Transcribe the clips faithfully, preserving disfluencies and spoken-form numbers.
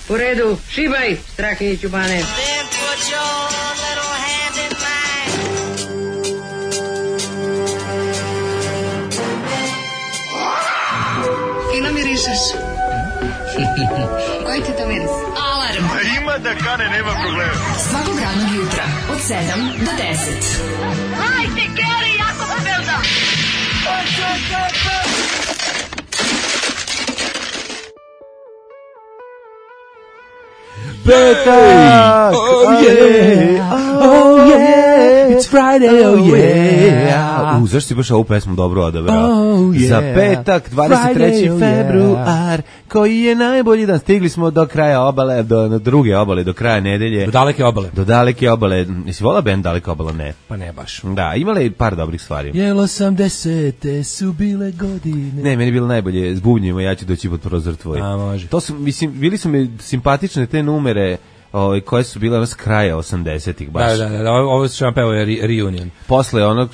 U redu, šibaj, Strahinjiću Bane. Fino mirišeš. Koji ti to miris? Alarm. A ima da kane, nema problema. Svakog radnog jutra, od sedam do deset. Hajde, Geri, jako se velda. Petak! Oh yeah! Oh yeah! It's Friday, oh yeah! U, zašto si baš ovu pesmu dobro odabrao? Oh yeah! Za petak, dvadeset treći februar, koji je najbolji dan. Stigli smo do kraja obale, do, do druge obale, do kraja nedelje. Do daleke obale. Do daleke obale. Jesi volao band Daleka obala? Ne. Pa ne baš. Da, imala je par dobrih stvari. Jel osamdesete su bile godine. Ne, meni je bilo najbolje s bubnjima, ja ću doći pod prozor tvoj. A, može. To su, mislim, bili su mi simpatične te numere, Ove, koje su bile s kraja osamdesetih baš. Da, da, da, ovo što vam peo je re, Reunion. Posle onog,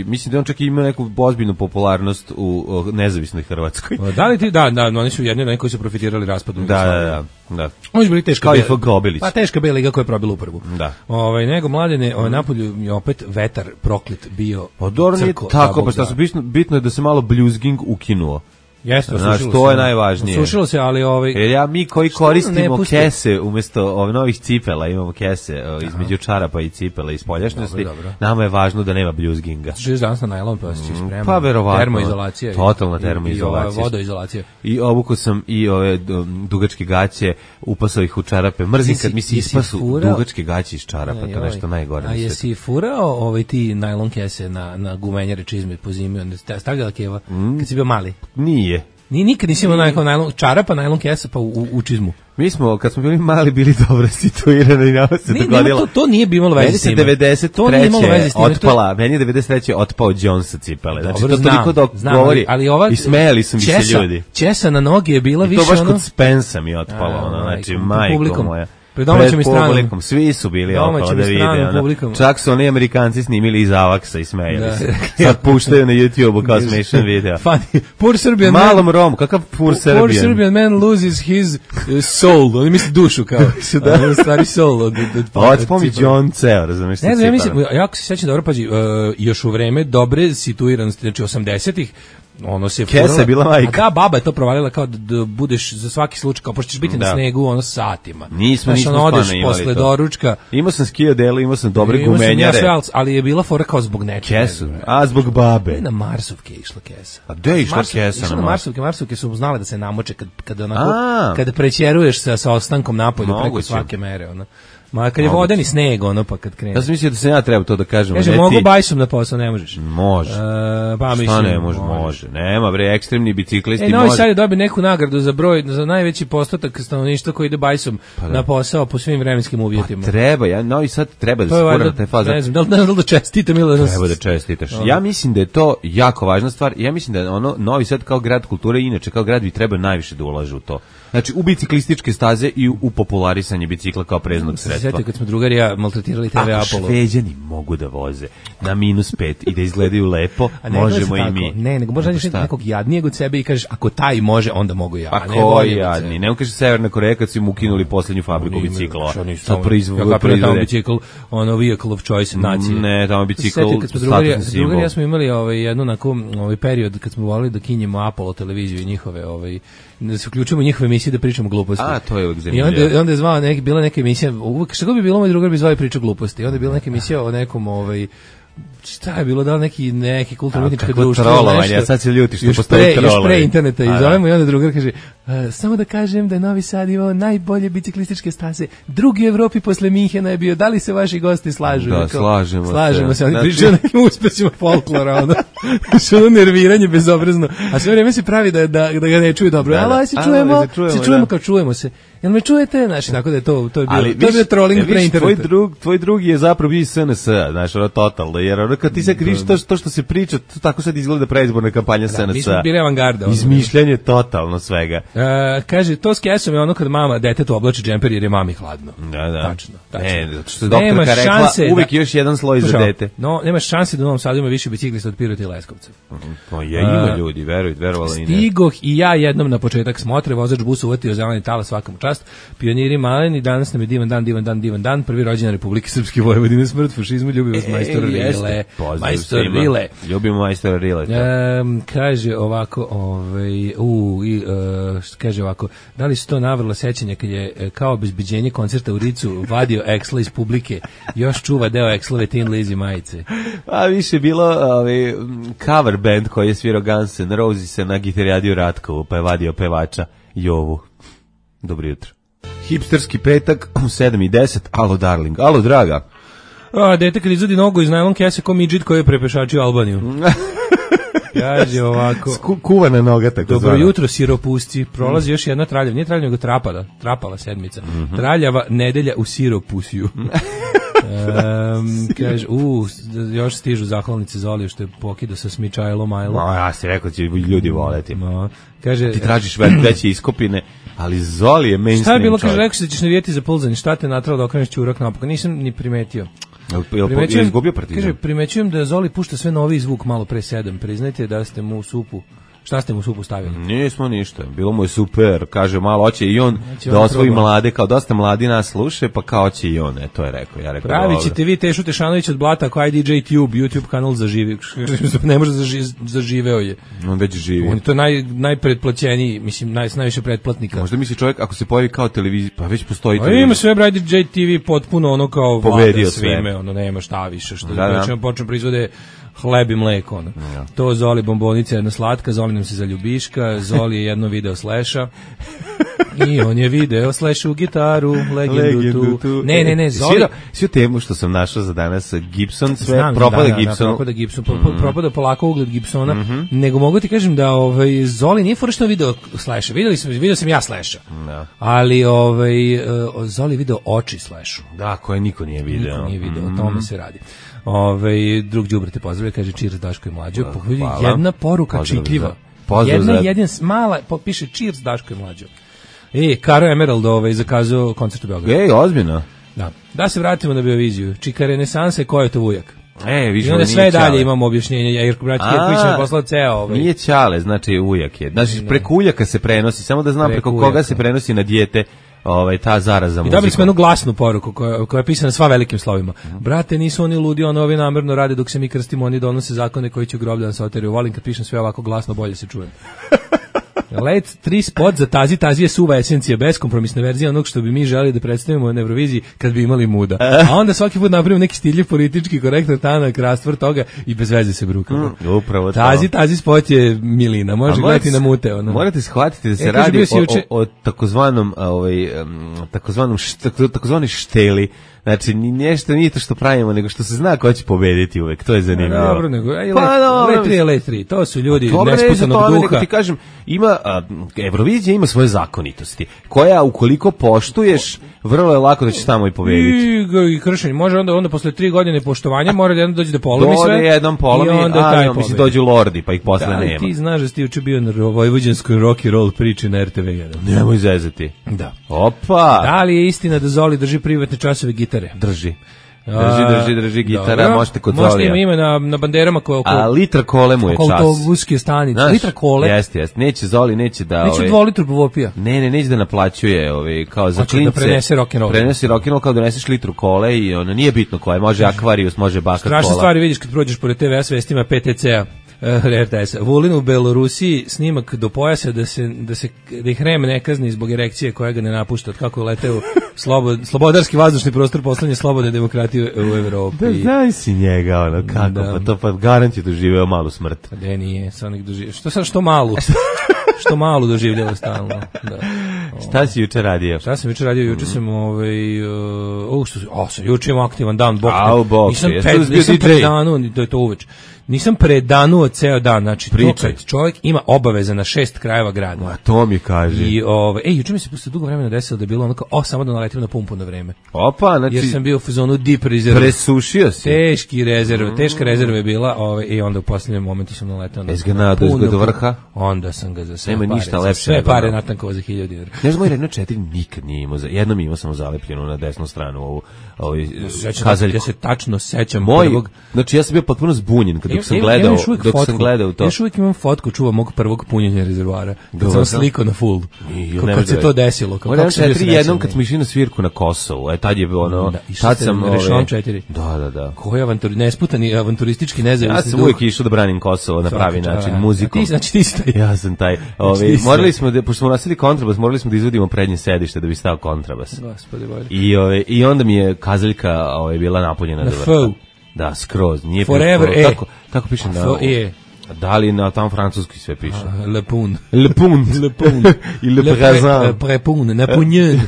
mislim da on čak imao neku ozbiljnu popularnost u, u nezavisnoj Hrvatskoj. Da li ti, da, da, oni su jedni od koji su profitirali raspadom. Da, da, da, da. Oni su bili teška kao i Fogobilić. Pa teška B liga koja je probila u prvu. Da. Ovaj, nego mladene, ovaj, napolju je opet vetar proklet bio. Odor nije tako, pa šta su bitno, bitno je da se malo bluesging ukinuo. Jeste, znaš, to je najvažnije. Sušilo se, ali ovaj jer ja mi koji koristimo kese umjesto ovih novih cipela, imamo kese o, između čarapa i cipela i spoljašnjosti. Nama je važno da nema bljuzginga. Živiš danas na najlon, pa si spremno. Pa verovatno. Termoizolacija. Totalna termoizolacija. I, i vodoizolacija. I obuku sam i ove dugačke gaće, upasao ih u čarape. Mrzim kad mi se ispasu dugačke gaće iz čarapa, to nešto najgore. A jesi furao ovaj ti najlon kese na na gumenjare čizme po zimi, onda stavljala keva kad si bio mali? Nije. Ni nikad nisi imao najlon, najlon čarapa, najlon kesa pa u, u čizmu. Mi smo, kad smo bili mali, bili dobro situirani i nama se nije, dogodilo. To, to nije bi imalo veze s tim. devedeset treće otpala, meni je devedeset treće otpao Jones sa cipele. Znači, dobro, to znam, toliko dok znam, govori ali, ali ova, i smejali su mi česa, se ljudi. Česa na noge je bila I više ono... to baš ono, kod Spensa mi je otpalo, a, ono, znači, majko moja. Pred domaćom i stranom. Svi su bili okolo da vide. Ono. Čak su oni Amerikanci snimili iz Avaksa i smejali se. Sad puštaju na YouTube-u kao smešan video. Funny. Poor Serbian Malom man. Rom, kakav poor Serbian? Poor Serbian man loses his uh, soul. Oni misli dušu kao. da. Stari soul. Od, od, od spomi John ceo, razumiješ? Ne znam, ja mislim, jako se sjećam dobro, pađi, uh, još u vreme dobre situiranosti, znači osamdesetih, ono se Kesa je bila majka. A da, baba je to provalila kao da, da budeš za svaki slučaj, kao pošto ćeš biti da. na snegu ono satima. Nismo, znaš, nismo ono, odeš posle to. Doručka. Imao sam skio delo, imao sam dobre imao gumenjare. Sam ja sve, ali je bila fora kao zbog nečega. Kesu, a zbog babe. Ne, na Marsovke je išla kesa. A gde je išla Marsov, kesa? Išla na Marsovke, Marsovke su znale da se namoče kad, kad, onako, kada prećeruješ sa, sa ostankom napolju preko svake mere. Ono. Ma kad je vodeni sneg, ono pa kad krene. Ja sam mislio da se ja treba to da kažem. Kaže, mogu ti... bajsom na posao, ne možeš. Može. E, pa mislim, šta ne može, može. Nema bre, ekstremni biciklisti e, može. Novi Sad je dobio neku nagradu za broj, za najveći postotak stanovništva koji ide bajsom pa na posao po svim vremenskim uvjetima. Pa treba, ja Novi Sad treba da se fura na taj fazon. Ne znam, da li, da li da čestitam ili da... Treba da čestitaš. Ja mislim da je to jako važna stvar. Ja mislim da ono Novi Sad kao grad kulture, inače kao grad bi trebao najviše da ulaže u to. Znači u biciklističke staze i u, u popularisanje bicikla kao preznog sredstva. Sjeti kad smo drugari ja maltretirali te ve Apollo. Ako Šveđani mogu da voze na minus pet i da izgledaju lepo, ne, možemo i mi. Ne, nego možda nađeš nekog jadnijeg od sebe i kažeš ako taj može, onda mogu ja. Pa ko je jadni? Ne, on kaže Severna Koreja kad su im ukinuli posljednju fabriku bicikla. Sad proizvode. Ja kapiram tamo bicikl, ono vehicle of choice nacije. Ne, tamo bicikl statusni simbol. Drugari ja smo imali ovaj, jednu onako, ovaj period kad smo volili da kinjemo Apollo televiziju i njihove, ovaj, da se uključimo u njihove emisije da pričamo gluposti. A, to je uvijek zanimljivo. I onda, onda je zvao neki, bila neka emisija, uvijek, šta god bi bilo, moj drugar bi zvao i pričao gluposti. I onda je bila neka emisija o nekom, ovaj, šta je bilo, da li neki, neki kulturno-umetničko društvo, trolovanje, a sad se ljuti što postoji trolovanje. Još pre interneta i zovemo i onda drugar kaže, samo da kažem da je Novi Sad imao najbolje biciklističke staze, drugi u Evropi posle Minhena je bio, da li se vaši gosti slažu? Da, slažemo se. Slažemo se, oni pričaju nekim uspesima folklora, ono, što ono nerviranje bezobrazno, a sve vrijeme se pravi da, da, da ga ne čuju dobro, ali se čujemo, se čujemo kao čujemo se. Jel me čujete? Znači, tako da je to, to je bilo, ali, to je bio trolling pre interneta. Tvoj, drug, tvoj drugi je zapravo bio S N S, znaš, ono totalno, jer ono kad ti se kriš to, to što se priča, to tako sad izgleda predizborna kampanja S N S. Mi smo bili avangarda. Izmišljanje totalno svega. Uh, kaže, to s kesom je ono kad mama detetu oblači džemper jer je mami hladno. Da, da. Tačno. tačno. Ne, zato što je doktorka rekla, uvijek da, još jedan sloj za dete. No, nemaš šanse da u Novom Sadu ima više biciklista od Pirota i Leskovca. Pa je, ima ljudi, verujte, verovala i ne. Stigoh i ja jednom na početak smotre, vozač busa uvatio zeleni talas svakom čast. Pioniri maleni, danas nam je divan dan, divan dan, divan dan, prvi rođendan Republike Srpske Vojvodine, smrt fašizmu, ljubimo s majstor Rile. Majstor Rile. Ljubimo majstor Rile. Um, kaže ovako, ovaj, u, i, uh, kaže ovako, da li su to navrlo sećanja kad je kao obezbeđenje koncerta u Ricu vadio Exla iz publike, još čuva deo Exlove Tin Lizzy majice. A više bilo ovaj, cover band koji je svirao Guns N' Roses na gitari radio Ratkovu, pa je vadio pevača Jovu. Dobro jutro. Hipsterski petak u sedam i deset. Alo, darling. Alo, draga. A, dete kad izvadi nogu iz najlon kese ko midžit koji je prepešačio Albaniju. Kaže ovako. Sku, kuvana noga, tako Dobro zvana. jutro, siropusci. Prolazi mm. još jedna traljava. Nije traljava, nego trapala. Trapala sedmica. Mm-hmm. Traljava nedelja u siropusiju. um, kaže, u, još stižu zahvalnice Zoliju što je pokidao sa Smičajlo Majlo. No, ja si rekao da će ljudi voleti. No. Kaže, ti tražiš veće iskopine, ali Zoli je mainstream. Šta je bilo, čovjek. kaže, rekao se da ćeš navijeti za pulzanje. Šta te natralo da okreneš čurak napokon? Nisam ni primetio. Je li izgubio Partizan? Kaže, primećujem da Zoli pušta sve novi zvuk malo pre sedam. Priznajte da ste mu u supu. Šta ste mu u supu stavili? Nismo ništa. Bilo mu je super. Kaže, malo hoće i on Neće da on osvoji proba. Mlade, kao dosta mladi nas sluše, pa kao hoće i on. E, to je rekao. Ja rekao, pravit ćete vi Tešu Tešanović od Blata ako I D J Tube, YouTube kanal zaživi. Ne može zaži, zaživeo je. On već živi. On je to naj, najpretplaćeniji, mislim, naj, najviše pretplatnika. Možda misli čovjek, ako se pojavi kao televizija, pa već postoji A televizija. ima sve I D J T V potpuno ono kao Pobedio vlada sve. svime, ono nema šta više. Što Da, da. znači počne proizvode hleb i mleko. Ono. Ja. To Zoli bombonica jedna slatka, Zoli nam se zaljubiška, Zoli je jedno video Slasha i on je video Slashu gitaru, legendu, Legendu tu. tu. Ne, ne, ne, Zoli... Svirao, svi temu što sam našao za danas, Gibson, sve Znam, propada da, da, Gibson. Da, propada Gibson, pro, pro, Mm. propada polako ugled Gibsona, Mhm. nego mogu ti kažem da ovaj, Zoli nije fora što video Slasha, videli sam, video sam ja Slasha, Da. ali ovaj, uh, Zoli video oči Slashu. Da, koje niko nije video. Niko nije video, Mm. o tome se radi. Ove, drug đubre te pozdravlja, kaže cheers Daško i Mlađo. Hvala. Jedna poruka Pozdrav čitljiva. za- pozdrav Jedna za- jedina mala, piše cheers Daško i Mlađo. E, Karo Emerald ovaj, zakazao koncert u Beogradu. Ej, ozbiljno. Da. Da se vratimo na Beoviziju. Čika renesanse, ko je to ujak? E, više I onda nije sve dalje Ćale. imamo objašnjenje. Jerko Brać Kirković je poslao ceo ovaj. Nije Ćale, znači ujak je. Znači, preko ujaka se prenosi, samo da znam preko, Preko koga ujaka. se prenosi na dijete ovaj, ta zaraza I muzikom. dobili smo jednu glasnu poruku koja, koja je pisana sva velikim slovima. Brate, nisu oni ludi, ono ovi namerno rade dok se mi krstimo, oni donose zakone koji će u groblje da se oteraju. Volim kad pišem sve ovako glasno, bolje se čujem. Let tri spot za Tazi, Tazi je suva esencija, beskompromisna verzija onog što bi mi želeli da predstavimo na Euroviziji kad bi imali muda. A onda svaki put napravimo neki stiljiv politički korektno tanak rastvor toga i bez veze se brukamo. Mm, upravo to. Tazi, Tazi spot je milina, može A gledati morate- na mute. Ono. Morate shvatiti da se E, kaže, radi bio si o, juče- o, o takozvanom, a, ovaj, um, takozvanom št, takozvani šteli. Znači, ni nešto nije to što pravimo, nego što se zna ko će pobediti uvek. To je zanimljivo. Dobro, nego, ej, Pa, let, dobro, let tri je let tri, to su ljudi Dobro, ne za nesputanog to, nego duha. ti kažem, ima, a, Eurovizija ima svoje zakonitosti, koja ukoliko poštuješ, vrlo je lako da ćeš tamo i pobediti. I, i kršenje, može onda, onda posle tri godine poštovanja mora da jednom dođe da polomi sve. Dođe jednom polomi, i onda a taj ja, mislim, pobedi. dođu lordi, pa ih posle Da li nema. ti znaš da si ti juče bio na vojvođanskoj rock and roll priči na R T V jedan? Nemoj zezati. Da. Opa! Da li je istina da Zoli drži privatne časove gitare? Drži. Drži, drži, drži gitara, Dobro. možete kod Možete Zolija. ima ime na, na banderama koje oko, A litra kole mu je oko čas. autobuske stanice. Znaš, Litra kole. Jeste, jeste. Neće Zoli, neće da... Neću ovaj, dvolitru bovopija. Ne, ne, neće da naplaćuje, ovaj, kao za Hoće da klince. prenese rock'n'roll. Prenesi rock'n'roll kao doneseš litru kole i ono, nije bitno koje, može Aquarius, može Bakat Strašne kola. stvari vidiš kad prođeš pored T V S vestima P T C-a. R T S. Vulin u Belorusiji snimak do pojasa da se da se da ih R E M ne kazni zbog erekcije koja ga ne napušta od kako je leteo slobod, slobodarski vazdušni prostor poslednje slobodne demokratije u Evropi. Da, znaš si njega, ono, kako, Da. pa to pa garant je doživeo malu smrt. Ne, nije, sa onih doživljava. Što sad, što malu? Što malu doživljava stalno, da. Šta si juče radio? Šta sam juče radio? Juče sam ovaj uh, što o, sam juče imam aktivan dan, bok. Au, bok. Nisam pred, nisam predanu, to je to uveč. Nisam predanuo ceo dan, znači to kad čovjek ima obaveze na šest krajeva grada. A to mi kaže. I ovaj ej, juče mi se posle dugo vremena desilo da je bilo onako, o, samo da naletim na pumpu na vreme. Opa, znači jer sam bio u fazonu deep reserve. Presušio si. Teški rezerve, teška rezerva je bila, ovaj i onda u poslednjem momentu sam naletao na. Izganado iz do vrha. Onda sam ga za sve. Nema pare, ništa lepše. Sve pare natankovao za hiljadu dinara. Ne znam, Renault četiri nikad nije imao, jednom imao samo zalepljeno na desnu stranu ovu ovaj kazaljku. Ja se tačno sećam Moj, prvog. Znači ja sam bio potpuno zbunjen kad sam gledao, dok fotku. sam gledao to. Ja još uvijek imam fotku čuva mog prvog punjenja rezervoara. Kad sam sliko na full. Kako kad se to desilo. Kako Renault četiri jednom kad smo išli na svirku na Kosovu. E tad je bilo ono, da, tad sam Renault četiri. Da, da, da. Koji avantur, nesputani avanturistički nezavisni. Ja sam uvijek išao da branim Kosovo na pravi način, muzikom. Ti znači ti si taj. Ja sam taj. Ovaj morali smo da pošto smo nosili kontrabas, morali smo da izvodimo prednje sedište da bi stao kontrabas. Gospode Bože. I ovaj i onda mi je kazaljka ovaj bila napunjena do vrha. Da, skroz, nije Forever e. Tako, tako piše na. E. Da li na tam francuski sve piše? Le pun. Le pun. Le pun. I le présent. Prepun, napunjen.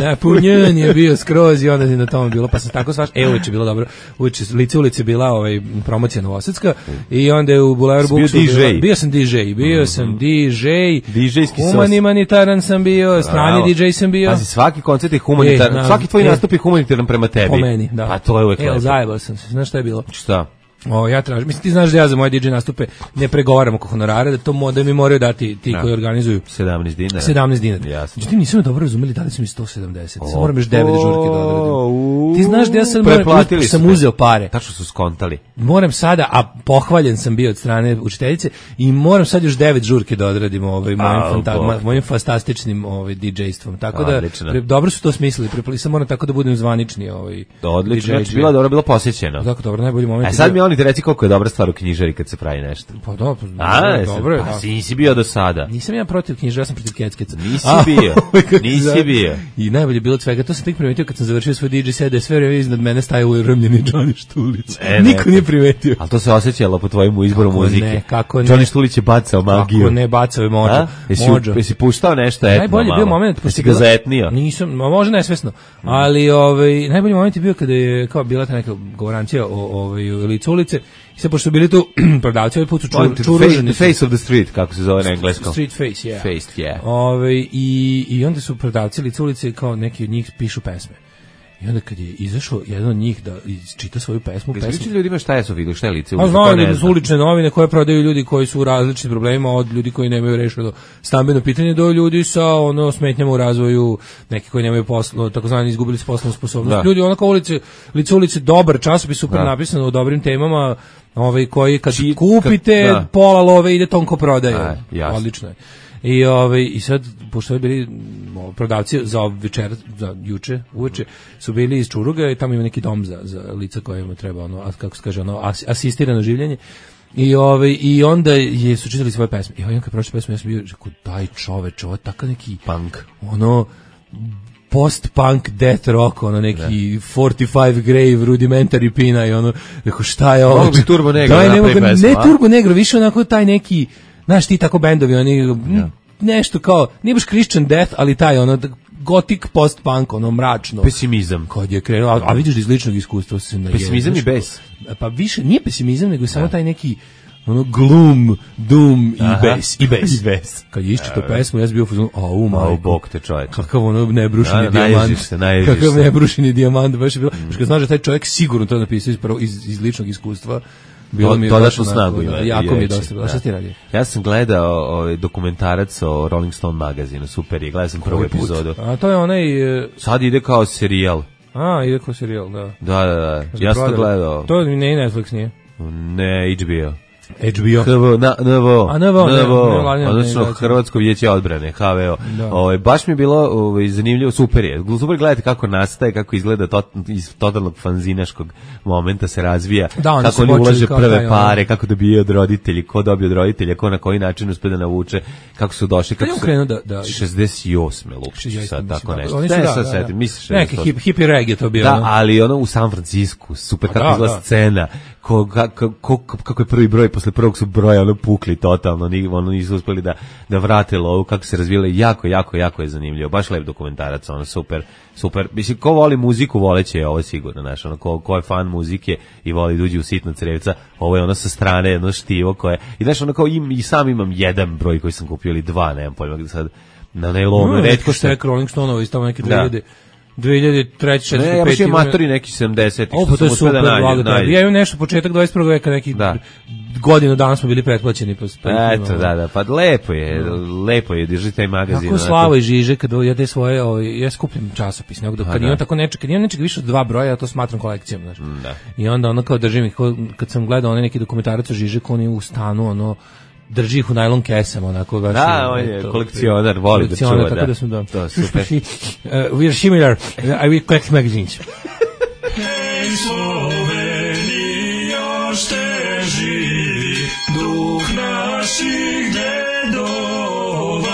Napunjen je bio skroz i onda je na tome bilo, pa sam tako svaš, e, uliče bilo dobro. Uliče, lice ulice bila ovaj, promocija Novosadska i onda je u Bulevar Buksu bio, bio sam D J, bio sam D J, D J-ski humanitaran sam bio, strani D J sam bio. Pazi, svaki koncert je humanitaran, e, svaki tvoj e, nastup je humanitaran prema tebi. Po meni, da. Pa to je uvek lepo. E, zajebao sam se, znaš šta je bilo? Šta? O, ja tražim, mislim ti znaš da ja za moje D J nastupe ne pregovaram oko honorara, da to mo, da mi moraju dati ti da. Koji organizuju sedamnaest dinara. sedamnaest dinara. Jasno. Međutim nisam dobro razumeli da li su mi sto sedamdeset. Sad moram još devet žurke da odradim. Ti znaš da ja sad moram, sam uzeo pare. Tačno su skontali. Moram sada, a pohvaljen sam bio od strane učiteljice i moram sad još devet žurke da odradim ovaj mojim fanta, mojim fantastičnim ovaj D J-stvom. Tako da pre, dobro su to smislili. Prepli sam moram tako da budem zvanični ovaj. Odlično, znači bilo dobro, bilo posjećeno. Tako dobro, najbolji moment. A sad mi oni ti reci koliko je dobra stvar u knjižari kad se pravi nešto. Pa da, pa a, dobro je. Pa si nisi bio do sada. Nisam ja protiv knjižara, ja sam protiv keckeca. Nisi bio, nisi bio. I najbolje bilo od svega, to sam tek primetio kad sam završio svoj D J set, da je sve vreme iznad mene stajao urmljeni Johnny Štulić. E, niko nije primetio. Ali to se osjećalo po tvojemu izboru kako muzike. Ne, kako ne. Johnny Štulić je bacao magiju. Kako ne, bacao je mođo. Jesi, jesi puštao nešto etno? Najbolji bio moment, jesi ga zaetnio? Nisam, možda nesvesno, ali ovaj, najbolji moment je bio kada je kao bila ta neka govorancija o ovaj, licu ulice. I sad, pošto su bili tu prodavci, ovaj put su čur, čuruženi. The face of the street, kako se zove na engleskom. Street face, yeah. Face, yeah. Ove, i, I onda su prodavci lice ulice, kao neki od njih pišu pesme. I onda kad je izašao jedan od njih da čita svoju pesmu, pesmu. Znači ljudima šta je su vidio, šta je lice ulice? A znaju da su ulične novine koje prodaju ljudi koji su u različitim problemima, od ljudi koji nemaju rešeno stambeno pitanje do ljudi sa ono smetnjama u razvoju, neki koji nemaju poslo, takozvani izgubili su poslovnu sposobnost. Da. Ljudi onako ulice, lice ulice, dobar časopis, super da. Napisano o dobrim temama, ovaj koji kad Či, kupite kad, da. Pola love ide tonko prodaje. A, odlično je. I ovaj i sad pošto je bili prodavci za večer, za juče, uveče su bili iz Čuruga i tamo ima neki dom za za lica kojima treba ono, kako se kaže, ono as, asistirano življenje. I ovaj i onda je su čitali svoje pesme. I ovaj kad prošle pesme ja sam bio rekao daj čoveče, ovo takav neki punk. Ono post-punk death rock, ono neki ne. forty-five Grave, Rudimentary Pina i ono, rekao šta je ovo? Mogu Turbo Negro daj, ne, ne Turbo Negro, više onako taj neki, znaš ti tako bendovi, oni ja. Nešto kao, nije baš Christian Death, ali taj ono, gothic post-punk, ono mračno. Pesimizam. Kad je krenuo, a, a vidiš da iz ličnog iskustva se na pesimizam i bes. Pa više, nije pesimizam, nego je samo taj neki ono gloom, doom i bes, i bes. I bes. Kad je iščitao pesmu, ja sam bio u fazonu, a u majko. A u bok te čovjek. Kakav ono nebrušeni da, dijamant. Naježiš se, naježiš Kakav se. nebrušeni dijamant, baš je bilo. Mm. Kad znaš da taj čovjek sigurno to napisao iz, iz, iz ličnog iskustva, bilo to, mi je dodatnu snagu ima. Jako mi je dosta bilo. Šta ti radio? Ja sam gledao ovaj dokumentarac o Rolling Stone magazinu, super je, gledao sam prvu epizodu. A to je onaj... Sad ide kao serijal. A, ide kao serijal, da. Da, da, da. Ja sam to gledao. To ne Netflix nije? Ne, H B O. H B O. H V O, na, N V O. A, N V O, N V O. ne, ne, Odnosno, Hrvatsko vijeće odbrane, H V O. Ovaj baš mi je bilo ovaj zanimljivo, super je. Super gledati kako nastaje, kako izgleda to, iz totalnog fanzinaškog momenta se razvija, da, kako oni ulaže prve taj, pare, ono. Kako dobije od roditelji, ko dobije od roditelja, ko na koji način uspe da navuče, kako su došli, kako su da, da, šezdeset osme Lukšić, sad tako da, nešto. Ne, da, sad da, misliš neki hip, hippie reggae to bio. Da, ali ono u San Francisku, super kako izgleda scena, ko, kako, kako je prvi broj posle prvog su broja ono pukli totalno, ni, ono nisu uspeli da, da vrate lovu, kako se razvijele, jako, jako, jako je zanimljivo, baš lep dokumentarac, ono super, super, mislim, ko voli muziku, voleće je ovo sigurno, znaš, ono, ko, ko je fan muzike i voli da uđe u sitno crevca, ovo je ono sa strane, jedno štivo koje, i znaš, ono kao im, i sam imam jedan broj koji sam kupio, ili dva, nemam pojma, sad, na najlonu, no, redko što je Rolling Stoneova iz tamo neke dve hiljade dve hiljade treće, četvrte, ne, ja baš je matori neki sedamdeset. O, pa to je super, da blago da. Ja imam nešto početak dvadeset prvog veka, neki da. Godinu dana smo bili pretplaćeni. Pa, pa eto, da, da, pa lepo je, no. lepo je, drži taj magazin. Kako Slavo i Žiže, kad ja te svoje, ovaj, ja skupljam časopis, nego kad imam tako nečeg, kad imam nečeg više od dva broja, ja to smatram kolekcijom, znaš. Da. I onda ono kao držim ih, kad sam gledao onaj neki dokumentarac o Žiže, ko oni u stanu, ono, drži ih u najlon kesama, onako baš. Da, on je kolekcionar, voli da čuva, da. Tako da sam da. To, super. uh, we are similar, I will collect magazines. Hej, Sloveni, još te živi, duh naših dedova.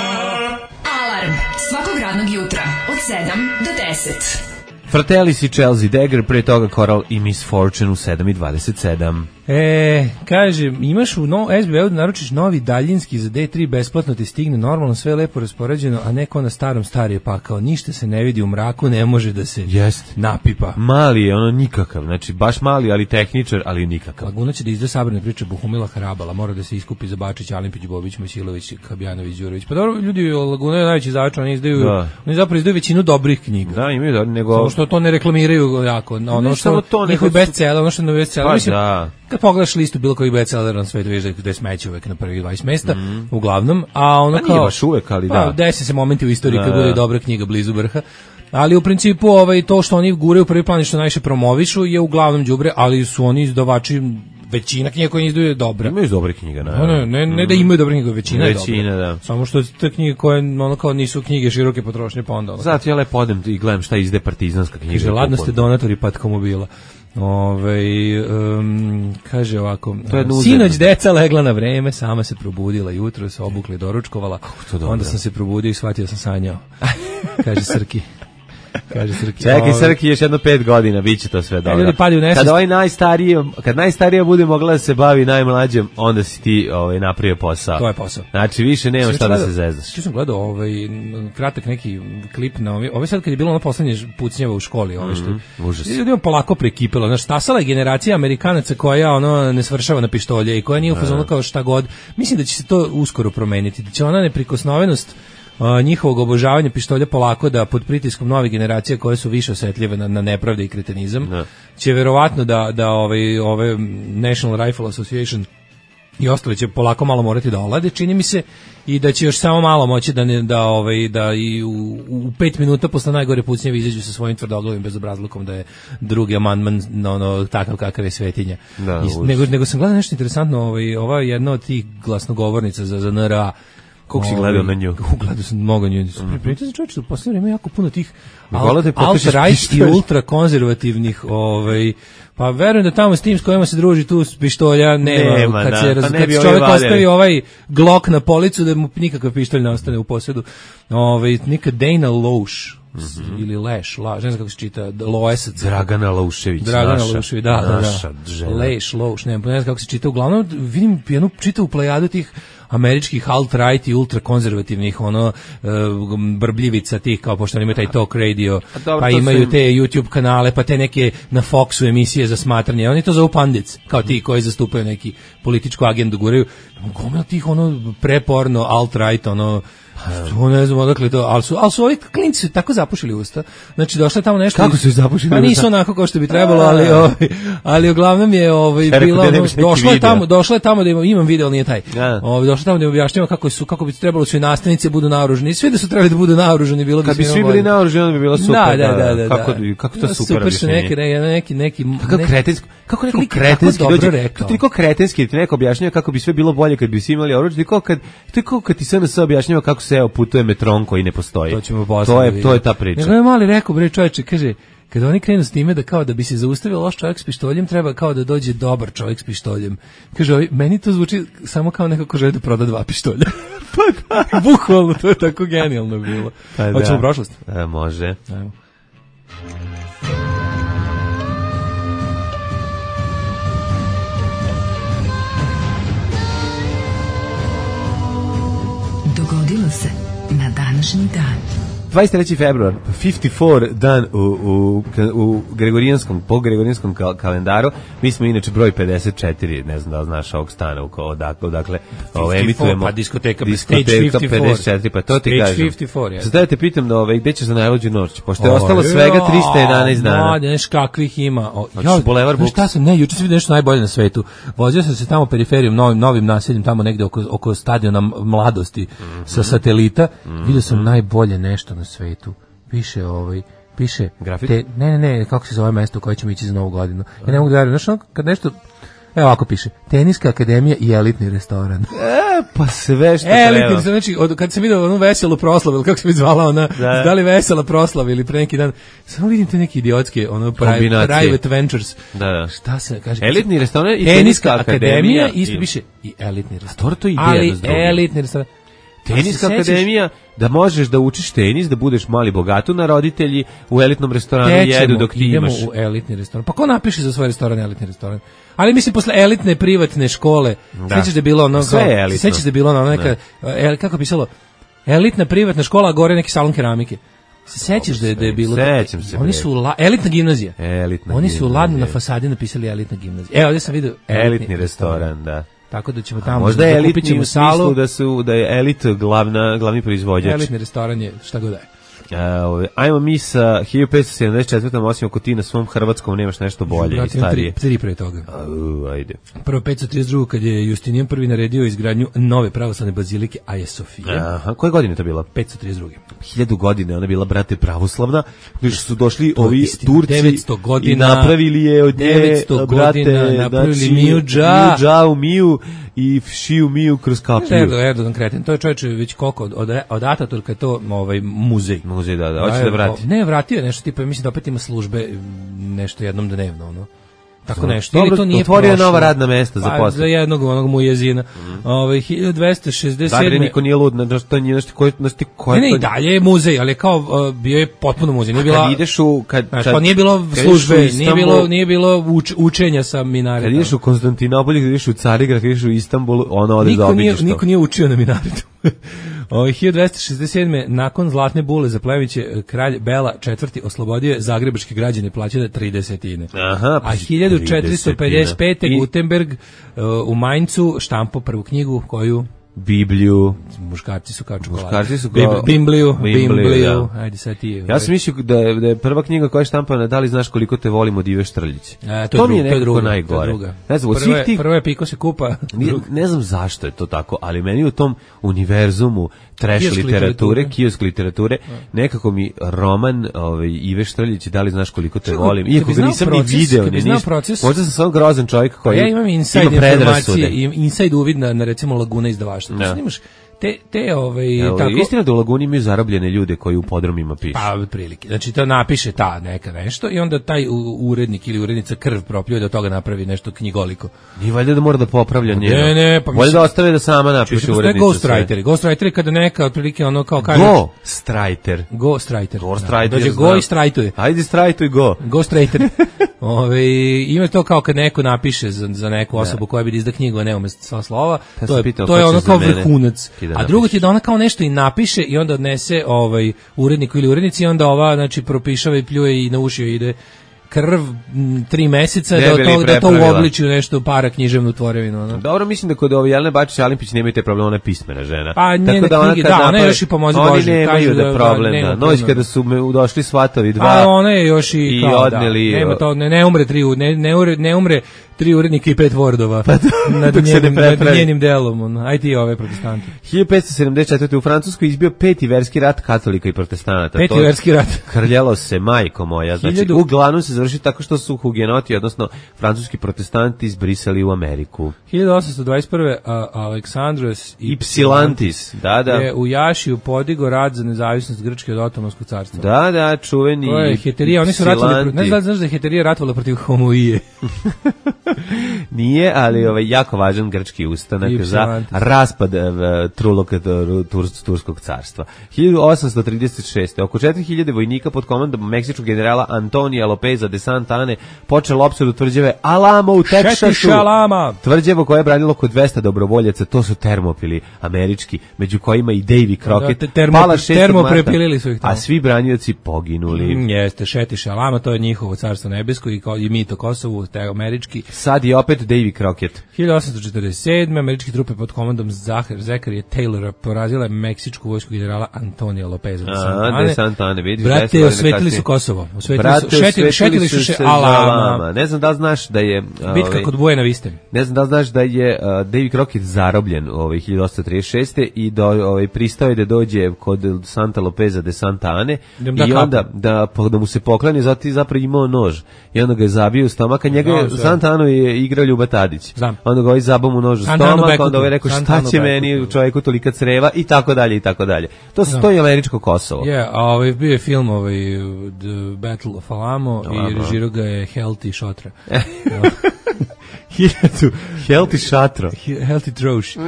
Alarm svakog radnog jutra od sedam do deset. Fratellis i Chelsea Dagger, pre toga Coral i Miss Fortune u sedam i dvadeset sedam. E, kaže, imaš u no, S B U da naručiš novi daljinski za D tri, besplatno ti stigne, normalno sve lepo raspoređeno, a neko na starom starije pakao, ništa se ne vidi u mraku, ne može da se Jest. napipa. Mali je, ono nikakav, znači baš mali, ali tehničar, ali nikakav. Laguna će da izda sabrane priče Buhumila Harabala, mora da se iskupi za Bačić, Alimpić, Bobić, Mojsilović, Kabjanović, Đurović. Pa dobro, ljudi, Laguna je najveći izdavač, oni izdaju, da. oni zapravo izdaju većinu dobrih knjiga. Da, imaju da, nego... Samo što to ne reklamiraju jako, ono što to, njihovi bestseller, ono što je bestseller, pa, mislim, da. Kad pogledaš listu bilo kojih bestsellera na svetu, vidiš da je smeće uvek na prvih dvadeset mesta, mm. uglavnom, a ono pa kao... nije baš uvek, ali pa, da. Desi se momenti u istoriji da, kad bude dobra knjiga blizu vrha, ali u principu ovaj, to što oni guraju u prvi plan i što najviše promovišu je uglavnom đubre, ali su oni izdavači, većina knjiga koje izdaju je dobra. Imaju dobre knjige, ne, ne, ne, ne da imaju dobre knjige, većina, većina je dobra. Da. Samo što te knjige koje ono kao nisu knjige široke potrošnje, pa onda... Ono, zato ja lepo odem i gledam šta izde partizanska knjiga. Kaže, ladno ste donatori patkomobila. Ove, um, kaže ovako, sinoć deca legla na vreme, sama se probudila jutro, se obukla i doručkovala, onda sam se probudio i shvatio sam sanjao. Kaže Srki. Kaže Srki. Čekaj, Srki, još jedno pet godina, bit će to sve dobro. Kad ovaj najstariji, kad najstarija bude mogla da se bavi najmlađem, onda si ti ovaj, napravio posao. To je posao. Znači, više nema šta da se zezdaš. Što sam gledao ovaj, kratak neki klip na ovaj, ovaj sad kad je bilo ono poslednje pucnjeva u školi, ovaj što mm-hmm, užas. Ljudima polako prekipilo. Znači, stasala je generacija Amerikanaca koja ono ne svršava na pištolje i koja nije u fazonu kao šta god. Mislim da će se to uskoro promeniti. Da će ona neprikosnovenost Uh, njihovog obožavanja pištolja polako da pod pritiskom nove generacije koje su više osetljive na, na nepravde i kretenizam ne. će verovatno da, da ovaj, ove National Rifle Association i ostale će polako malo morati da olade, čini mi se, i da će još samo malo moći da ne, da ovaj da i u, u pet minuta posle najgore pucnjeve izađu sa svojim tvrdoglavim bezobrazlukom da je drugi amandman no, no, takav kakav je svetinja. Da, I, nego, nego sam gledao nešto interesantno, ovaj, ova je jedna od tih glasnogovornica za, za N R A. Kako si gledao na nju? Gledao sam mnogo nju. Pripričao sam čovječe, u posljednje vreme jako puno tih alt-right i ultrakonzervativnih, ovaj, pa verujem da tamo s tim s kojima se druži tu s pištolja nema, nema kad, se, da, pa kad se čovjek ostavi ovaj glok na policu da mu nikakav pištolj ne ostane u posjedu. Ovaj, neka Dana Loesch, mm-hmm. ili Leš, la, ne znam kako se čita, Loesac. Dragana Laušević, Dragana naša, Laušević, da, da, da. Leš, Loeš, ne znam kako se čita. Uglavnom, vidim jednu čitavu plejadu tih američkih alt-right i ultrakonzervativnih ono uh, brbljivica tih, kao pošto imaju taj talk radio, dobro, pa imaju te YouTube kanale, pa te neke na Foxu emisije za smatranje. Oni to zovu pandits, kao ti koji zastupaju neki političku agendu, guraju. Gomila tih ono preporno alt-right, ono to ne znam odakle to, ali su, ali su ovi klinci su tako zapušili usta. Znači došlo je tamo nešto. Kako su ih zapušili usta? Pa nisu onako kao što bi trebalo, ali ovaj, ali uglavnom je ovaj bilo ono, došlo je tamo, došlo je tamo da imam, imam video, ali nije taj. Ovaj došlo tamo da im objašnjava kako su kako bi trebalo su i nastavnici budu naoružani. Svi da su trebali da budu naoružani, bilo bi kad bi svi bili naoružani, onda bi bilo super. Da, da, da, da, kako kako to super. Super su neki neki neki kako kretenski, kako neko kretenski dođe. To niko kretenski ti neko objašnjava kako bi sve bilo bolje kad bi svi imali oružje, kao kad to je kao kad ti S N S objašnjava kako se evo putuje metron koji ne postoji. To ćemo to je to je ta priča. Nego je mali rekao, bre čoveče, kaže kada oni krenu s time da kao da bi se zaustavio loš čovjek s pištoljem, treba kao da dođe dobar čovjek s pištoljem. Kaže, ovaj, meni to zvuči samo kao neko ko želi da proda dva pištolja. Pa da, bukvalno, to je tako genijalno bilo. Pa da. Hoćemo u prošlost? E, može. Ajmo. Dogodilo se na današnji dan. dvadeset treći februar, pedeset četiri dan u, u, u gregorijanskom, po gregorijanskom kal kalendaru. Mi smo inače broj pedeset četiri, ne znam da li znaš ovog stana, odakle, odakle ovo emitujemo. Pa diskoteka, diskoteka pedeset četiri, pa to ti kažem. pedeset četiri, ja. Sada da te pitam da ovaj, gde ćeš za najluđu noć, pošto je ostalo svega trista jedanaest dana. Mlade, neš kakvih ima. O, ja, Boulevard Books. Šta sam, ne, juče sam vidio nešto najbolje na svetu. Vozio sam se tamo periferijom, novim, novim naseljem, tamo negde oko, oko stadiona Mladosti, mm -hmm. sa satelita. Mm -hmm. Vidio sam najbolje nešto na svetu. Piše ovaj, piše te, ne, ne, ne, kako se zove mesto u koje ćemo ići za Novu godinu. Ja ne mogu da verujem, znaš, kad nešto, evo ovako piše, Teniska akademija i elitni restoran. E, pa sve što e, elitni restoran, znači, od, kad sam vidio onu veselu proslavu, ili kako se mi zvala ona, da, da li vesela proslava ili pre neki dan, samo vidim te neke idiotske, ono, private, private ventures. Da, da. Šta se kaže? Elitni restoran i Teniska akademija, isto piše i elitni restoran. A to je ideja ali da zdobimo. Elitni restoran. Teniska akademija, da možeš da učiš tenis, da budeš mali bogatu na roditelji, u elitnom restoranu Tećemo, jedu dok ti idemo imaš. u elitni restoran. Pa ko napiše za svoj restoran elitni restoran? Ali mislim posle elitne privatne škole, da. sećaš da je bilo ono, sve je elitno. Sećaš da je bilo ono neka, el, kako je pisalo, elitna privatna škola, a gore neki salon keramike. Se sećaš da je, da je bilo? Sećam se. Oni su la, elitna gimnazija. Elitna Oni su gimnazija. ladno na fasadi napisali elitna gimnazija. Evo, ovdje sam vidio elitni, elitni restoran, restoran, da. Tako da ćemo tamo, možda je elitni u salu, smislu da su da je elit glavna glavni proizvođač. Elitni restoran je šta god da je. Uh, ajmo mi sa hiljadu petsto sedamdeset četvrtom osim ako ti na svom hrvatskom nemaš nešto bolje i starije. Tri, tri pre toga. Uh, ajde. Prvo petsto trideset dva kad je Justinijan prvi naredio izgradnju nove pravoslavne bazilike Aje Sofije. Aha, koje godine to bila? petsto trideset dva. Hiljadu godine ona bila, brate, pravoslavna, gdje su došli to ovi istina. Turci devetsto godina, i napravili je od nje, devetsto brate, godina napravili znači, Miju Dža. Miju Dža u Miju i Šiju Miju kroz kapiju. Erdogan, Erdogan kreten, to je čovječe već koliko, od, od, od Ataturka je to ovaj, muzej. Muzej, da, da, hoće da vrati. Ne, vratio je nešto, tipa, mislim da opet ima službe nešto jednom dnevno, ono. Tako nešto. Dobro, ili to nije otvorio prošlo, nova radna mesta za posao. Za jednog onog mujezina. Mm. Ove, hiljadu dvesta šezdeset sedme. Da, niko nije lud, na što nije nešto koji nešto koji. Ne, ne, dalje je muzej, ali kao uh, bio je potpuno muzej. Nije bila. Kad ideš u kad, znaš, kad pa nije bilo službe, nije bilo nije bilo uč, učenja sa minaretom. Kad ideš u Konstantinopolj, kad ideš u Carigrad, kad ideš u Istanbul, ono ode za obiđeš. Niko nije učio na minaretu. O, hiljadu dvesta šezdeset sedme nakon Zlatne bule za Pleviće, kralj Bela četvrti oslobodio zagrebačke građane plaćanja tridesetine. Aha, a hiljadu četiristo pedeset pete Gutenberg uh, u Maincu štampo prvu knjigu koju Bibliju. Muškarci su kao čokolada. Muškarci su kao... Bimbliju, Bimbliju. Bimbliju. Ajde sad ti. Ja sam mislio da je, da je prva knjiga koja je štampana, da li znaš koliko te volimo od Ive Štrljić. E, to, to je mi je nekako druga, najgore. To je ne znam, od prvo, svih tih... prvo je Piko se kupa. Ne, ne znam zašto je to tako, ali meni u tom univerzumu trash kiosk literature, literature. kiosk literature, nekako mi roman ovaj, Ive Štrljić, da li znaš koliko te Čuko, volim. Iako ga nisam proces, ni video, ni ništa. Proces, možda sam samo grozan čovjek koji ja imam inside ima predrasude. Inside uvid na, na recimo Laguna izdavaštva. Da. Imaš te te ovaj Evo, tako istina da u Laguni imaju zarobljene ljude koji u podrumima pišu. Pa otprilike. Znači to napiše ta neka nešto i onda taj urednik ili urednica krv propljuje da od toga napravi nešto knjigoliko. Nije valjda da mora da popravlja njeno. Ne, ne, pa valjda da ostave da sama napiše urednica. Ghostwriter. Ghostwriter kada neka otprilike ono kao kaže Ghostwriter. Ghostwriter. Ghostwriter. Dođe go i strajtuje. Ajde strajtuj go. Ghostwriter. Ove, ima to kao kad neko napiše za, za neku osobu koja bi da izda knjigu, a ne ume sva slova, ja to je, pitao, to je ono kao vrhunac. Da a drugo ti je da ona kao nešto i napiše i onda odnese ovaj, uredniku ili urednici i onda ova znači, propišava i pljuje i na uši ide krv m, tri meseca da to, da to uobliči u nešto para književnu tvorevinu. Ono. Dobro, mislim da kod ove Jelene Bačić Alimpić nemaju te probleme, ona je pismena žena. Pa njene da knjige, da, ona je još i pomozi Bože. Oni nemaju da problem, da. Noć kada su me došli svatovi dva. A ona je još i, i kao, odneli, da, nema to, ne, ne umre tri, ne, ne, umre, ne umre tri urednika i pet Wordova pa nad, njenim, nad njenim delom. On. Aj ti ove protestanti. hiljadu petsto sedamdeset četvrte u Francuskoj izbio peti verski rat katolika i protestanata. Peti verski rat. Krljalo se, majko moja. Znači, Hiljadu... uglavnom se završi tako što su hugenoti, odnosno francuski protestanti izbrisali u Ameriku. hiljadu osamsto dvadeset prve a, Aleksandros Ypsilantis, da, da. je u Jašiju podigo rat za nezavisnost Grčke od Otomanskog carstva. Da, da, čuveni. To je heterija, oni su ratovali, ne znaš da je heterija ratovala protiv homoije. Nije, ali ovaj jako važan grčki ustanak za raspad uh, trulog turs, turskog carstva. hiljadu osamsto trideset šeste oko četiri hiljade vojnika pod komandom meksičkog generala Antonija Lopeza de Santa Ane počelo opsadu tvrđave Alamo u Teksasu. Tvrđavo koje je branilo oko dvesta dobrovoljaca, to su termopili američki, među kojima i Davy Crockett. Da, termo, termoprepilili su ih tamo. A svi branioci poginuli. Mm, jeste, Šetiš Alama, to je njihovo carstvo nebesko i, i mito Kosovu, te američki. Sad je opet Davy Crockett. hiljadu osamsto četrdeset sedme američke trupe pod komandom Zakarija Taylora porazile meksičku vojsku generala Antonija Lopeza de Santa Ane. De Santa Ane, vidiš. Brate, osvetili su Kosovo. Osvetili Brate, su, šetili, šetili su se Alama. Ne znam da li znaš da je... Bitka ovaj, kod Bujena Viste. Ne znam da li znaš da je uh, Davy Crockett zarobljen ovaj, hiljadu osamsto trideset šeste i do, ovaj, pristao je da dođe kod Santa Lopeza de Santa Ane da i onda da, da mu se poklani, zato je zapravo imao nož. I onda ga je zabio u stomak, a njega je, Santa Anu je igrao Ljuba Tadić. Znam. Onda ga ovaj zabao mu nož u stomak, onda ovaj rekao šta će meni u čovjeku tolika creva i tako dalje i tako dalje. To su to je američko Kosovo. Je, yeah, a ovaj bio je film ovaj The Battle of Alamo no, i režirao ga je Helti Šotra. Hiljadu, Helti Šatro. Helti Troš. Uh,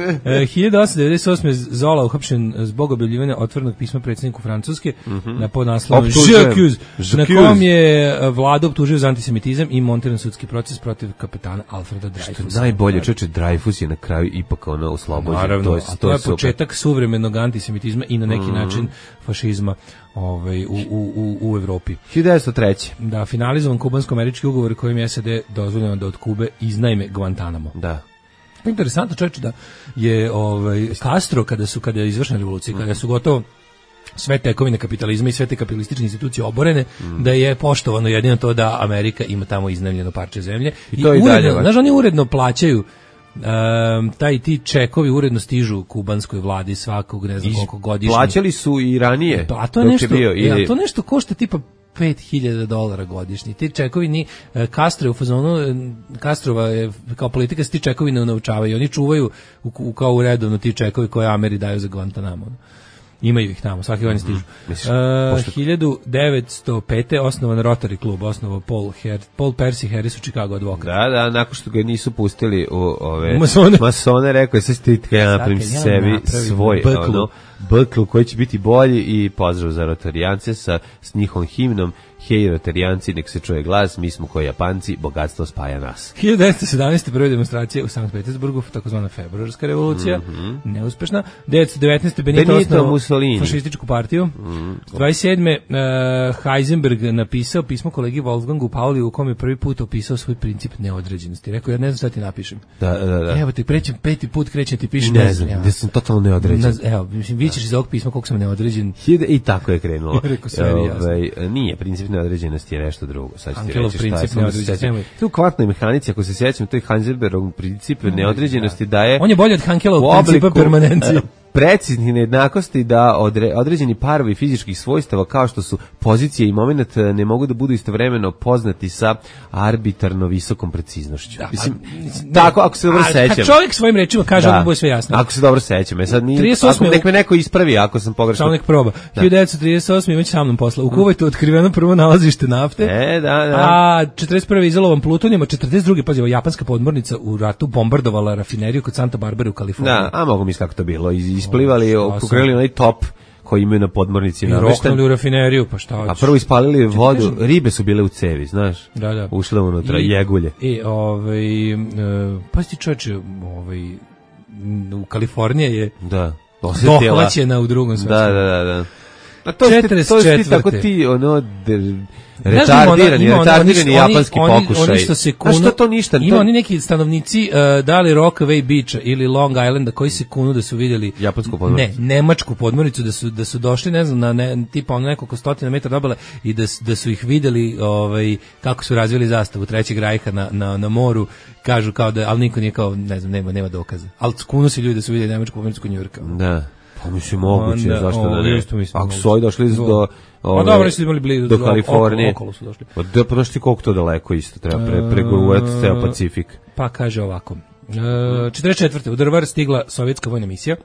hiljadu osamsto devedeset osme Zola uhapšen zbog objavljivanja otvorenog pisma predsjedniku Francuske mm -hmm. na podnaslovom J'accuse, na kom je vlada optužio za antisemitizam i montiran sudski proces protiv kapetana Alfreda Dreyfusa. Što najbolje, čoče, Dreyfus je na kraju ipak ono oslobođen. Naravno, to je, a to je početak suvremenog antisemitizma i na neki mm -hmm. način fašizma ovaj, u, u, u, u Evropi. hiljadu devetsto treće. Da, finalizovan kubansko-američki ugovor kojim je S A D dozvoljeno da od Kube iznajme Guantanamo. Da. Interesantno, čovječe, da je ovaj, Castro, kada su kada je izvršena revolucija, mm. kada su gotovo sve tekovine kapitalizma i sve te kapitalističke institucije oborene, mm. da je poštovano jedino to da Amerika ima tamo iznajmljeno parče zemlje. I, I to i dalje. Znaš, oni uredno plaćaju Um, taj ti čekovi uredno stižu kubanskoj vladi svakog ne znam koliko godišnje. Plaćali su i ranije. A to je nešto, bio, ili... ja, to nešto košta tipa pet hiljada dolara godišnje. Ti čekovi ni Castro u fazonu, Castrova je kao politika se ti čekovi ne unaučavaju. Oni čuvaju u, u, kao u redovno ti čekovi koje Ameri daju za Guantanamo. Imaju ih tamo, svaki godin stižu. Mm -hmm. uh, hiljadu devetsto pete osnovan Rotary klub, osnovao Paul, Her, Paul Percy Harris u Chicago advokat. Da, da, nakon što ga nisu pustili u ove masone, masone rekao je sad stitka ja napravim sebi svoj ono, B-klub koji će biti bolji i pozdrav za Rotarijance sa s njihovom himnom Hej Rotarijanci, nek se čuje glas, mi smo koji Japanci, bogatstvo spaja nas. hiljadu devetsto sedamnaeste prve demonstracije u Sankt Petersburgu, takozvana februarska revolucija, mm -hmm. neuspešna. devetsto devetnaeste Benito, Benito osnovao fašističku partiju. Mm -hmm. dvadeset sedme Uh, Heisenberg napisao pismo kolegi Wolfgangu Pauli u kome je prvi put opisao svoj princip neodređenosti. Rekao, ja ne znam šta ti napišem. Da, da, da. Evo te, prećem, peti put krećem ti pišem. Ne znam, da sam totalno neodređen. Na, evo, mislim, vi ćeš iz ovog pisma koliko sam neodređen. I tako je krenulo. Rekao, sve mi jasno. Ove, nije, princip neodređenosti je nešto drugo. Sad ću ti reći šta je. Neodređenosti. Tu u kvantnoj mehanici, ako se sjećam, to je Heisenbergov princip neodređenosti daje... On je bolji od Hankelovog principa permanencije. Preciznih nejednakosti da odre, određeni parovi fizičkih svojstava kao što su pozicija i moment ne mogu da budu istovremeno poznati sa arbitarno visokom preciznošću. Da, mislim, ne, tako, ako se dobro sećam. Kad čovjek svojim rečima kaže, da, bude sve jasno. Ako se dobro sećam. E sad mi, ako nek me neko ispravi ako sam pogrešno. Samo nek proba. hiljadu devetsto trideset osme imać sa mnom posla. U Kuvajtu otkriveno prvo nalazište nafte. E, da, da. A četrdeset prve izolovan plutonijom, a četrdeset druge pazi, japanska podmornica u ratu bombardovala rafineriju kod Santa Barbare u Kaliforniji. Da, a mogu misliti kako to bilo. Isplivali, pokrenuli onaj top koji imaju na podmornici. I roknuli u rafineriju, pa šta hoćeš. A prvo ispalili vodu, ribe su bile u cevi, znaš. Da, da. Ušle unutra, I, jegulje. I, ovaj, uh, pa si ti čovječe, ovaj, u Kalifornija je da, dohvaćena u drugom svetskom. Da, da, da, da. A to je to je tako ti ono de, retardirani, retardirani japanski oni, pokušaj. Oni što se kunu, a što to ništa? Ima to... oni neki stanovnici uh, da li Rockaway Beacha ili Long Islanda koji se kunu da su vidjeli japansku podmornicu. Ne, nemačku podmornicu da su da su došli, ne znam, na ne, tipa ono nekoliko stotina metara dobile i da da su ih videli ovaj kako su razvili zastavu Trećeg rajha na na na moru, kažu kao da al niko nije kao ne znam, nema nema dokaza. Al kunu se ljudi da su videli nemačku podmornicu kod Njujorka. Da. Pa mislim moguće, onda, zašto o, da ne? Ako su ovi došli do... do ove, a dobro, su imali blizu do Kalifornije. Okolo, okolo su došli. Pa da, pa znaš ti koliko to daleko isto, treba pre, preguruvati uh, ceo Pacifik. Pa kaže ovako. Uh, četrdeset četvrte u Drvar stigla sovjetska vojna misija.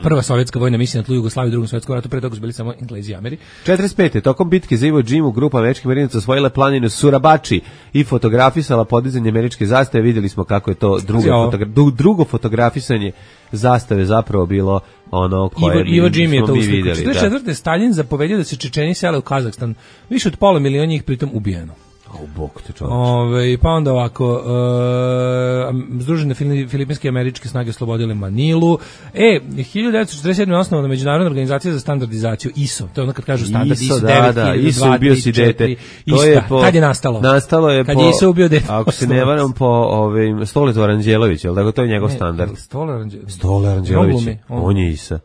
Prva sovjetska vojna misija na tlu Jugoslavije u Drugom svjetskom ratu, pre toga su bili samo Englezi i Ameri. četrdeset pete tokom bitke za Iwo Jimu grupa američkih marinaca osvojila planinu Surabači i fotografisala podizanje američke zastave. Vidjeli smo kako je to drugo, fotogra drugo fotografisanje zastave zapravo bilo ono koje Iwo Jim je to vidjeli. četrdeset četvrte Stalin zapovedio da se Čečeni sele u Kazahstan. Više od pola miliona njih pritom ubijeno. O, bog te čovječe. Ove, pa onda ovako, uh, Združene filipinske i američke snage oslobodile Manilu. E, hiljadu devetsto četrdeset sedme je osnovana Međunarodna organizacija za standardizaciju I S O. To je ono kad kažu standard I S O, da, da, I S O ubio si dete. To je po, kad je nastalo? Nastalo je kad po, je I S O ubio dete. Ako se ne varam, po ovim, Stolica Aranđelović, jel tako, to je njegov ne, standard. Stolar Aranđelović. Stolar Aranđelović, on, on je I S A.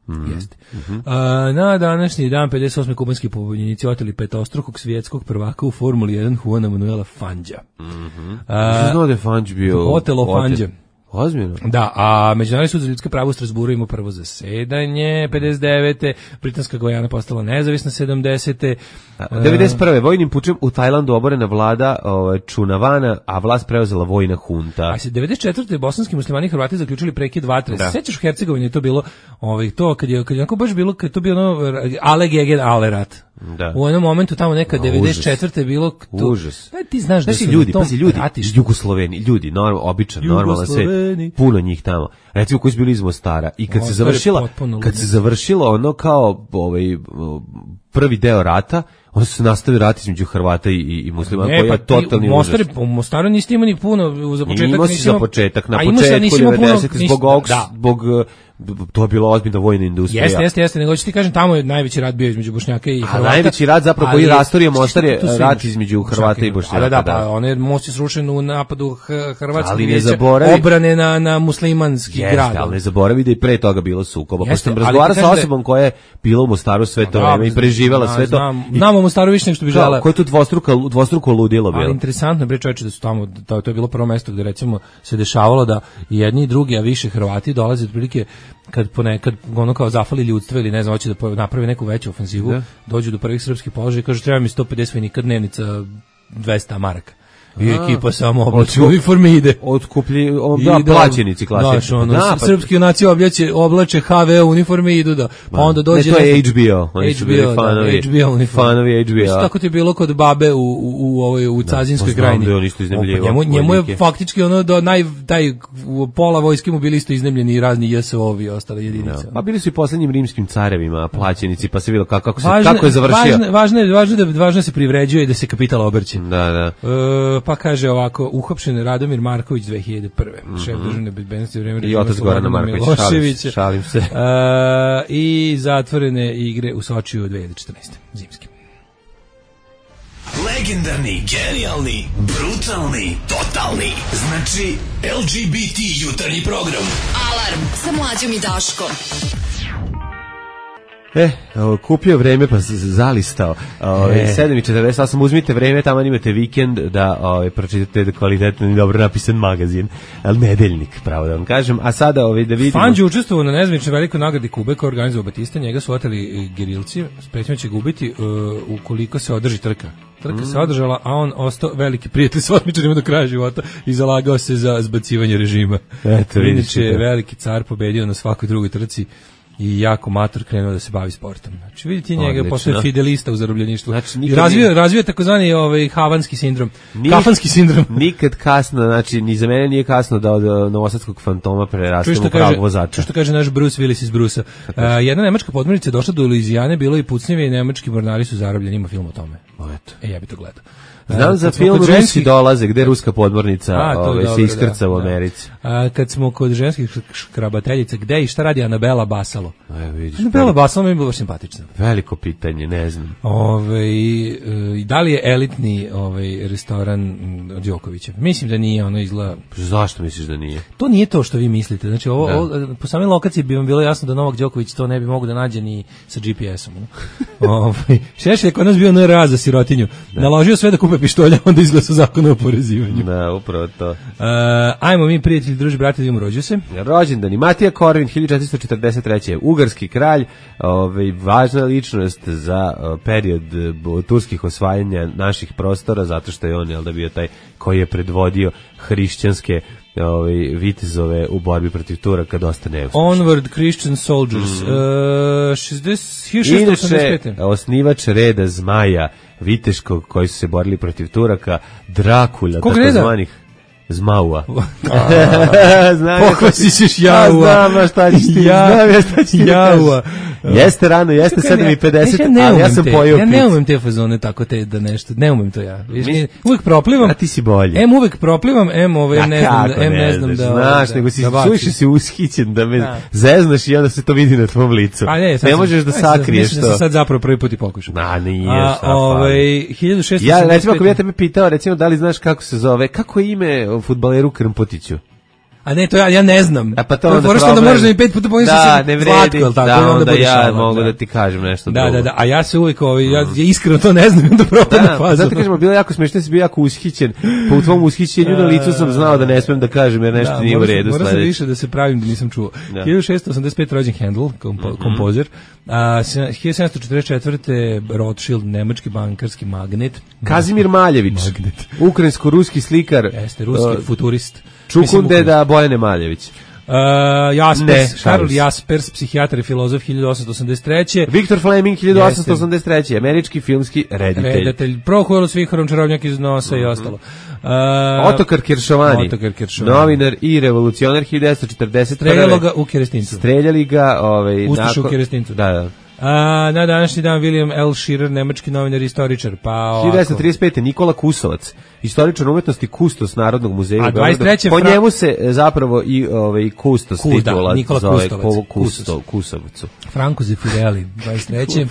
Mm. Jeste. Mm-hmm. A, na današnji dan pedeset osme kubanski pobunjenici oteli petostrukog svjetskog prvaka u Formuli jedan Juana Manuela Fangija. Mhm. Što znao da je Fangio bio? Otelo Fangija. Ozbiljno. Da, a Međunarodni sud za ljudska prava u Strasburu ima prvo zasedanje pedeset devete Britanska Gojana postala nezavisna sedamdesete devedeset prve vojnim pučem u Tajlandu oborena vlada o, Čunavana, a vlast preuzela vojna hunta. A se devedeset četvrte bosanski muslimani i Hrvati zaključili prekid vatre. Da. Sećaš u Hercegovini je to bilo, ovaj to kad je kad je onako baš bilo kad to bio ono Ale Gegen Ale rat. Da. U jednom momentu tamo neka devedeset četvrte je bilo to. Užas. Da ti znaš da znači, su ljudi, pazi ljudi, ratiš. Jugosloveni, ljudi, normal, običan, normalan sve, puno njih tamo. Recimo koji su bili iz Mostara i kad o, se završila kad se završilo ono kao ovaj prvi deo rata, onda se nastavi rat između Hrvata i, i muslima, koji je totalni užas. U Mostaru niste imali ni puno za početak. Imao si za početak, na početku devedesetih zbog ovog, zbog to je bila ozbiljna vojna industrija. Jeste, jeste, jeste, nego ću ti kažem, tamo je najveći rat bio između Bošnjaka i Hrvata. A najveći rat zapravo koji rastorio Mostar je rat između Hrvata i Bošnjaka. Da, da, pa on je most je srušen u napadu Hrvatske vijeća obrane na, na muslimanski grad. Jeste, ali ne zaboravi da i pre toga bilo sukoba. Pa sam razgovarao sa osobom koja je bila u Mostaru sve to vreme i preživela sve to. Znamo u Mostaru više nego što bi želela. Koje tu dvostruko, dvostruko ludilo bilo. Ali interesantno, bre čoveče, da su tamo, to je bilo prvo mesto gde recimo se dešavalo da jedni i drugi, a više Hrvati dolaze otprilike kad ponekad ono kao zafali ljudstvo ili ne znam, hoće da napravi neku veću ofenzivu, da. Dođu do prvih srpskih položaja i kažu treba mi sto pedeset vojnika, dnevnica dvesta maraka. I ekipa samo oblači uniforme ide. Otkuplji, da, plaćenici klasični. Ono, da, pa, srpski junaci oblače, oblače ha ve uniforme i idu da. Pa onda dođe... Ne, to je H B O. Oni su bili fanovi. H B O uniforme. Fanovi H B O. Tako ti je bilo kod babe u, u, u, ovoj, u Cazinskoj krajini. Da, on isto iznemljivo. Njemu, njemu je faktički ono do naj, taj pola vojske mu bili isto iznemljeni i razni J S O-vi i ostale jedinice. Pa bili su i poslednjim rimskim carevima plaćenici, pa se videlo kako, kako, se, važne, kako je završio. Važno je, važno da, važno se privređuje i da se kapital obrće. Da, da. E, pa kaže ovako, uhapšen Radomir Marković dve hiljade prve. Mm -hmm. Šef državne bezbednosti u vreme i otac Gorana Markovića, šalim, šalim se. Uh, I zatvorene igre u Sočiju dve hiljade četrnaeste. Zimske. Legendarni, genijalni, brutalni, totalni. Znači, L G B T jutarnji program. Alarm sa Mlađom i Daškom. E, kupio vreme pa zalistao. E. sedam i četrdeset osam, uzmite vreme, tamo imate vikend da ove, pročitate kvalitetno i dobro napisan magazin, ali nedeljnik, pravo da vam kažem. A sada ove, da vidimo... Fangio učestvovao na nezvaničnoj velikoj nagradi Kube koju organizovao Batista, njega su oteli gerilci, sprećno će gubiti uh, ukoliko se održi trka. Trka mm. se održala, a on ostao veliki prijatelj s otmičarima do kraja života i zalagao se za zbacivanje režima. Eto, inače, veliki car pobedio na svakoj drugoj trci i jako mator krenuo da se bavi sportom. Znači vidite njega postaje fidelista u zarobljeništvu. Znači nikad razvio nije... razvio takozvani ovaj havanski sindrom, Nik, kafanski sindrom. Nikad kasno, znači ni za mene nije kasno da od novosadskog fantoma prerastemo u pravog vozača. Što kaže naš Bruce Willis iz Brusa. Uh, jedna nemačka podmornica je došla do Luizijane, bilo i pucnjeve i nemački mornari su zarobljeni, ima film o tome. O, eto. E ja bih to gledao. Znam za film Rusi ženskih... dolaze, gde ruska podmornica a, ove, dobro, se iskrca da, u Americi. Da. A, kad smo kod ženskih škrabateljica, gde i šta radi Anabela Basalo? A, vidiš, Anabela veliko... Basalo mi je bilo baš simpatična. Veliko pitanje, ne znam. Ove, i da li je elitni ovaj, restoran od Đokovića? Mislim da nije, ono izgleda... Zašto misliš da nije? To nije to što vi mislite. Znači, ovo, ovo, po samoj lokaciji bi vam bilo jasno da Novak Đoković to ne bi mogu da nađe ni sa G P S-om. Ovaj, Šešelj je kod nas bio N R A za sirotinju. Da. Naložio sve da kupe pištolja, onda izglasa zakon o oporezivanju. Da, upravo to. Uh, ajmo mi, prijatelji, druži, brate, da imamo rođu se. Rođendani. Matija Korvin, hiljadu četiristo četrdeset treće. Ugarski kralj, ovaj, važna ličnost za uh, period uh, turskih osvajanja naših prostora, zato što je on, jel da, bio taj koji je predvodio hrišćanske ovaj vitezove u borbi protiv Turaka dosta neuspešno. Onward Christian Soldiers. Mm -hmm. uh, šezdeset osamdeset pete. Osnivač reda zmaja viteškog koji su se borili protiv Turaka, Drakula, Kog takozvanih. Zmaua. Pokvasi ćeš jaua. Znam šta ćeš ti. Znam ja šta ćeš ti. Jaua. Jeste rano, jeste sedam i pedeset, ali ja sam pojeo picu. Ja ne umem te fazone tako te da nešto, ne umem to ja. Mi, uvijek proplivam. A ti si bolji. Em uvijek proplivam, em ovaj ne znam, em ne znam da. Znaš, nego si suviše si ushićen da me zeznaš i onda se to vidi na tvom licu. Ne možeš da sakriješ to. Mislim da sad zapravo prvi put i pokušam. Na, nije. Ovaj hiljadu šessto Ja recimo ako ja tebe pitao, recimo da li znaš kako se zove, kako je ime fudbaleru Krmpotiću? A ne, to ja, ja ne znam. A pa to onda problem. Da možeš da mi pet puta pomisliš da, se Zlatko, ili tako, da, onda, onda ja šalan, mogu da. da ti kažem nešto da, drugo. Da, da, a ja se uvijek, ovaj, ja, ja iskreno to ne znam, da propadam da, fazu. Zato kažemo, bilo jako smiješno, si bio jako ushićen, pa u tvom ushićenju na licu sam znao da ne smijem da kažem, jer nešto da, nije u redu. Moram sam više da se pravim da nisam čuo. Da. hiljadu šessto osamdeset pet rođen Handel, kompo, mm-hmm. kompozer, a hiljadu sedamsto četrdeset četvrte Rothschild, nemački bankarski magnet. Kazimir Maljević, ukrajinsko-ruski slikar. Jeste, ruski uh, futurist. Čukundeda Bojane Maljević. Uh, Jaspers, Karl Jaspers, psihijatar i filozof hiljadu osamsto osamdeset treće Viktor Fleming hiljadu osamsto osamdeset treće američki filmski reditelj. Reditelj, Prohorov Svihorom, čarobnjak iz nosa mm-hmm. i ostalo. Uh, Otokar Kiršovani, novinar i revolucionar hiljadu devetsto četrdeset prve Streljalo ga u Kerestincu. Streljali ga, ovaj, Ustašu u Kerestincu. Da, da. A, na današnji dan William L. Shearer, nemački novinar i istoričar. Pa hiljadu devetsto trideset pete Nikola Kusovac, istoričar umetnosti, kustos Narodnog muzeja. A dvadeset treće Po njemu se zapravo i ovaj kustos titula Nikola zove Kustovac, Kusto, Kusovcu. Franco Zeffirelli, dvadeset treće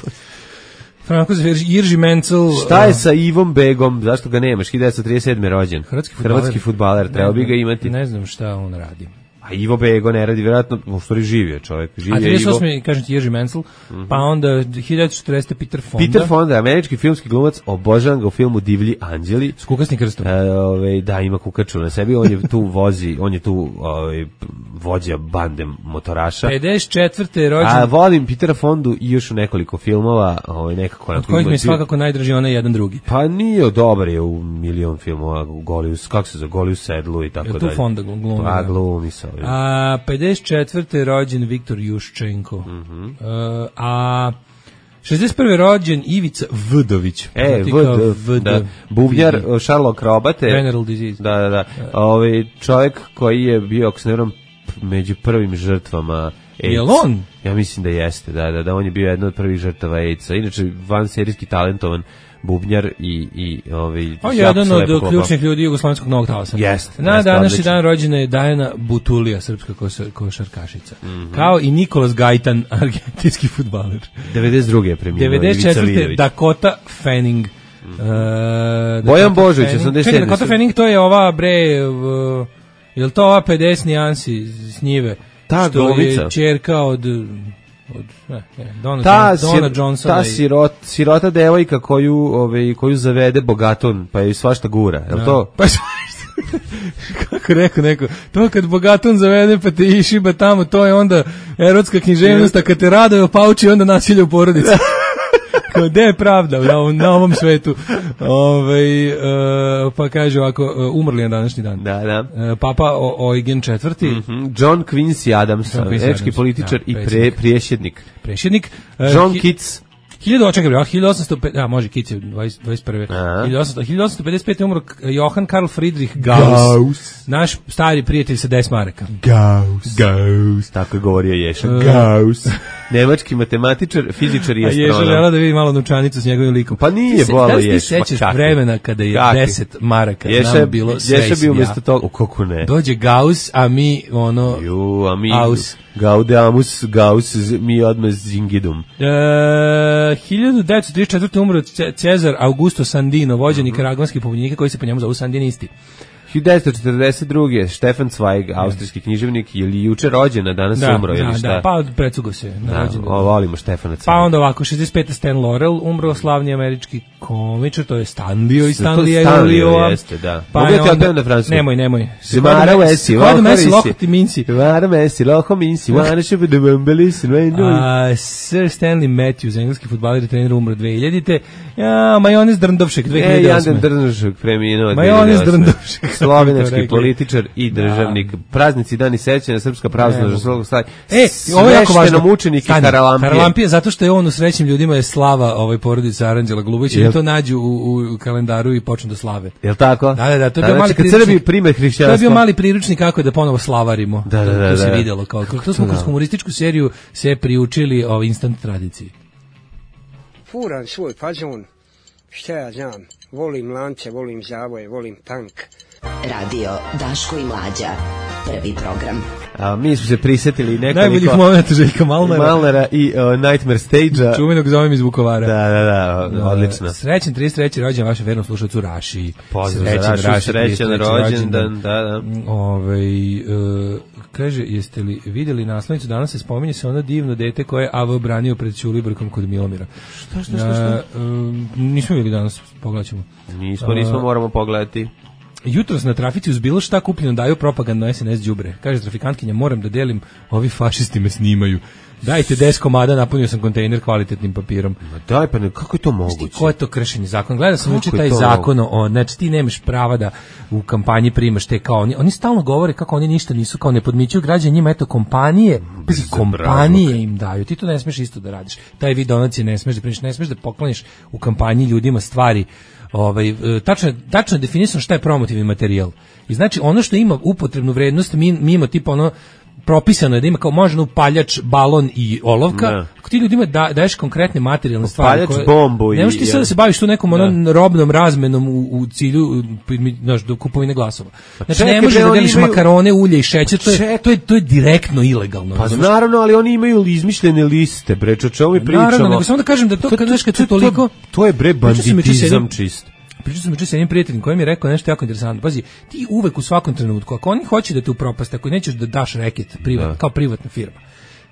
Franko Zeffirelli, Irži Mencel. Šta je sa Ivom Begom? Zašto ga nemaš? hiljadu devetsto trideset sedme rođen. Hrvatski fudbaler. Hrvatski fudbaler, trebao bi ga imati. Ne znam šta on radi. A Ivo Bego ne radi, vjerojatno, u stvari živio čovjek. Živio a trideset osme kažem ti Jerzy Menzel, mm-hmm. pa onda hiljadu četrdeset Peter Fonda. Peter Fonda, američki filmski glumac, obožavam ga u filmu Divlji anđeli. S kukasnim krstom. E, ove, da, ima kukaču na sebi, on je tu vozi, on je tu ove, vođa bande motoraša. pedeset četvrte rođen. A volim Petera Fondu i još u nekoliko filmova. Ove, nekako od kojih mi je svakako najdraži onaj jedan drugi. Pa nije, dobar je u milion filmova, Golius, kako se zove, Golius Sedlu i tako dalje. Je tu Fonda glumi? Pa glumi sa ovim. A pedeset četvrte rođen Viktor Juščenko. Mm-hmm. uh, a šezdeset prve rođen Ivica Vdović. E, Vd, da. Bubnjar Sherlock Robate. Veneral disease. Da, da, da. Ovaj čovjek koji je bio, ako se ne varam, među prvim žrtvama AIDS. Jel on? Ja mislim da jeste, da, da, da on je bio jedna od prvih žrtava AIDS-a. Inače, vanserijski talentovan bubnjar i i ovaj on je jedan od ključnih ljudi jugoslovenskog novog talasa. Jeste. Na današnji dan rođena je Dajana Butulija, srpska košarkašica. Mm-hmm. Kao i Nikolas Gajtan, argentinski fudbaler. devedeset druge je preminuo. devedeset četvrte Dakota Fanning. Mm-hmm. Uh, Bojan Božović, osamdeset sedme. Dakota Fanning, to je ova bre, uh, je li to ova pedeset nijansi s njive? Ta što glumica. Je ćerka od od ne, ne, Donna, ta, Donna Johnsona. Ta sirot, sirota devojka koju, ovaj, koju zavede bogaton, pa je svašta gura, je li no. to? Pa kako rekao neko, to kad bogaton zavede pa te išiba tamo, to je onda erotska književnost, a kad te raduje pauči, onda nasilje u porodici. Gde je pravda na ovom, na ovom svetu? Ove, uh, pa kaže ovako, uh, umrli na današnji dan. Da, da. Uh, Papa Eugen četvrti. Mm-hmm. John Quincy Adams, američki političar da, i pre, priješjednik. Priješjednik. Uh, John Keats. hiljadu osamsto pedeset, a može Keats je dvadeset prve. hiljadu osamsto pedeset pete umro Johann Karl Friedrich Gauss. Gauss. Naš stari prijatelj sa deset maraka. Gauss. Gauss. Tako je govorio Ješa. Uh, Gauss. Nemački matematičar, fizičar i astronom. A Ješa žela da vidi malo novčanicu s njegovim likom. Pa nije bolo Ješa. Da li ti sećaš vremena kada je Čaki. deset maraka Ješa, nam bilo sve Ješa bi umjesto toga, kako ne. Dođe Gauss, a mi ono... Ju, a mi... Aus. Gaudeamus, Gauss, mi odmah zingidum. Uh, hiljadu devetsto trideset četvrte umro Cezar Augusto Sandino, vođa nikaragvanskih pobunjenika koji se po njemu zovu sandinisti. hiljadu devetsto četrdeset druge Stefan Zweig, austrijski književnik, je li juče rođen, a danas da, umro, da, ili šta? Da, pa precugo se. Na da, o, volimo Stefana Zweig. Pa onda ovako, šezdeset pete Stan Laurel, umro slavni američki komičar, to je Stanlio i Stanlija. Stanlio jeste, da. Pa mogu ja ti odpevim na francusku? Nemoj, nemoj. Zemara Vesi, Kod Messi, Loko ti minci. Zemara Vesi, Loko minci, vana šepe da bambelis, Sir Stanley Matthews, engleski fudbaler i trener, umro dve hiljadite. Ja, Majonez Drndovšek, dve hiljade osme. E, Jan Drndovšek preminuo. Majonez Drndovšek. slovenački političar i državnik. Da. Praznici dani sećanja, Srpska pravoslavna žrtva stavlja. E, ovo je jako važno. Mučenik i Haralampije. Haralampije, zato što je on u srećnim ljudima je slava ovaj porodica Aranđela Golubovića i to nađu u, u kalendaru i počnu da slave. Jel tako? Da, da, da, to je da, bio znači, mali Srbi prime hrišćanstvo. To je bio mali priručnik kako da ponovo slavarimo. Da, da, da, to se da. videlo kao. To smo kroz humorističku seriju se priučili o instant tradiciji. Furan svoj fazon, šta ja znam, volim lance, volim zavoje, volim tank. Radio Daško i Mlađa, prvi program. A mi smo se prisetili nekoliko... Najboljih momenta Željka Malnera. Malnera i uh, Nightmare Stage-a. Čuvenog zovem iz Vukovara. Da, da, da, no, odlično. Srećan trideset treći rođendan vašem vernom slušalcu Raši. Pozdrav za Raši, Raši srećan rođendan, da, da. Ove, uh, kaže, jeste li vidjeli naslovnicu, danas se spominje se ono divno dete koje je A V branio pred Ćulibrkom kod Milomira. Šta, šta, šta? šta? Uh, um, nismo vidjeli danas, pogledat ćemo. Nismo, nismo, moramo pogledati. Jutros na trafici uz bilo šta kupljeno daju propagandno es en es đubre. Kaže trafikantkinja, moram da delim, ovi fašisti me snimaju. Dajte deset komada, napunio sam kontejner kvalitetnim papirom. Ma daj pa ne, kako je to moguće? Ko je to kršenje zakona? Gledao sam juče taj zakon o, znači ti nemaš prava da u kampanji primaš te kao oni. Oni stalno govore kako oni ništa nisu, kao ne podmićuju građane, njima eto kompanije, bez kompanije im daju. Ti to ne smeš isto da radiš. Taj vid donacije ne smeš da primiš, ne smeš da pokloniš u kampanji ljudima stvari. Ovaj tačno tačno definisano šta je promotivni materijal. I znači ono što ima upotrebnu vrednost mi mimo tipa ono propisano je da ima kao možda upaljač, balon i olovka. Ne. Ako ti ljudima da, daješ konkretne materijalne stvari koje bombu i ne možeš ti sad da se baviš tu nekom onom robnom razmenom u, u cilju znaš, do kupovine glasova. Znači čekaj, ne možeš da deliš imaju... makarone, ulje i šećer, to je, Ček... to je to je direktno ilegalno. Pa znaš? Naravno, ali oni imaju izmišljene liste, bre, o čemu mi pričamo. Naravno, nego samo da kažem da to, to kad znaš kad se toliko to je bre banditizam čist. Pričao sam juče sa jednim prijateljem koji mi je rekao nešto jako interesantno. Pazi, ti uvek u svakom trenutku, ako oni hoće da te upropaste, ako nećeš da daš reket privat, kao privatna firma,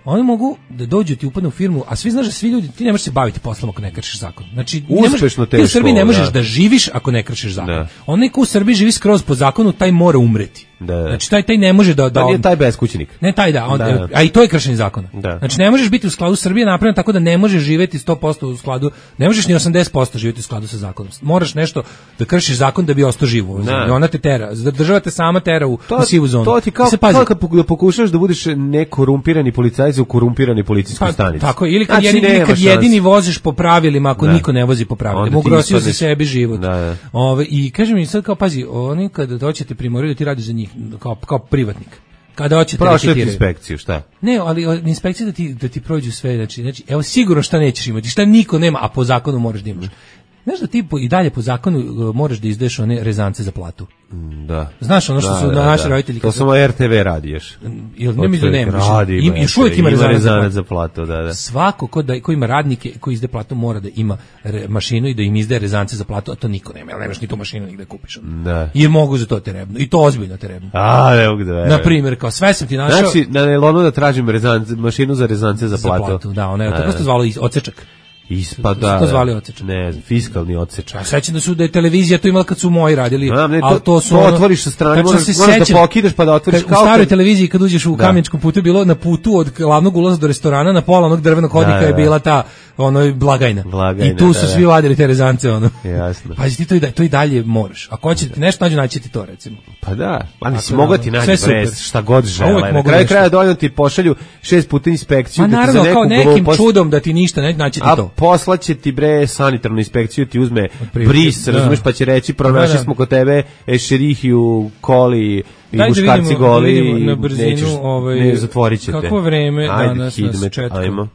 oni mogu da dođu ti upadnu u firmu, a svi znaš da svi ljudi, ti ne možeš se baviti poslom ako ne kršiš zakon. Znači, uspešno teško. Ti u Srbiji ne možeš da, da živiš ako ne kršiš zakon. Da. Onaj ko u Srbiji živi skroz po zakonu, taj mora umreti. Da. Znači taj taj ne može da da on, taj beskućnik. Ne taj da, on, da, a i to je kršenje zakona. Da. Znači ne možeš biti u skladu Srbije napravljeno tako da ne možeš živeti sto posto u skladu, ne možeš ni osamdeset posto živeti u skladu sa zakonom. Moraš nešto da kršiš zakon da bi ostao živ. I ona te tera, država te sama tera u, to, u sivu zonu. To ti kao, kao kad pokušaš da budeš nekorumpirani policajac u korumpirani policijskoj pa, stanici. Tako, ili kad, znači, jedini, kad jedini voziš po pravilima, ako da. Niko ne vozi po pravilima, ugrozio za sebi život. Da, da. Ove, i kaže mi sad kao pazi, oni kad doćete primoraju da ti radiš za njih kao kao privatnik. Kada hoćete reketirati inspekciju, šta? Ne, ali inspekcija da ti da ti prođu sve, znači, znači evo sigurno šta nećeš imati, šta niko nema, a po zakonu moraš da imaš. Znaš da ti po, i dalje po zakonu uh, moraš da izdeš one rezance za platu. Da. Znaš ono što da, su da, na naši da. roditelji. To samo R T V radiješ. Jel ne mislim da nema. Radi, Im, još uvijek ima, ima rezanac za platu. Da, da. Svako ko, da, ko ima radnike koji izde platu mora da ima re, mašinu i da im izdaje rezance za platu, a to niko nema. Jel nemaš ni tu mašinu nigde kupiš. Da. Jer mogu za to terebno. I to ozbiljno terebno. A, ne mogu da verujem. Na primjer, kao sve sam ti našao. Znači, na nelonu da tražim rezance, mašinu za rezance za platu. Za platu, da, ona je tako se zvalo odsečak. Ispada. To zvali odsečak. Ne, fiskalni odsečak. A sećam da su da je televizija to imala kad su moji radili. A, ne, to, a to su to ono, otvoriš sa strane, možeš, možeš da pokidaš pa da otvoriš. Kao u staroj televiziji kad uđeš u da. Kameničkom putu bilo na putu od glavnog ulaza do restorana na pola onog drvenog hodnika da, da. Je bila ta ono blagajna. blagajna I tu da, su da. svi vadili te rezance ono. Jasno. Pa ti to i da, to i dalje moraš. Ako hoćete nešto nađu naći ti to recimo. Pa da, pa nisi mogao ti naći pres, šta god žele. Na kraju kraja dovoljno ti pošalju šest puta inspekciju da ti za neku kao nekim čudom da ti ništa ne naći ti to. A poslaće ti bre sanitarnu inspekciju ti uzme bris, da. Razumeš, pa će reći pronašli smo kod tebe Ešerihiju, Koli i daj muškarci da goli vidimo, na brzinu, nećeš, ovaj, ne zatvorit ćete. Kako vreme ajde, danas hidmet, nas četka. Ajmo.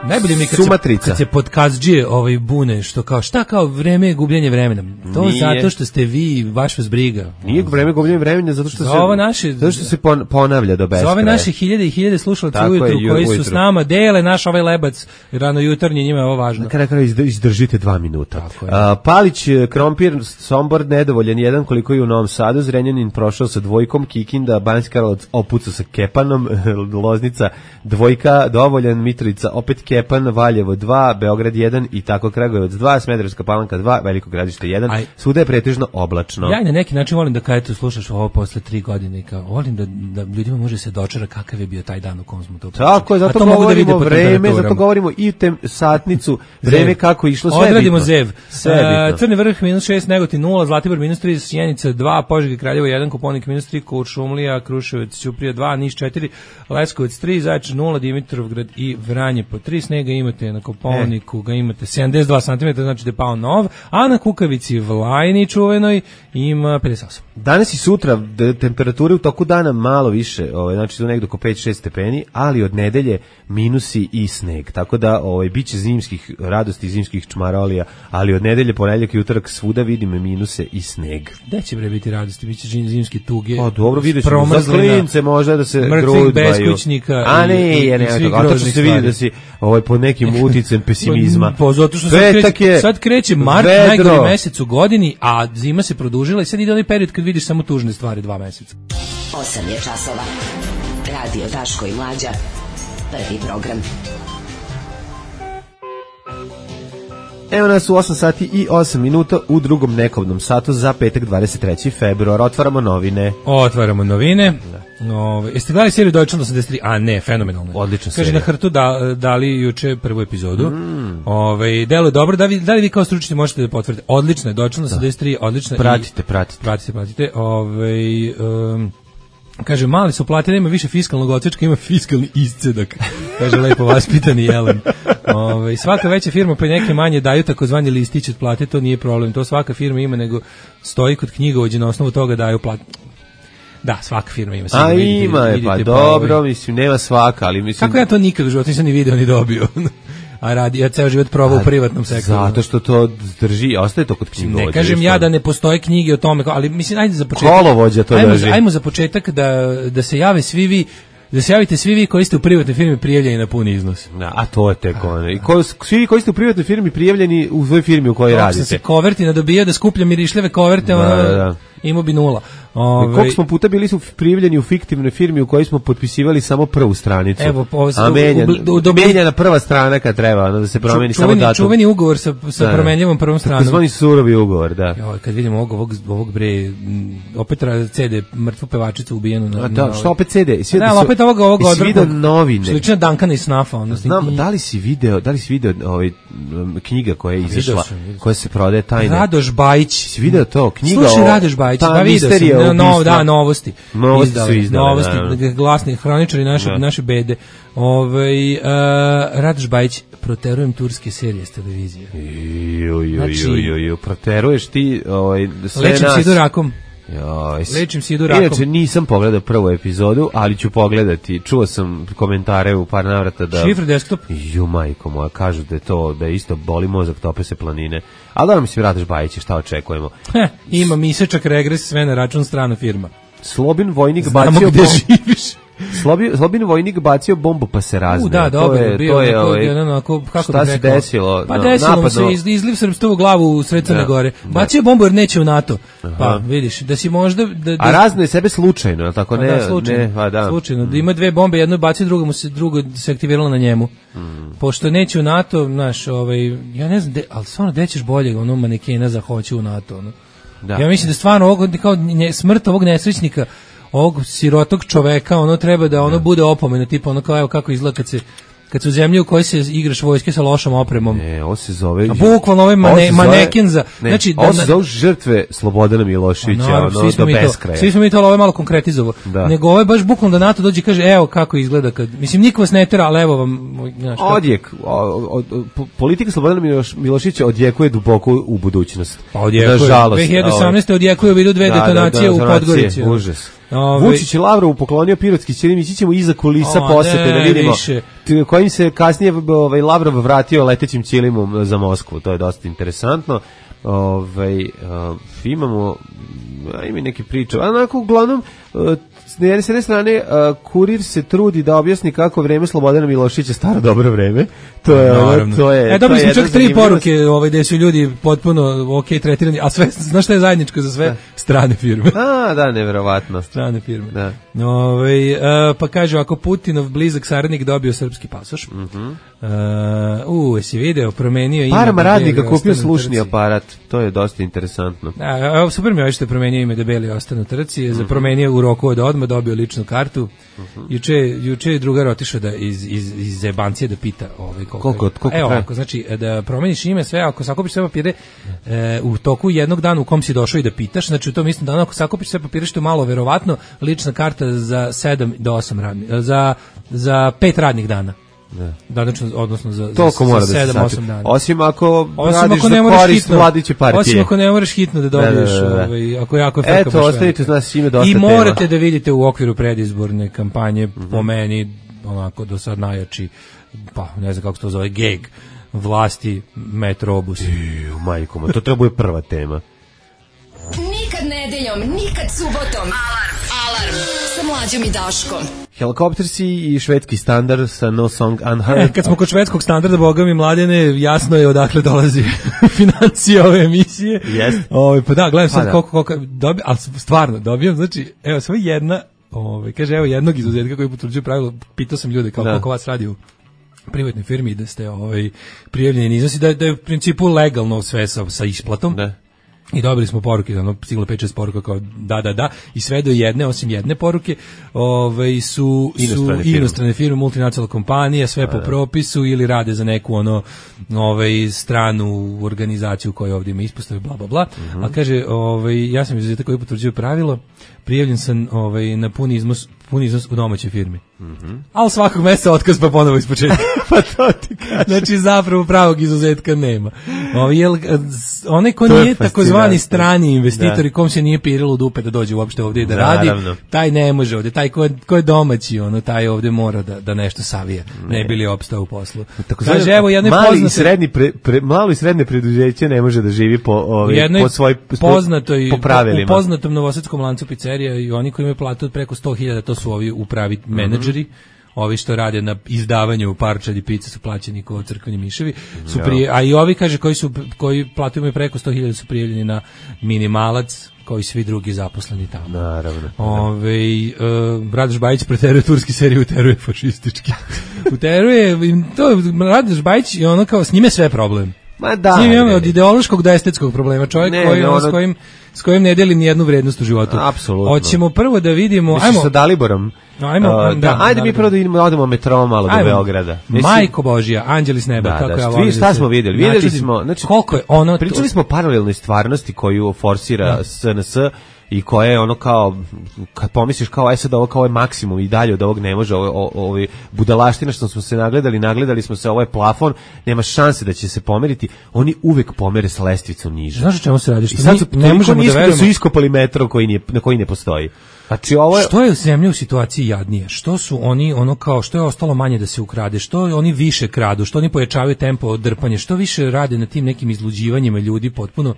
Najbolje mi kad se, kad se podkazđije ovaj bune, što kao, šta kao vreme je gubljenje vremena. To nije. Zato što ste vi, baš vas briga. Nije vreme gubljenje vremena, zato što, se, naše, zato što se ponavlja do beskraja. Za ove naše hiljade i hiljade slušalaca ujutru, je, koji ujutru. Su s nama, dele naš ovaj lebac, rano jutarnji, njima je ovo važno. Na kraju izdržite dva minuta. A, Palić, Krompir, Sombor, nedovoljan jedan, koliko je u Novom Sadu, Zrenjanin prošao sa dvojkom, Kikinda, Banjska Karlovac opucao sa Kepanom, Loznica, dvojka, dovoljan, Mitrovica, opet Kepan, Stjepan, Valjevo dva, Beograd jedan i tako Kragujevac dva, Smederevska Palanka dva, Veliko Gradište jedan. Aj, svuda je pretežno oblačno. Ja na neki način volim da kada tu slušaš ovo posle tri godine, kao volim da, da ljudima može se dočara kakav je bio taj dan u kom smo to pričali. Tako je, zato govorimo da vreme, zato govorimo i tem satnicu, vreme kako išlo, sve odradimo zev. Sve uh, Crni Vrh minus šest, Negotin nula, Zlatibor minus tri, Sjenica dva, Požega i Kraljevo jedan, Koponik minus tri, Kuršumlija, Kruševac, Ćuprija dva, Niš četiri, Leskovac tri, Zaječar nula, Dimitrovgrad i Vranje po tri, snega imate na Koponiku, ga imate sedamdeset dva centimetra, znači da je pao nov, a na Kukavici Vlajni čuvenoj ima pedeset osam. Danas i sutra temperature u toku dana malo više, ovaj, znači su negdje oko pet šest stepeni, ali od nedelje minusi i sneg, tako da ovaj, bit će zimskih radosti, zimskih čmarolija, ali od nedelje, ponedjeljak i utorak svuda vidimo minuse i sneg. Gde će bre biti radosti, bit će zimske tuge, pa dobro, vidjet ćemo za klince možda da se grudbaju, beskućnika a ne, je, ne, a to će se vidjeti da si ovaj, pod nekim uticem pesimizma. Pa zato što sad kreće, sad kreće mart, najgori mesec u godini, a zima se produžila i sad ide onaj period kad vidiš samo tužne stvari dva meseca. osam je časova. Radio Daško i Mlađa. Prvi program. Evo nas u osam sati i osam minuta u drugom nekobnom satu za petak dvadeset treći februar. Otvaramo novine. Otvaramo novine. Ove, jeste gledali seriju Deutschland osamdeset tri? A ne, fenomenalno. Odlična serija. Kaže na Hrtu da, dali juče prvu epizodu. Mm. Ove, deluje dobro. Da, vi, da li vi kao stručni možete da potvrdite? Odlično je Deutschland osamdeset tri, odlično. Pratite, pratite. Pratite, pratite. Ove, um, kaže, mali su platili, ima više fiskalnog odsečka, ima fiskalni iscedak. Kaže, lepo vaspitani Jelen. Ove, svaka veća firma pa neke manje daju takozvani listić od plate, to nije problem. To svaka firma ima, nego stoji kod knjigovođe na osnovu toga daju plate. Da, svaka firma ima. A vidite, ima je, pa dobro, pa, mislim, nema svaka, ali mislim... Kako ja to nikad u životu nisam ni video ni dobio? A radi, ja ceo život probao u privatnom sektoru. Zato što to drži, ostaje to kod knjigovođa. Ne kažem ja da ne postoje knjige o tome, ali mislim, ajde za početak. Kolovođa to ajmo, drži. Ajmo za početak da, da se jave svi vi, da se javite svi vi koji ste u privatnoj firmi prijavljeni na puni iznos. Da, a to je tek ono. I ko, svi koji ste u privatnoj firmi prijavljeni u svojoj firmi u kojoj Kako radite. Kako se koverti nadobija da skuplja mirišljave koverte, da, da, da. Imao bi nula. Ove... Koliko smo puta bili su prijavljeni u fiktivnoj firmi u kojoj smo potpisivali samo prvu stranicu. Evo, ovo a menjan, u, u, u, menjana prva strana kad treba, ono, da se promeni čuveni, samo datum. Čuveni ugovor sa, sa da, promenljivom prvom stranom. Tako zvani surovi ugovor, da. Jo, kad vidimo ovog, ovog, ovog bre, opet C D, mrtvu pevačicu ubijenu. Na, a da, na, što opet C D? Da, da opet ovog, ovog odvrtnog. novine. Slična Dankana i Snafa. Ono, znam, da li si video, da li si video ovaj, knjiga koja je izašla, koja se prodaje tajne? Radoš Bajić. Si video to? Knjiga Slušaj, o... Radoš Bajić, da vidio sam. No, da, novosti. Novosti izdali, su izdali. Novosti, da. Glasni hroničari naše, da. naše bede. Ove, uh, Radoš Bajić, proterujem turske serije s televizije. Ju, ju, znači, ju, ju, ju, proteruješ ti ovaj, sve lečim nas. Lečim sidu rakom. Joj, lečim sidu rakom. Inače, nisam pogledao prvu epizodu, ali ću pogledati. Čuo sam komentare u par navrata da... Šifre desktop? Ju, majko moja, kažu da je to, da je isto boli mozak, tope se planine. Ali da mi se vratiš Bajić, šta očekujemo? Heh, ima misečak regres, sve na račun strana firma. Slobin vojnik Znamo bacio gde živiš. Slobi, Slobin vojnik bacio bombu pa se razne. U, da, dobro, to je, bio, to je, ovaj, jedan, onako, kako šta se desilo? Pa no, desilo mu se iz, izliv srpstva u glavu u sred Crne Gore. Bacio bombu jer neće u NATO. Aha. Pa, vidiš, da si možda... Da, da, a razne sebe slučajno, je tako? Pa ne, da, slučajno. Ne, a da. slučajno. Da ima dve bombe, jedno bacio, drugo mu se, drugo se aktiviralo na njemu. Mm. Pošto neće u NATO, znaš, ovaj, ja ne znam, de, ali stvarno dećeš bolje ono manekena za hoće u NATO. Ono. Da. Ja mislim da stvarno ovog, kao nje, smrt ovog nesrećnika, ovog sirotog čoveka, ono treba da ono ne. bude opomena, tipa ono kao evo kako izgleda kad se kad su zemlje u kojoj se igraš vojske sa lošom opremom. Ne, ovo se zove... A bukvalno ovaj mane, maneken za... Ne, znači, ovo se zove žrtve Slobodana Miloševića, no, ono, do beskraja. Svi smo mi to, ovo je malo konkretizovao. Nego ovo je baš bukvalno da NATO dođe i kaže, evo kako izgleda kad... Mislim, niko vas ne tera, ali evo vam... Znaš, odjek. O, o, politika Slobodana Miloš, Miloševića odjekuje duboko u budućnost. Pa odjekuje. Nažalost. dve hiljade osamnaeste odjekuje u vidu dve da, detonacije da, da, u Podgorici. Užas. Ove... Vučić je Lavrovu poklonio pirotski ćilim, ići ćemo iza kulisa o, posete ne, da vidimo više. kojim se kasnije ovaj, Lavrov vratio letećim ćilimom za Moskvu, to je dosta interesantno. Ovaj, uh, imamo ima neke priče, a onako uglavnom uh, s jedne strane uh, kurir se trudi da objasni kako vreme Slobodana Miloševića staro dobro vreme. To je ono, to je. E dobili smo čak tri poruke, ovaj gde su ljudi potpuno okej tretirani, a sve znaš šta je zajedničko za sve? Da. Strane firme. A, da, neverovatno. Strane firme. Da. Ove, uh, pa kaže, ako Putinov blizak saradnik dobio srpski pasoš, Mhm. uh, u, jesi video, promenio ime. Parama da radnika Beli kupio ostane u slušni trci. aparat, to je dosta interesantno. A, evo, super mi je što je promenio ime da Beli ostane u trci, je za promenio u roku od odmah, dobio ličnu kartu. Juče, juče je drugar otišao da iz, iz, iz zebancije da pita ovaj, koliko, Koliko- koliko evo, traje? ako, znači, da promeniš ime, sve, ako sakupiš sve papire e, u toku jednog dana u kom si došao i da pitaš, znači u tom istom danu, ako sakupiš sve papire, što je malo verovatno, lična karta za sedam do osam radnih, za, za pet radnih dana. Ne. Danačno, odnosno za, Toliko za, mora za da se sedam osam sačuva. dana. Osim ako Osim radiš ako za ne moraš korist hitno, vladajuće partije. osim ako ne moraš hitno da dobiješ, Da, da, da, da. ovaj, ako je jako frka Eto, baš ostavite velika. nas ime dosta I tema. morate da vidite u okviru predizborne kampanje, po meni, onako, do sad najjači, pa, ne znam kako se to zove, geg vlasti Metrobus. Ju, majko, ma, to treba bude prva tema. Nikad nedeljom, nikad subotom. Alarm. Alarm. Sa Mlađom i Daškom. Helikoptersi i švedski standard sa No Song Unheard. E, kad smo kod švedskog standarda, boga mi Mladene, jasno je odakle dolazi financija ove emisije. Jeste. Ovaj, pa da, gledam sad Pa da. koliko, koliko dobijam, ali stvarno dobijam, znači, evo, samo jedna, ovaj, kaže, evo jednog izuzetka koji potvrđuje pravilo, pitao sam ljude kao Da. koliko vas radi u privatnoj firmi, da ste ovaj, prijavljeni iznosi, da, da je u principu legalno sve sa, sa isplatom. Da. I dobili smo poruke, ono, stiglo pet šest poruka kao da, da, da, i sve do jedne, osim jedne poruke, ovaj, su, su Inostrane firme. inostrane firme, multinacionalne kompanije, sve po propisu ili rade za neku ono, ovaj, stranu organizaciju koja ovdje ima ispostave, bla, bla, bla. A kaže, ovaj, ja sam izuzetak koji potvrđuju pravilo, prijavljen sam ovaj, na puni iznos, puni iznos u domaćoj firmi. Ali svakog mjeseca otkaz pa ponovo ispočetka. Pa to ti kažem. Znači zapravo pravog izuzetka nema. Ovaj jel onaj ko To je nije takozvani fascinantno. strani investitor Da. i kom se nije pirilo u dupe da dođe uopšte ovdje i da radi, Naravno. taj ne može ovdje, taj ko je, ko je domaći, ono taj ovdje mora da da nešto savije, ne, bi li opstao u poslu. Takozvani Kaže evo jednoj mali i poznatoj srednji pre, pre, malo i srednje preduzeće ne može da živi po ovaj jednoj po svoj po, poznatoj po pravilima. u poznatom novosadskom lancu pizzerija i oni koji imaju platu od preko sto hiljada, to su ovi upravi menadžeri. Ovi što rade na izdavanju parčadi pice su plaćeni kao crkveni miševi, su prije, a i ovi kaže koji su koji platu imaju preko sto hiljada su prijavljeni na minimalac, kao i svi drugi zaposleni tamo. Naravno. Ove, uh, Radoš Bajić preteruje turski seriju, uteruje fašistički. Uteruje, im to Radoš Bajić i ono kao s njime sve problem. Ma da. S njim imamo ne, od ideološkog do estetskog problema. Čovjek Ne, koji, ne, ono, ono- s kojim s kojim ne deli ni jednu vrednost u životu. Apsolutno. Hoćemo prvo da vidimo, Misliš ajmo sa Daliborom? Ajmo, A, da, da, ajde mi Dalibor. prvo da idemo, odemo metrom malo do ajmo. Beograda. Majko Božija, anđeli s neba, Da, kako da, ja vi volim. šta da se smo vidjeli? Vidjeli načudim. smo, znači, koliko je ono Pričali smo o paralelnoj stvarnosti koju forsira Da. S N S i koja je ono kao, kad pomisliš kao, aj sad ovo kao je maksimum i dalje od ovog ne može, ovo, ovo, ovo budalaština što smo se nagledali, nagledali smo se, ovo je plafon, nema šanse da će se pomeriti, oni uvek pomere sa lestvicom niže. Znaš o čemu se radi? Što I sad mi su ne toliko možemo da nisko da verujemo. su iskopali metro koji nije, na koji ne postoji. Znači ovo je... Što je zemlja u situaciji jadnije? Što su oni ono kao što je ostalo manje da se ukrade? Što oni više kradu? Što oni pojačavaju tempo drpanja? Što više rade na tim nekim izluđivanjima ljudi potpuno?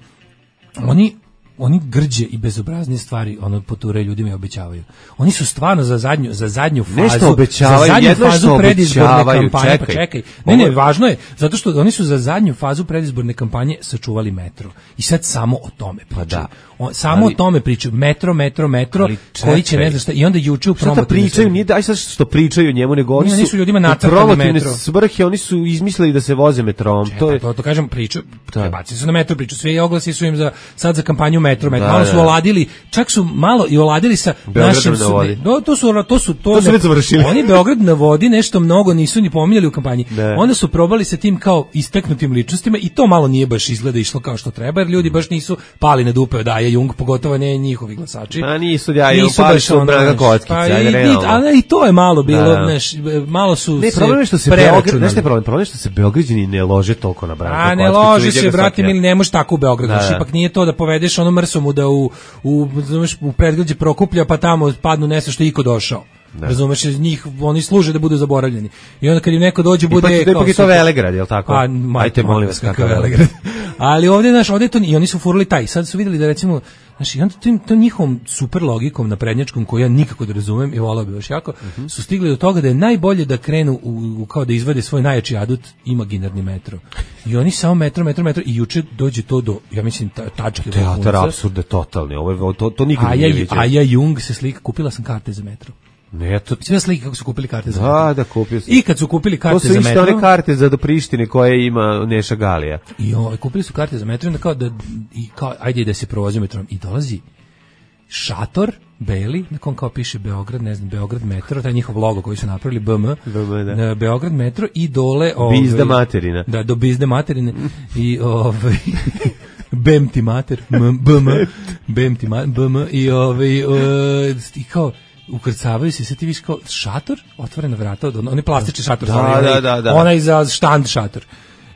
Oni oni grđe i bezobraznije stvari ono poturaju ljudima i obećavaju. Oni su stvarno za zadnju za zadnju fazu, Nešto obećavaju, za zadnju jedno je fazu što predizborne obećavaju, kampanje, čekaj. pa čekaj. Ne, ne, Ovo je- važno je zato što oni su za zadnju fazu predizborne kampanje sačuvali metro. I sad samo o tome pričaju. da. O, samo Ali- o tome pričaju. Metro, metro, metro, Ali koji će čekaj. ne znam šta i onda juče u Šta da promotivnoj pričaju, svrhi. nije daj sad što pričaju o njemu, nego oni Ne, su, oni su ljudima u nacrtali promotivne metro. svrhe, oni su izmislili da se voze metrom. To, To je, to, to kažem priču, Da. prebacili su na metro priču, svi oglasi su im za sad za kampanju metro, metro. Da, malo su da. oladili, čak su malo i oladili sa Beogradom našim na su, vodi. ne, no, to su to su to, To su ne- već završili. Oni Beograd na vodi nešto mnogo nisu ni pominjali u kampanji. Da. Onda su probali sa tim kao istaknutim ličnostima i to malo nije baš izgleda išlo kao što treba, jer ljudi baš nisu pali na dupe od Aje Jung, pogotovo ne njihovi glasači. a nisu ja i Nisu upali baš su ono, Braga znaš, Kockica, pa ajde i, i, realno. ali i to je malo bilo, Da, da. znaš, malo su Ne, se problem je što se Beograd, preračunali. znaš šta je problem? Problem je što se Beograđani ne lože toliko na Branka A ne Kockicu, loži vidio se, ga brate, svaki mili, dan. ne možeš tako u Beogradu. Da, Znaš, da. ipak nije to da povedeš ono mrsomu da u, u, znaš, u predgrađe Prokuplja pa tamo padnu nešto što je iko došao. Razumeš, iz njih oni služe da budu zaboravljeni. I onda kad im neko dođe bude Ipak, kao ipak je to super. Velegrad, je li tako? Pa, majte, Ajte, molim vas, kakav kakav Velegrad. Ali ovdje, znaš, ovdje to, i oni su furali taj. Sad su vidjeli da recimo, Znači, i onda tim, tom njihovom super logikom naprednjačkom, koju ja nikako da razumem i volao bi baš jako, uh-huh. su stigli do toga da je najbolje da krenu u, u, kao da izvade svoj najjači adut, imaginarni metro. I oni samo metro, metro, metro i juče dođe to do, ja mislim, ta, tačke. Teatar apsurde totalni, ovo, to, to nikad nije vidio. A ja Jung se slika, kupila sam karte za metro. Ne, to... Sve slike kako su kupili karte za metro. Da, da, kupio sam. I kad su kupili karte za metro... To su isto one karte za do Prištine koje ima Neša Galija. I ovaj, kupili su karte za metro i onda kao da, i kao, ajde da se provozi metrom. I dolazi šator, beli, na kom kao piše Beograd, ne znam, Beograd metro, taj njihov logo koji su napravili, B M, B M da. Beograd metro i dole... Ovaj, Bizda materina. Da, do bizde materine. I ovaj... Bem ti mater, B M, Bem ti mater, B M, i ovaj, i kao, ukrcavaju se, sve ti viš kao šator, otvorena vrata, onaj plastični šator, da, onaj, da, da, da. onaj za štand šator.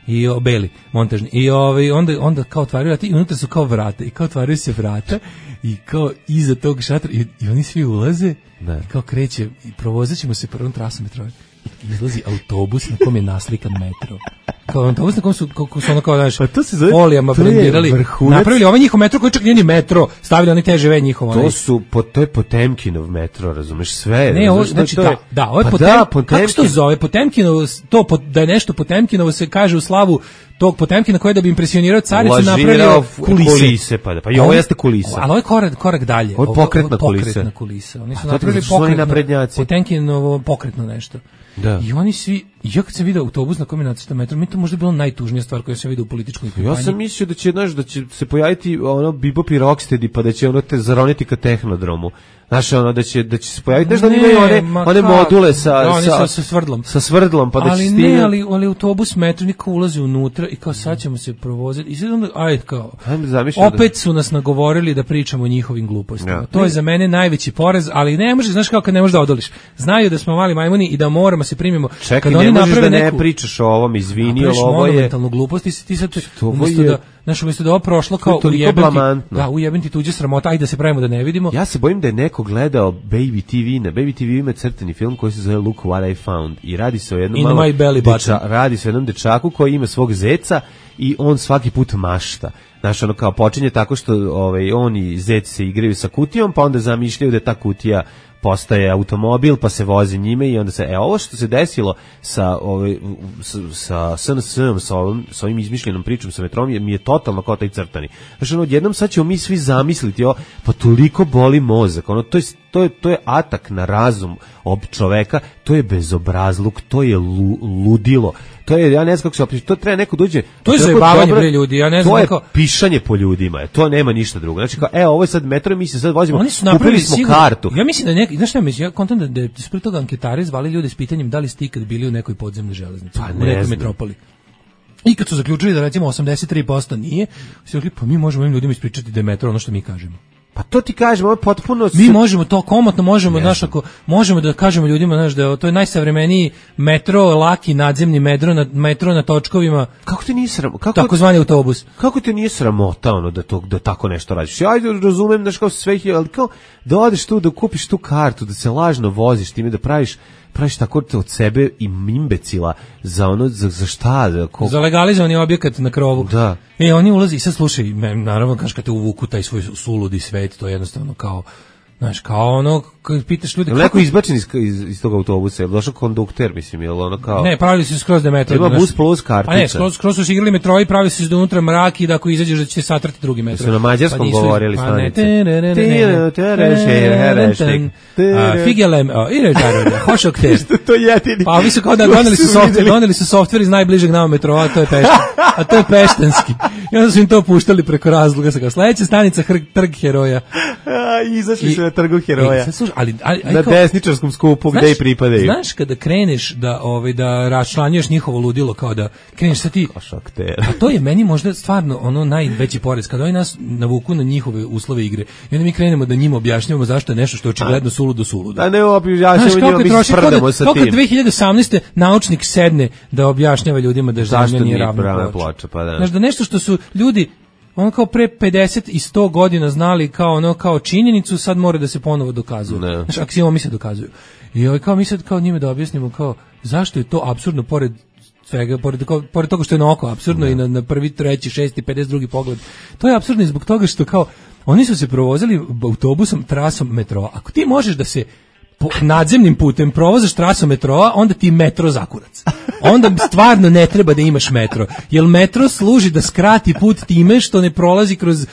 I o, beli, montažni. I ovaj, onda, onda kao otvaraju vrata i unutra su kao vrata. I kao otvaraju se vrata i kao iza tog šatora i, i oni svi ulaze ne. I kao kreće i provozit ćemo se prvom trasom metroa. Izlazi autobus na kom je naslikan metro. Kao autobus na kom su, kako su ono kao, znaš, pa to se zove, folijama brendirali, napravili ovaj njihov metro koji čak nije ni metro, stavili oni te žive njihovo. To su, po, to je Potemkinov metro, razumeš, sve. Ne, ovo, znači, da, da, ovo je pa Potem, da, Potemkin. Kako se to zove? Potemkinovo, to, da je nešto Potemkinovo se kaže u slavu tog Potemkina koji je da bi impresionirao caricu napravio kulise. kulise pa, da. Pa i ovo jeste kulisa. Ali ovo je korak, korak dalje. Ovo je pokretna kulisa. Pokretna kulisa. Oni su napravili pokretno, Potemkinovo pokretno nešto. Da. I oni svi, ja kad sam vidio autobus na kom je nacrtan metro, mi to možda bilo najtužnija stvar koju sam vidio u političkoj kampanji. Ja sam mislio da će, znaš, da će se pojaviti ono Bebop i Rocksteady, pa da će ono te zaroniti ka Tehnodromu. Znaš, ono, da će, da će se pojaviti, znaš da ne, imaju one, one module sa, da, sa, sa, sa svrdlom. Sa svrdlom, pa da ali će ne, stigne... ali, ali autobus metro niko ulazi unutra i kao sad ćemo se provoziti. I sad onda, ajde kao, opet da... su nas nagovorili da pričamo o njihovim glupostima. Ja. To je za mene najveći porez, ali ne možeš, znaš kao kad ne možeš da odoliš. Znaju da smo mali majmuni i da moramo se primimo. Čekaj, kad ne oni možeš da neku... ne pričaš o ovom, izvini, ali ovo je... monumentalnu glupost, ti, ti sad, umjesto je... da, znaš, umjesto da ovo prošlo kao ujebenti, da, ujebenti tuđe sramota, ajde da se pravimo da ne vidimo. Ja se bojim da je neko gledao Baby T V, na Baby T V ima crtani film koji se zove Look What I Found i radi se o jednom malo deča, radi se o jednom dečaku koji ima svog zeca i on svaki put mašta. Znaš, ono kao počinje tako što ovaj, on i zec se igraju sa kutijom, pa onda zamišljaju da je ta kutija postaje automobil, pa se vozi njime i onda se, e, ovo što se desilo sa, ovaj, sa, sa S N S-om, sa ovim, sa ovim izmišljenom pričom sa metrom, je, mi je totalno kao taj crtani. Znaš, ono, odjednom sad ćemo mi svi zamisliti, o, pa toliko boli mozak, ono, to je, to je, to je atak na razum ob čoveka, to je bezobrazluk, to je lu, ludilo, to je, ja ne znam kako se opiše, to treba neko dođe. To je zajebavanje bre ljudi, ja ne znam kako. To je pišanje po ljudima, to nema ništa drugo. Znači kao, e, ovo je sad metro, mi se sad vozimo, oni su napravili smo sigurno, kartu. Ja mislim da neki, znaš šta mislim, ja kontam da, da je ispred toga anketari zvali ljude s pitanjem da li ste ikad bili u nekoj podzemnoj železnici, pa u nekoj metropoli. I kad su zaključili da recimo osamdeset tri posto nije, su rekli, pa mi možemo ovim ljudima ispričati da je metro ono što mi kažemo. Pa to ti kažemo, ovo je potpuno... Mi možemo to komotno, možemo, znaš, ako, možemo da kažemo ljudima, znaš, da je to je najsavremeniji metro, laki nadzemni metro na, metro na točkovima. Kako ti nije sramota? Kako, takozvani autobus. Kako ti nije sramota ono da, to, da tako nešto radiš? Ja razumem, znaš, kao sve, ali kao da odeš tu, da kupiš tu kartu, da se lažno voziš time, da praviš praviš tako od sebe i imbecila za ono, za, za šta? Da, ko... Za legalizovani objekat na krovu. Da. E, oni ulazi i sad slušaj, naravno, kaš kad te uvuku taj svoj suludi svet, to je jednostavno kao, znaš, kao ono, kad pitaš ljudi... Je neko izbačen iz, iz, iz tog autobusa, je došao kondukter, mislim, je ono kao... Ne, pravili su skroz da metro... Ima bus plus kartica. A ne, skroz, skroz su igrali metro i pravili su da unutra mrak i da ako izađeš da će satrati drugi metro. Su na mađarskom pa govorili stanice. Figelem, i režaroda, hošok te. To je jedini. Pa ovi su kao da doneli su softver, doneli su softver iz najbližeg nama metrova, a to je Pešten. A to je Peštenski. I onda su im to puštali preko razloga. Sa kao, sledeća stanica Trg heroja. Izašli su na Trgu heroja. Ali, ali, na desničarskom skupu gde i pripadaju. Znaš kada kreneš da ovaj da raščlanjuješ njihovo ludilo, kao da kreneš sa ti. A to je meni možda stvarno ono najveći porez kada oni nas navuku na njihove uslove igre. I onda mi krenemo da njima objašnjavamo zašto je nešto što je očigledno suludo suludo. Da ne objašnjavamo njima, mi sprdamo sa tim. Kako dve hiljade osamnaeste naučnik sedne da objašnjava ljudima da zemlja nije ravna ploča. Pa da. Znaš, da nešto što su ljudi ono kao pre pedeset i sto godina znali kao ono kao činjenicu, sad mora da se ponovo dokazuje. Znaš, aksiomi se dokazuju. I ovaj kao mi sad kao njime da objasnimo kao zašto je to apsurdno pored svega, pored, pored toga što je na oko apsurdno ne. I na, na prvi, treći, šesti, pedeset drugi pogled. To je apsurdno i zbog toga što kao oni su se provozili autobusom trasom metroa. Ako ti možeš da se po nadzemnim putem provozaš trasom metroa, onda ti metro zakurac. Onda stvarno ne treba da imaš metro. Jer metro služi da skrati put time što ne prolazi kroz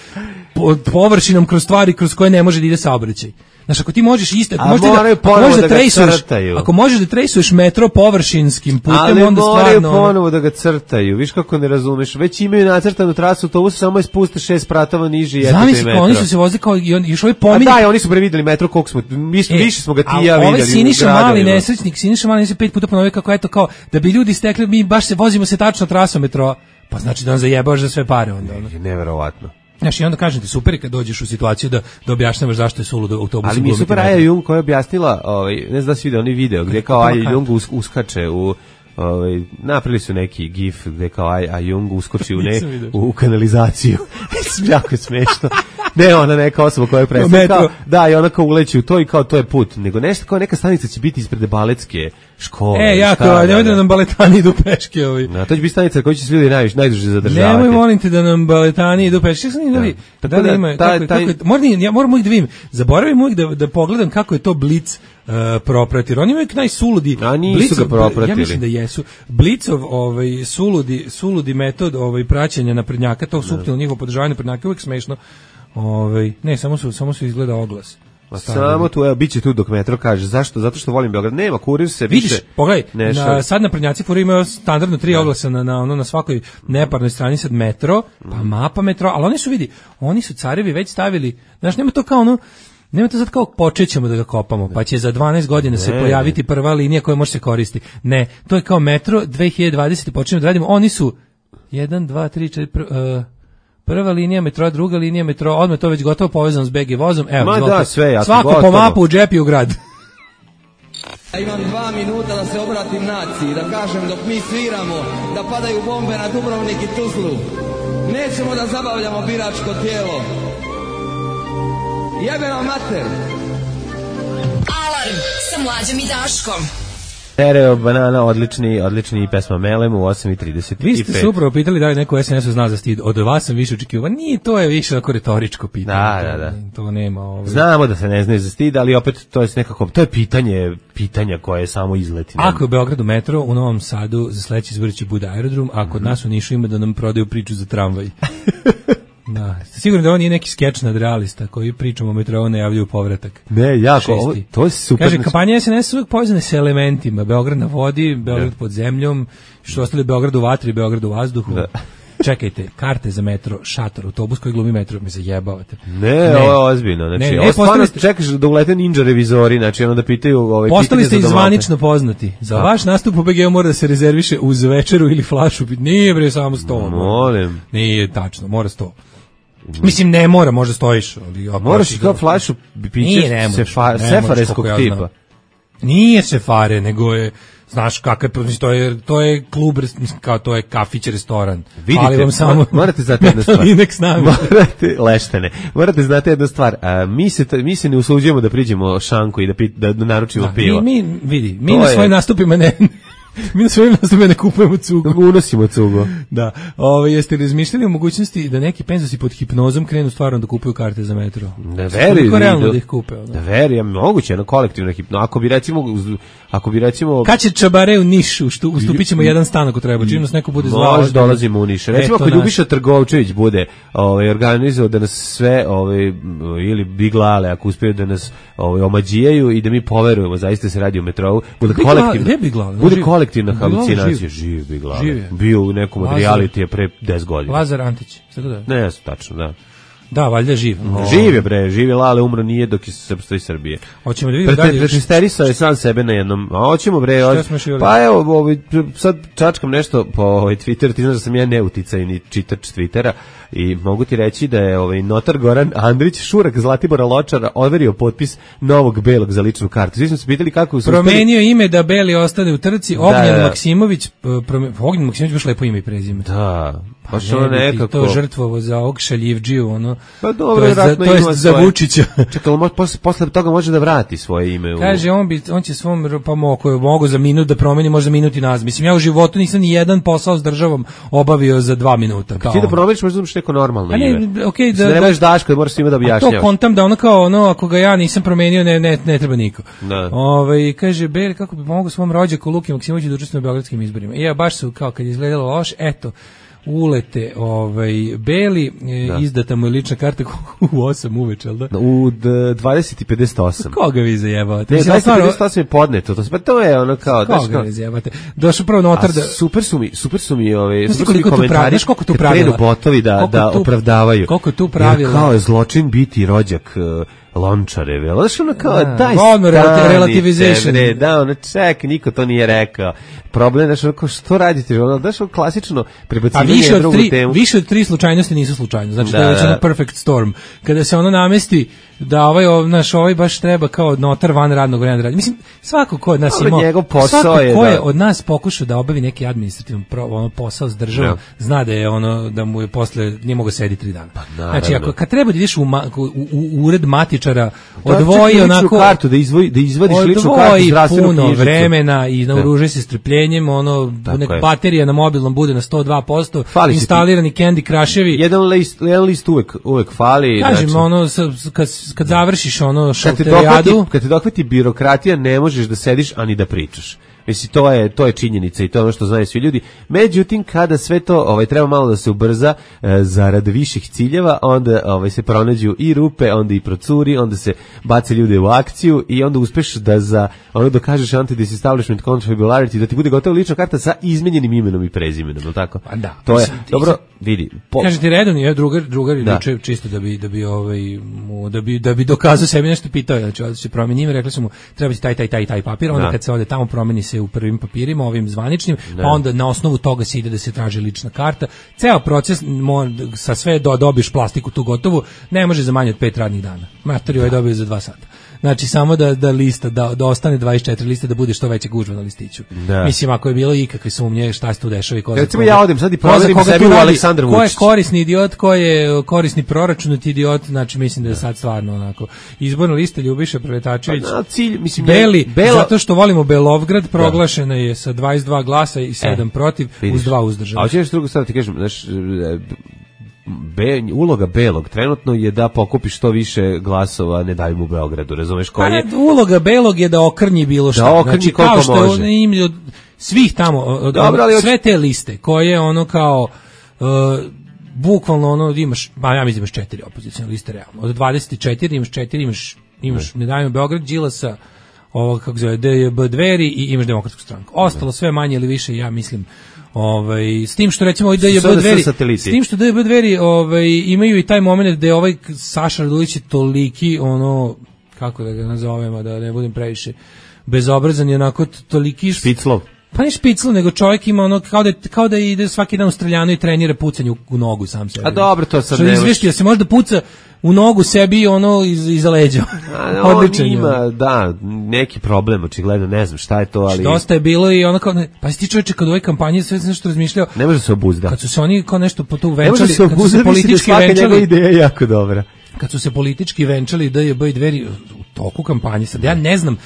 po, površinom, kroz stvari kroz koje ne može da ide saobraćaj. Znaš, ako ti možeš isto, ako možeš da, ako možeš da, da trejsuješ, ako možeš da trejsuješ metro površinskim putem, ali onda stvarno... Ali moraju ponovo da ga crtaju, viš kako ne razumeš, već imaju nacrtanu trasu autobusa, samo je spuste šest pratova niži i eto te metro. Oni su se vozili kao, i on, još ovaj pominje... A da, oni su prevideli metro, koliko smo, mi, e, više smo ga ti ja vidjeli. Ovaj Siniša Mali nesrećnik, Siniša Mali nesrećnik pet puta ponovio kako, eto, kao, da bi ljudi stekli, mi baš se vozimo se tačno trasom metroa, pa znači da on zajebaš za sve pare onda. Ne, neverovatno. Znaš, i onda kažem ti, super je kad dođeš u situaciju da, da objašnjavaš zašto je suludo autobus. Ali mi je super Aja Jung koja je objasnila, ovaj, ne znam da si vidio onaj video, gdje kao Aja Jung us, uskače u, ovaj, napravili su neki gif gdje kao Aja Jung uskoči u, ne, u kanalizaciju. Jako je smešno. Ne, ona neka osoba koja je predstavlja, kao, da, i ona kao uleći u to i kao to je put. Nego nešto kao neka stanica će biti ispred baletske škole. E, jako, nemoj da nam baletani idu peške ovi. Na, to će biti stanica koja će se ljudi najviše, najduže zadržavati. Nemoj, molim te da nam baletani idu peške. Šta da, da, da, da ima, taj, kako, taj... kako, moram, ja moram uvijek da vidim, zaboravim uvijek da, da pogledam kako je to Blic uh, propratir. Oni imaju najsuludi. A nisu Blicov, ga propratili. Ja mislim da jesu. Blicov ovaj, suludi, suludi metod ovaj, praćenja naprednjaka, to suptilno njihovo podržavanje naprednjaka, uvijek smešno. Ovaj, ne, samo su, samo su izgleda oglas. Ma samo tu, evo, biće tu dok metro kaže. Zašto? Zato što volim Beograd. Nema, kurir se više. Vidiš, pogledaj, na, sad naprednjaci furi imaju standardno tri oglasa na, na, ono, na svakoj neparnoj strani sad metro, pa mapa metro, ali oni su, vidi, oni su carevi već stavili, znaš, nema to kao ono, nema to sad kao počećemo da ga kopamo, pa će za dvanaest godina se pojaviti prva linija koja može se koristiti. Ne, to je kao metro, dve hiljade dvadesete počinjemo da radimo, oni su jedan, dva, tri, četiri, uh, prva linija metroa, druga linija metroa, odmah to već gotovo povezano s B G vozom. Evo, ma da, sve, ja svako gotovo. Po mapu u džep i u grad. Ja imam dva minuta da se obratim naciji, da kažem dok mi sviramo, da padaju bombe na Dubrovnik i Tuzlu. Nećemo da zabavljamo biračko tijelo. Jebeno mater. Alarm sa Mlađom i Daškom. Stereo banana, odlični, odlični pesma Melem u osam i trideset pet. Vi ste se upravo pitali da li neko S N S-u zna za stid. Od vas sam više očekivao. Nije, to je više ako retoričko pitanje. Da, da, da. To nema. Ovaj. Znamo da se ne znaju za stid, ali opet to je nekako, to je pitanje, pitanja koje je samo izleti. Ako je u Beogradu metro, u Novom Sadu za sledeći izbor će bude aerodrom, a kod mm-hmm. nas u Nišu ima da nam prodaju priču za tramvaj. Da, ste sigurni da on nije neki skeč nadrealista koji pričamo o metrou najavljuju povratak. Ne, jako, ovo, to je super. Kaže, kampanja S N S uvijek povezane sa elementima. Beograd na vodi, Beograd ne. pod zemljom, što ostali Beograd u vatri, Beograd u vazduhu. Da. Čekajte, karte za metro, šator, autobus koji glumi metro, mi se jebavate. Ne, ne. Ovo je ozbiljno. Znači, ne, ne, ovo stvarno ste... čekaš da ulete ninja revizori, znači ono da pitaju... Ovaj, postali ste izvanično poznati. Za da. Vaš nastup u B G-u mora da se rezerviše uz večeru ili flašu. Nije bre, samo sto. Molim. Nije tačno, mora sto. Mislim, ne mora, možda stojiš. Ali moraš i kao flašu pićeš sefa, sefareskog tipa. Nije sefare, nego je, znaš kakav je, to je, to je klub, kao to je kafić, restoran. Vidite, ali vam samo morate znati jednu stvar. Morate, leštene, morate znati jednu stvar. A, mi, se, mi se ne usuđujemo da priđemo šanku i da, pi, da naručimo da, pivo. Mi, mi, vidi, mi to na svojim je... nastupima ne... Mi na svojim nastupima ne kupujemo cugu. Unosimo cugu. Da. Ovo, jeste razmišljali o mogućnosti da neki penzosi pod hipnozom krenu stvarno da kupuju karte za metro? Da veri. Kako realno da ih kupe? Da veri, ja moguće, jedno kolektivno hipno. Ako bi recimo... Ako bi recimo... Kad će Čabare u Nišu, ustupit ćemo jedan stan ako treba, čim nas neko bude zvao. Može, dolazimo u Niš. Recimo ako Ljubiša Trgovčević bude ovaj, organizovao da nas sve, ovaj, ili Biglale, ako uspiju da nas ovaj, omađijaju i da mi poverujemo, zaista se radi u metrovu, bude kolektivno. Bude kolektivna halucinacija. Živ Biglale. Bio u nekom od realitija pre deset godina. Lazar Antić. Ne, tačno, da. Da, valjda živ. Živ je bre, živ je Lale, umro nije dok je srpstvo i Srbije. Hoćemo da vidimo dalje. Prehisterisao je sam sebe na jednom. A hoćemo bre, hoć... pa evo, ovaj, sad čačkam nešto po ovaj Twitter, ti znaš da sam ja neuticajni čitač Twittera i mogu ti reći da je ovaj notar Goran Andrić Šurak Zlatibora Ločara overio potpis novog belog za ličnu kartu. Svi smo se pitali kako su promenio ustali... ime da beli ostane u trci. Ognjen da, da. Maksimović, prome... Ognjen Maksimović baš lepo ime i prezime. Da. Pa baš ono nekako to žrtvovo za ovog šaljivdžiju, ono Pa dobro, to je za, to je za Vučića. Čekaj, posle, posle toga može da vrati svoje ime. U... Kaže, on, bi, on će svom, pa mogu, mogu za minut da promeni, može za minut i nazad. Mislim, ja u životu nisam ni jedan posao s državom obavio za dva minuta. Ti da promeniš, možda imaš neko normalno ne, ime. Okay, da, da, da, Daško, da moraš svima da objašnjavaš. To kontam da ono kao, ono, ako ga ja nisam promenio, ne, ne, ne treba niko. Da. Ove, kaže, Beli, kako bi pomogao svom rođaku Luki Maksimoviću da učestvuje na beogradskim izborima. I ja, baš su, kao kad je izgledalo loš, eto, ulete ovaj Beli, da. Izdata mu je lična karta u osam uveče, al da? U dvadeset i pedeset osam. Koga vi zajebavate? Ne, dvadeset i pedeset osam je podneto, to, to je ono kao... Koga vi zajebavate? Došao prvo notar da... Super su mi, super su mi ove... Znaš koliko tu pravila? Znaš koliko tu pravila? botovi da, da tu, opravdavaju. Koliko tu pravila? Jer kao je zločin biti rođak... Uh, Lončareve, znaš ono kao, da, daj stanite, relativization. Ne, da, ono, ček, niko to nije rekao. Problem, znaš, ono, što radite, ono, znaš, ono, klasično prebacivanje više drugu tri, temu. Više od tri slučajnosti nisu slučajno, znači da, to je već ono perfect storm. Kada se ono namesti da ovaj, naš, ovaj baš treba kao notar van radnog vremena da radi. Mislim, svako ko od nas ima, njegov posao svako je ko da... je od nas pokušao da obavi neki administrativni ono, posao s državom, no. Zna da je ono, da mu je posle, nije mogo sedi tri dana. Pa, znači, ako, kad treba da ideš u, ma, u, u, u ured matičara, da, odvoji onako kartu da izvoji da izvadiš ličnu kartu zdravstvenu puno knjižicu. Vremena i naoružaj se strpljenjem, ono nek baterija na mobilnom bude na sto dva posto, fali instalirani Candy Crushevi. Jedan list, jedan list uvek uvek fali. Kažem, znači, ono kad kad završiš ono šalterijadu, kad te dohvati birokratija, ne možeš da sediš ani da pričaš. Mislim, to je, to je činjenica i to je ono što znaju svi ljudi. Međutim, kada sve to ovaj, treba malo da se ubrza e, zarad viših ciljeva, onda ovaj, se pronađu i rupe, onda i procuri, onda se bace ljude u akciju i onda uspeš da za ono dokažeš anti-disestablishment confabulary, da ti bude gotova lična karta sa izmenjenim imenom i prezimenom, je tako? Pa da. To je, dobro, vidi. Po... Kaže ti redovni, je drugar, drugar da. Ili čisto da bi, da bi, ovaj, mu, da bi, da bi dokazao sebi nešto pitao, znači, da se promeni ime, rekli su mu, treba ti taj, taj, taj, taj papir, onda da. Kad se ode tamo promeni se u prvim papirima, ovim zvaničnim, ne. Pa onda na osnovu toga se ide da se traži lična karta. Ceo proces mo, sa sve do dobiš plastiku tu gotovu, ne može za manje od pet radnih dana. Matori ovaj dobio za dva sata. Znači samo da da lista da, da ostane dvadeset četiri liste, da bude što veće gužva na listiću. Da. Mislim, ako je bilo ikakve sumnje šta se tu dešava i ko. Recimo ja odem sad i proverim sebi u Aleksandar Vučić. Ko je korisni idiot, ko je korisni proračunati idiot, znači mislim da je sad stvarno onako. Izborna lista Ljubiša Preletačević. Pa, cilj, mislim, Beli, Bela... zato što volimo Belovgrad, proglašena je sa dvadeset dva glasa i sedam e, protiv, vidiš. Uz dva uzdržana. A hoćeš drugo sad ti kažem, znaš, Be, uloga Belog trenutno je da pokupi što više glasova Ne davimo u Beogradu, razumeš koji je? Uloga Belog je da okrnji bilo šta. Da okrnji znači, koliko kao što može. Im, od svih tamo, od, Dobro, od, sve te liste koje ono kao uh, bukvalno ono imaš, ba ja mislim imaš četiri opozicione liste realno. Od dvadeset četiri imaš četiri, imaš imaš Ne davimo Beograd, Đilasa, ovo kako zove D J B Dveri i imaš Demokratsku stranku. Ostalo sve manje ili više, ja mislim. Ovaj s tim što recimo da je D J B Dveri, s tim što D J B Dveri ovaj imaju i taj momenat da je ovaj Saša Radulović toliki ono kako da ga nazovemo da ne budem previše bezobrazan i onako toliki špiclov. Pa ne špiclov, nego čovjek ima ono kao da kao da ide svaki dan u streljanu i trenira pucanje u, u nogu sam sebi. A dobro, to sad ne izvešti da se možda puca u nogu sebi ono iz iza leđa. Odlično ima, da, neki problem, očigledno, ne znam šta je to, ali dosta je bilo i ono kao, pa si ti čovječe kad u ovoj kampanji sve nešto razmišljao. Ne može se obuzda. Kad su se oni kao nešto po tu venčali, se kad su se politički da venčali, ideja je jako dobra. Kad su se politički venčali D J B i Dveri u toku kampanje, sad ja ne znam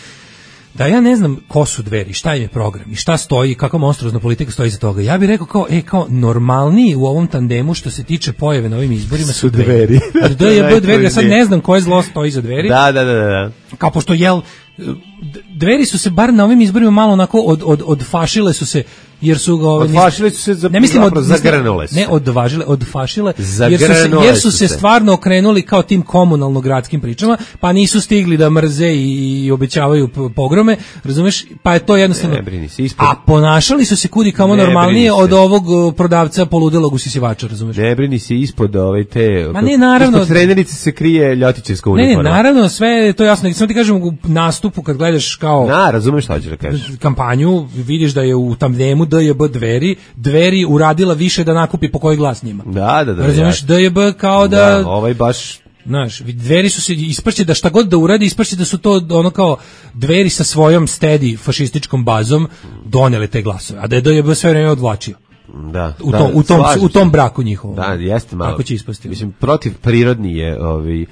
da ja ne znam ko su Dveri, šta im je program i šta stoji, kakva monstruozna politika stoji iza toga. Ja bih rekao kao, e, kao normalniji u ovom tandemu što se tiče pojave na ovim izborima su Dveri. D J B Dveri, ja sad ne znam koje zlo stoji iza Dveri. Da, da, da, da. Kao pošto jel Dveri su se bar na ovim izborima malo onako od od odfašile su se jer su ga odfašile su se za ne mislim od zagrnule ne odvažile odfašile jer su se jer su se stvarno okrenuli kao tim komunalno gradskim pričama, pa nisu stigli da mrze i, i obećavaju pogrome, razumeš, pa je to jednostavno. A ponašali su se kudi kamo normalnije od ovog prodavca poludelog usisivača, razumeš. Ne brini se ispod ove te. Ma ne, naravno. Ispod trenerice se krije ljotićevska uniforma. Ne, ne, naravno, sve je to jasno. Samo ti kažem u nastupu kad gledaš kao na, razumeš šta hoćeš da kažeš. Kampanju, vidiš da je u tandemu D J B Dveri, Dveri uradila više da nakupi po koji glas njima. Da, da, da. Razumeš, D J B kao da, da ovaj baš znaš, Dveri su se isprće da šta god da uradi, isprće da su to ono kao Dveri sa svojom stedi fašističkom bazom donele te glasove, a da je D J B sve vreme odvlačio. Da, u, da, to, u, tom, u tom braku njihovom. Da, jeste malo. Kako će ispasti? Mislim, protiv prirodni je, ovaj,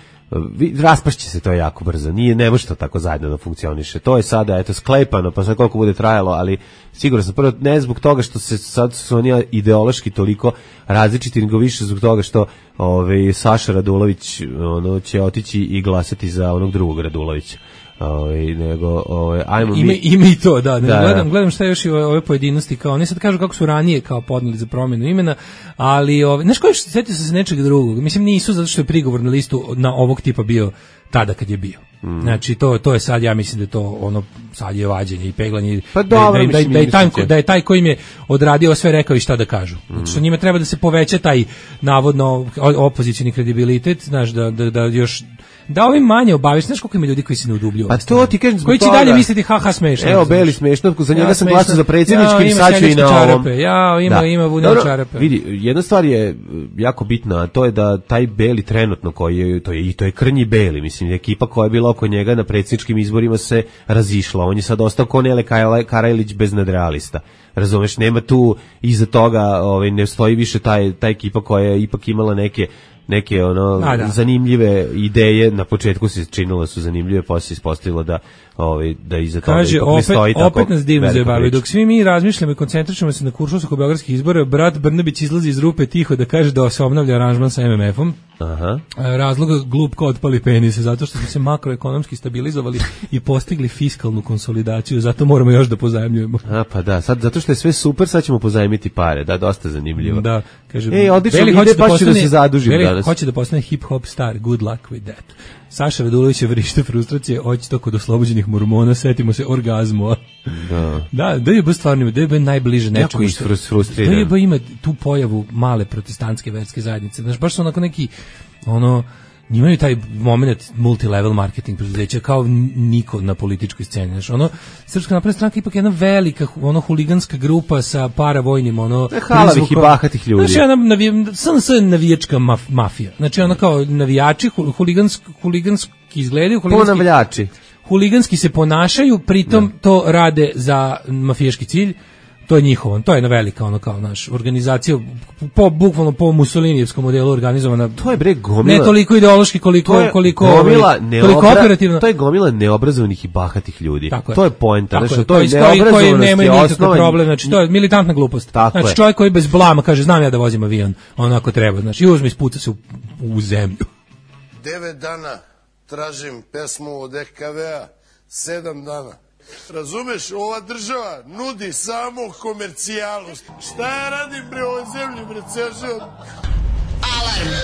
raspašće se to jako brzo. Nije, ne može to tako zajedno da funkcioniše. To je sada, eto, sklepano, pa sad koliko bude trajalo, ali sigurno sam prvo, ne zbog toga što se sad su oni ideološki toliko različiti, nego više zbog toga što ovaj, Saša Radulović ono, će otići i glasati za onog drugog Radulovića. Ovaj nego ovaj ajmo ime, mi ime i to da, da gledam da. gledam šta još i ove, ove pojedinosti kao oni sad kažu kako su ranije kao podneli za promjenu imena, ali ovaj znaš koji setio sam se nečeg drugog, mislim nisu zato što je prigovor na listu na ovog tipa bio tada kad je bio. Mm. Znači to to je sad, ja mislim da je to ono sad je vađenje i peglanje, pa dobro, da, da, da, da, je taj, da je taj koji im je odradio sve rekao i šta da kažu. Mm. Znači što njima treba da se poveća taj navodno opozicioni kredibilitet, znaš da da, da još da ovim manje obaviš, znaš koliko ima ljudi koji se ne udubljuju. Pa to ti kažem zbog koji će toga. Dalje misliti haha smešno. Evo Beli smešno, za njega ja, sam glasao za predsjednički, ja, sad ću i na ovom. Čarape. Ja, ima, da. ima vune čarape. Vidi, jedna stvar je jako bitna, a to je da taj Beli trenutno koji je, to je, i to je krnji Beli, mislim, ekipa koja je bila oko njega na predsjedničkim izborima se razišla. On je sad ostao ko Nele Karajlić bez nadrealista. Razumeš, nema tu iza toga, ovaj, ne stoji više taj, ta ekipa koja je ipak imala neke neke ono A, da. zanimljive ideje, na početku se činilo da su zanimljive, posle se ispostavilo da ovaj da iza toga kaže, ipak opet, ne stoji tako. Opet nas divno zabavljaju. Dok svi mi razmišljamo i koncentrišemo se na kuršus oko beogradskih izbora, brat Brnabić izlazi iz rupe tiho da kaže da se obnavlja aranžman sa em em efom. Aha. Razlog glup kao otpali penise, zato što smo se makroekonomski stabilizovali i postigli fiskalnu konsolidaciju, zato moramo još da pozajmljujemo. A pa da, sad zato što je sve super, sad ćemo pozajmiti pare, da, dosta zanimljivo. Da, kaže. Ej, odlično, ide pa ću da se zadužim Beli danas. Hoće da postane hip hop star, good luck with that. Saša Radulović je vrište frustracije, hoće to kod oslobođenih mormona, setimo se orgazmu. Da. Da, da je baš stvarno, da je baš najbliže nečemu. Jako je frustriran. Da je baš ima tu pojavu male protestantske verske zajednice. Znaš, baš su onako neki, ono, imaju taj moment multilevel marketing preduzeća kao niko na političkoj sceni. Znaš, ono, Srpska napredna stranka ipak jedna velika, ono, huliganska grupa sa paravojnim, ono, halavih i bahatih ljudi. Znači, ona navi, S N S navijačka maf, mafija. Znači, ona kao navijači, huliganski, huliganski izgledaju, huliganski, ponavljači. Huliganski se ponašaju, pritom da. To rade za mafijaški cilj. To je njihovo, to je jedna velika ono kao naš organizacija po bukvalno po Mussolinijevskom modelu organizovana. To je bre gomila. Ne toliko ideološki koliko koliko gomila koliko operativno. To je gomila neobrazovanih i bahatih ljudi. Tako to je poenta, znači to, to je neobrazovanost koji nemaju nikakav problem, znači to je militantna glupost. Tako znači je. Čovjek koji bez blama kaže znam ja da vozim avion, onako treba, znači i uzme ispuca se u, u zemlju. Devet dana tražim pesmu od E K V-a, sedam dana. Razumeš, ova država nudi samo komercijalu. Šta ja radim bre ovoj zemlji, bre, ceo život? Alarm.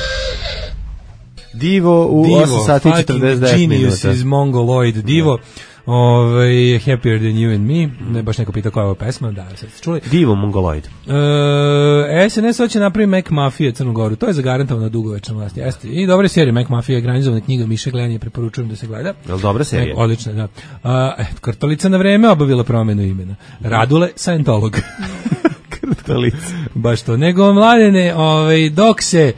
Divo u Divo, osam sati i četrdeset devet minuta. Genius iz Mongoloid. Divo, ovaj, Happier Than You and Me, ne baš neko pita koja je ova pesma, da, sad ste čuli. Divo Mongoloid. E, S N S hoće napraviti Mac Mafija Crnu Goru, to je zagarantovano dugovečna vlast, jeste. I dobra serija Mac Mafija, ekranizovana knjiga Miše Glenije, preporučujem da se gleda. Je li dobra serija? E, odlična, da. A, e, Krtolica na vreme obavila promenu imena. Radule, Scientolog. Krtolica. Baš to. Nego, mladene, ovaj, dok se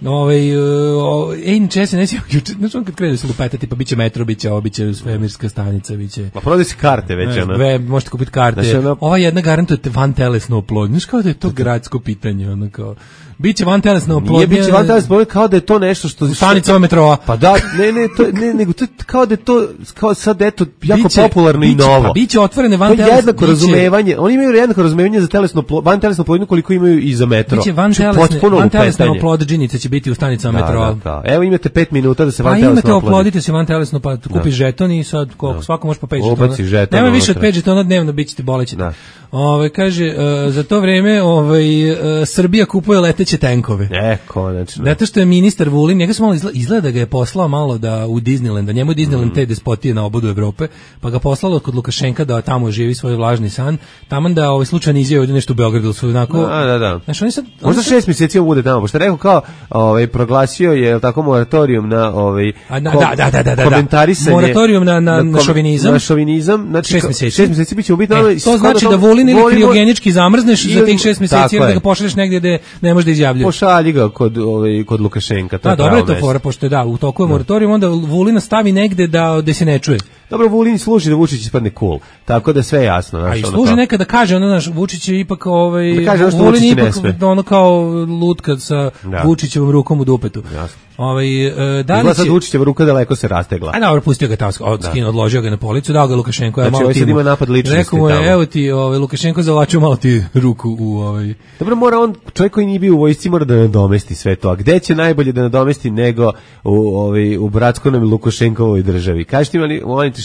Ovaj uh, ej čese ne sjećam juče, znači on kad krene se lupetati pa biće metro, biće obiće svemirska stanica, biće. Pa prodaj se karte već ona. Ve, možete kupiti karte. Znači, ono... Ova jedna garantuje van telesnu oplodnju. Znaš kao da je to gradsko pitanje, ono kao biće van telesna oplodnja. Nije biće van telesna oplodnja, kao da je to nešto što stanica metroa. Pa da, ne, ne, to ne, nego to kao da je to kao sad eto jako biće, popularno biće, i novo. Pa biće otvorene van telesne. To je jednako razumevanje. Oni imaju jednako razumevanje za telesnu van telesnu oplodnju koliko imaju i za metro. Biće van telesne, van telesna oplodnjica će biti u stanicama metroa. Da, da. Evo imate pet minuta da se van telesno oplodite. Pa imate oplodite se van telesno, pa kupiš žeton i sad koliko, svako može po pet žetona. Nema više od pet žetona dnevno, bit ćete bolećete. Ove, kaže, uh, za to vreme ovaj, uh, Srbija kupuje leteće tenkove. E, konačno. Zato što je ministar Vulin, njega se malo izgleda, izgleda da ga je poslao malo da u Disneyland, da njemu je Disneyland mm. te despotije na obodu Evrope, pa ga poslalo kod Lukašenka da tamo živi svoj vlažni san, taman da ovaj slučajno izjavio ovdje nešto u Beogradu, su onako... Da, da, da. Znaš, oni sad, možda šest mjeseci on bude tamo, pošto rekao kao, ovaj, proglasio je tako moratorium na ovaj A, da, da, da, da, da, komentarisanje, moratorium na, na, na, na šovinizam, na šovinizam, znači šest mjeseci, šest mjeseci biće ubiti. E, to znači da Vulin ili kriogenički zamrzneš za tih šest mjeseci, jer da ga pošalješ negdje gde ne možeš da izjavljuje. Pošalji ga kod, ovaj, kod Lukašenka. Da, dobro je to fora, pošto je da, u toku je moratorijum, onda Vulina stavi negde da, da se ne čuje. Dobro, Vulin služi da Vučić ispadne cool, tako da sve je jasno. Znaš, a i služi kao... nekada da kaže, ono, naš, Vučić je ipak, ovaj, da kaže Vulin Vučić ipak, ne sme. ono kao lutka sa da. Vučićevom rukom u dupetu. Jasno. Ovaj, e, da li će... sad Vučićeva ruka daleko se rastegla. A dobro, pustio ga tamo, od, skino, odložio ga na policu, dao ga Lukašenko. Znači, ovaj sad ima napad ličnosti. Rekao mu je, evo ti, ovaj, Lukašenko zavlačio malo ti ruku u ovaj... Dobro, mora on, čovjek koji nije bio u vojsci, mora da nadomesti sve to. A gde će najbolje da nadomesti nego u, ovaj, u bratskonom Lukašenkovoj državi? Kažete mi,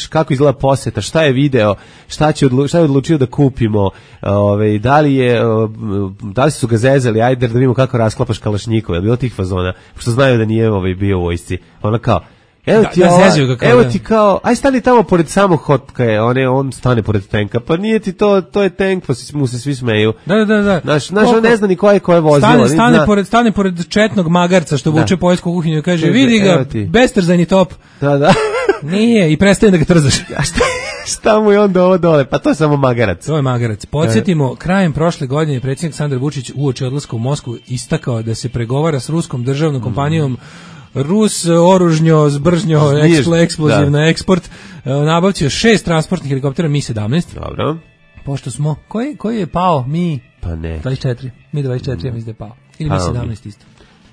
kako izgleda poseta, šta je video, šta, će odlu, šta je odlučio da kupimo, ovaj, da li je, da li su ga zezali, ajde da vidimo kako rasklapaš kalašnjikove, bilo tih fazona, što znaju da nije ovaj, bio u vojsci. Ona kao, evo ti, da, ova, kao, evo ti kao, aj stani tamo pored samog hotka je, on, je, on stane pored tenka, pa nije ti to, to je tenk, pa mu se svi smeju. Da, da, da. Znaš, znaš on ne zna ni koje koje vozilo. Stane, stane, pored, stane pored četnog magarca što vuče poljsku kuhinju i kaže, vidi ga, bestrzajni top. Da, da. Nije, i prestaje da ga trzaš. A šta, šta mu je onda ovo dole? Pa to je samo magarac. To je magarac. Podsjetimo, krajem prošle godine predsjednik Aleksandar Vučić uoči odlaska u Moskvu istakao da se pregovara s ruskom državnom kompanijom mm. Rus oružnjo, zbržnjo, eksploziv na eksport, nabavcio šest transportnih helikoptera Mi sedamnaest. Dobro. Pošto smo, koji, koji je pao? Mi pa ne. dvadeset četiri. Mi dvadeset četiri, mm. ja mislim da je pao. Ili Mi sedamnaest isto.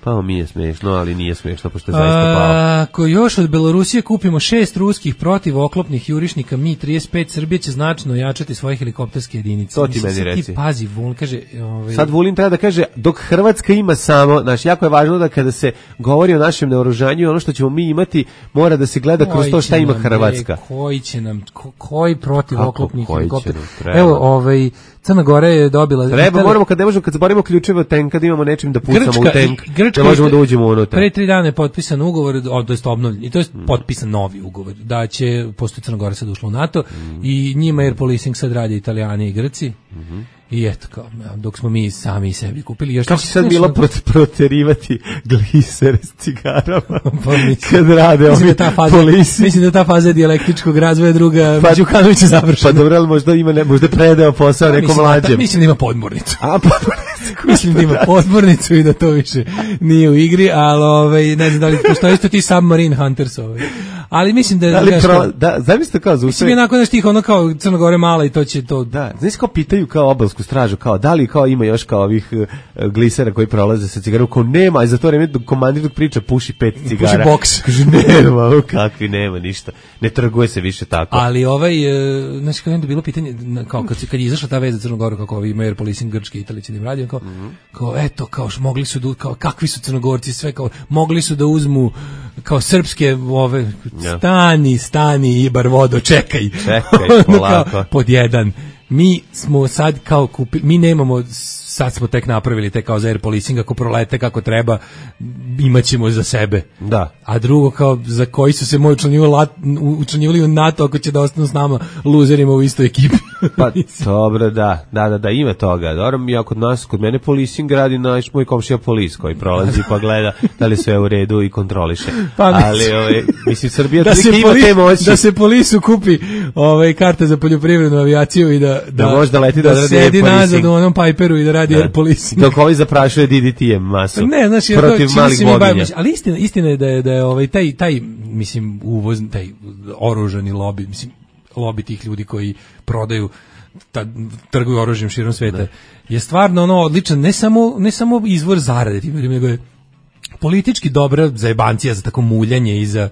Pa mi je smiješno, ali nije smiješno, pošto je zaista pao. Ako još od Belorusije kupimo šest ruskih protivoklopnih jurišnika Mi trideset pet, Srbija će značno jačati svoje helikopterske jedinice. To ti meni Mislim, reci. Ti pazi, Vulin kaže... Ovaj... Sad Vulin treba da kaže, dok Hrvatska ima samo, znaš, jako je važno da kada se govori o našem naoružanju, ono što ćemo mi imati, mora da se gleda kroz to šta ima Hrvatska. Je, koji će nam, ko, koji protivoklopnih helikopter? Evo, ovaj... Crna Gora je dobila... Treba, Italija... moramo, kad ne možemo, kad zaborimo ključeve od tenka, da imamo nečim da pucamo Grčka, u tenk, Grčka, da možemo da uđemo unutra. Pre tri dana je potpisan ugovor, to jest obnovljen, i to je mm. potpisan novi ugovor, da će, pošto Crna Gora sad ušla u NATO, mm. i njima air policing sad radi Italijani i Grci, mm-hmm. i eto, kao, dok smo mi sami sebi kupili... Još kako će sad bilo prot, proterivati glisere s cigarama, pa kad rade ovi da polisi? Mislim da ta faza dijalektičkog razvoja druga pa, Đukanovića završena. Pa dobro, ali možda ima, ne, možda predao posao pa, nekom mlađem. Mislim da ima podmornicu. A, podmornicu. Mislim da ima podmornicu i da to više nije u igri, ali ovaj, ne znam da li postoji isto ti Submarine Hunters. Ovaj. Ali mislim da... Ali pro, da, zamislite kao za mislim je nakon da štih ono kao Crna Gora mala i to će to... Da, znaš kao pitaju kao obalsku stražu, kao da li kao ima još kao ovih uh, glisera koji prolaze sa cigarom, kao nema, a za to vreme komandir dok priča puši pet cigara. Puši boks. Kaže nema, kakvi nema ništa. Ne trguje se više tako. Ali ovaj, uh, znači kao je bilo pitanje, kao kad, kad je izašla ta veza za Crnu Goru, kako ovi imaju air policing Grčke i Italije će da im radi, kao, mm-hmm. kao eto, kao mogli su da, kao kakvi su Crnogorci, sve kao, mogli su da uzmu kao srpske ove, ja. stani, stani, Ibar vodo, čekaj. Čekaj, polako. Kao, pod jedan. Mi smo sad kao kupili, mi nemamo, sad smo tek napravili te kao za air policing, ako prolete kako treba, imaćemo za sebe. Da. A drugo kao za koji su se moji učlanjivali u NATO, ako će da ostanu s nama luzerima u istoj ekipi. Pa dobro, da, da, da, da, ima toga. Dobro, ja kod nas, kod mene policing radi naš moj komšija polis koji prolazi pa gleda da li sve u redu i kontroliše. Pa, ali ovaj, mislim, Srbija da se ima poli, te moći. Da se polisu kupi ovaj, karte za poljoprivrednu avijaciju i da, da, da, da, leti da, da sedi nazad u onom Piperu i da radi air policing. Dok ovaj zaprašuje D D T-em masu. Ne, znači, protiv to, malih boginja. Ali istina, istina je da je, da je ovaj, taj, taj, mislim, uvoz, taj oružani lobi, mislim, lobi tih ljudi koji prodaju, ta, trguju oružjem širom sveta, ne. je stvarno ono odličan, ne samo, ne samo izvor zarade, nego je politički dobra zajebancija za tako muljanje i za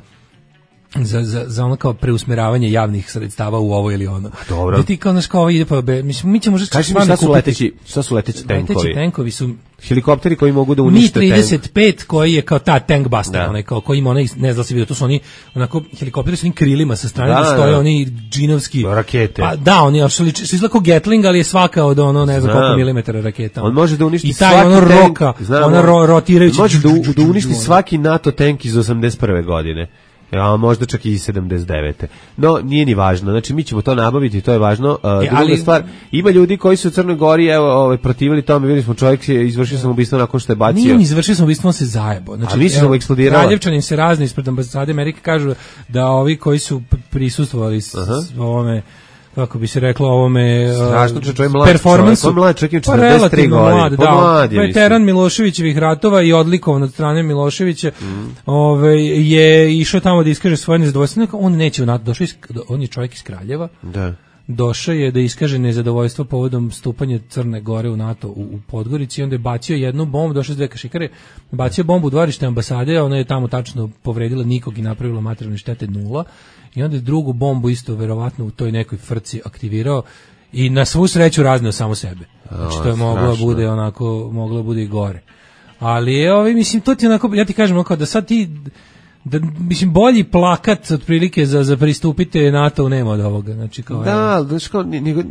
za za za ono kao preusmeravanje javnih sredstava u ovo ili ono. Dobro. Da ti kao naš kao ide pa be, mislim mi ćemo možda kaži mi šta su leteći, šta su leteći tenkovi? Leteći tenkovi su helikopteri koji mogu da unište Mi trideset pet tank. Koji je kao ta tank buster, onaj kao koji ima onaj, ne znam se vidio, to su oni onako helikopteri sa onim krilima sa strane, da, stoje da. Oni džinovski rakete. Pa da, oni su izgleda kao Gatling, ali je svaka od ono ne znam koliko milimetara raketa. On može da uništi i taj ono roka, ona ro, rotirajući. Može da, da uništi svaki NATO tank iz osamdeset prve godine. Ja, možda čak i sedamdeset devete. No, nije ni važno. Znači, mi ćemo to nabaviti, to je važno. Uh, e, druga ali... stvar, ima ljudi koji su u Crnoj Gori, evo, ovaj, protivili tome, vidjeli smo čovjek je izvršio samoubistvo nakon što je bacio. Nije on izvršio samoubistvo, on se zajebo. Znači, a mi smo eksplodirali. Kraljevčanin se razni ispred ambasade Amerike kažu da ovi koji su prisustvovali s, s ovome kako bi se reklo ovome strašno uh, čovjek mlad performansu. čovjek, mlad čovjek pa četrdeset tri godine, mlad, pa da, mlad je, veteran Miloševićevih ratova i odlikovan od strane Miloševića, mm. ovaj, je išao tamo da iskaže svoje nezadovoljstvo, on neće u NATO, došao iz, on je čovjek iz Kraljeva, da. Došao je da iskaže nezadovoljstvo povodom stupanja Crne Gore u NATO u, u Podgorici i onda je bacio jednu bombu, došao s dve kašikare, bacio bombu u dvorište ambasade, a ona je tamo tačno povredila nikog i napravila materijalne štete nula i onda je drugu bombu isto verovatno u toj nekoj frci aktivirao i na svu sreću razneo samo sebe. Znači to je moglo bude onako, moglo bude i gore. Ali je ovaj, mislim, to ti onako, ja ti kažem onako da sad ti da mislim bolji plakat otprilike za za pristupite NATO nema od ovoga, znači kao da, znači kao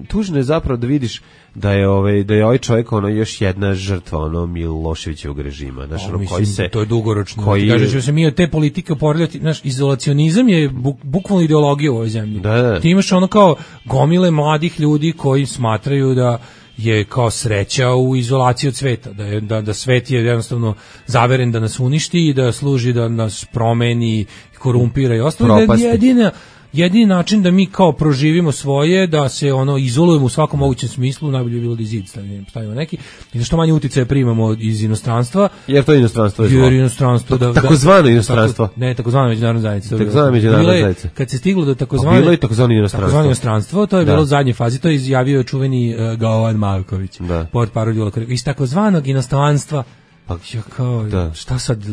tužno je zapravo da vidiš da je ovaj da je ovaj čovjek ono još jedna žrtva ono Miloševićevog režima, znači ono koji se to je dugoročno. Koji kažeš da se mi od te politike oporavljati, znaš, izolacionizam je buk, bukvalno ideologija u ovoj zemlji. Da, da. Ti imaš ono kao gomile mladih ljudi koji smatraju da je kao sreća u izolaciji od sveta, da, je, da, da svet je jednostavno zaveren da nas uništi i da služi da nas promeni, korumpira i ostalo. Da je jedina, jedini način da mi kao proživimo svoje, da se ono izolujemo u svakom mogućem smislu, najbolje bi bilo da zid stavimo, stavimo neki, i da što manje uticaja primamo iz inostranstva. Jer to inostranstvo je zlo. Jer inostranstvo, da, takozvano inostranstvo. Tako, ne, takozvano međunarodna zajednica. Takozvano međunarodna zajednica. Kad se stiglo do takozvano bilo je takozvano inostranstvo. Takozvano inostranstvo, to je da. Bilo u zadnjoj fazi, to je izjavio čuveni uh, Gaovan Marković. Da. Portparol iz takozvanog inostranstva. Pa ja kao, da. Šta sad,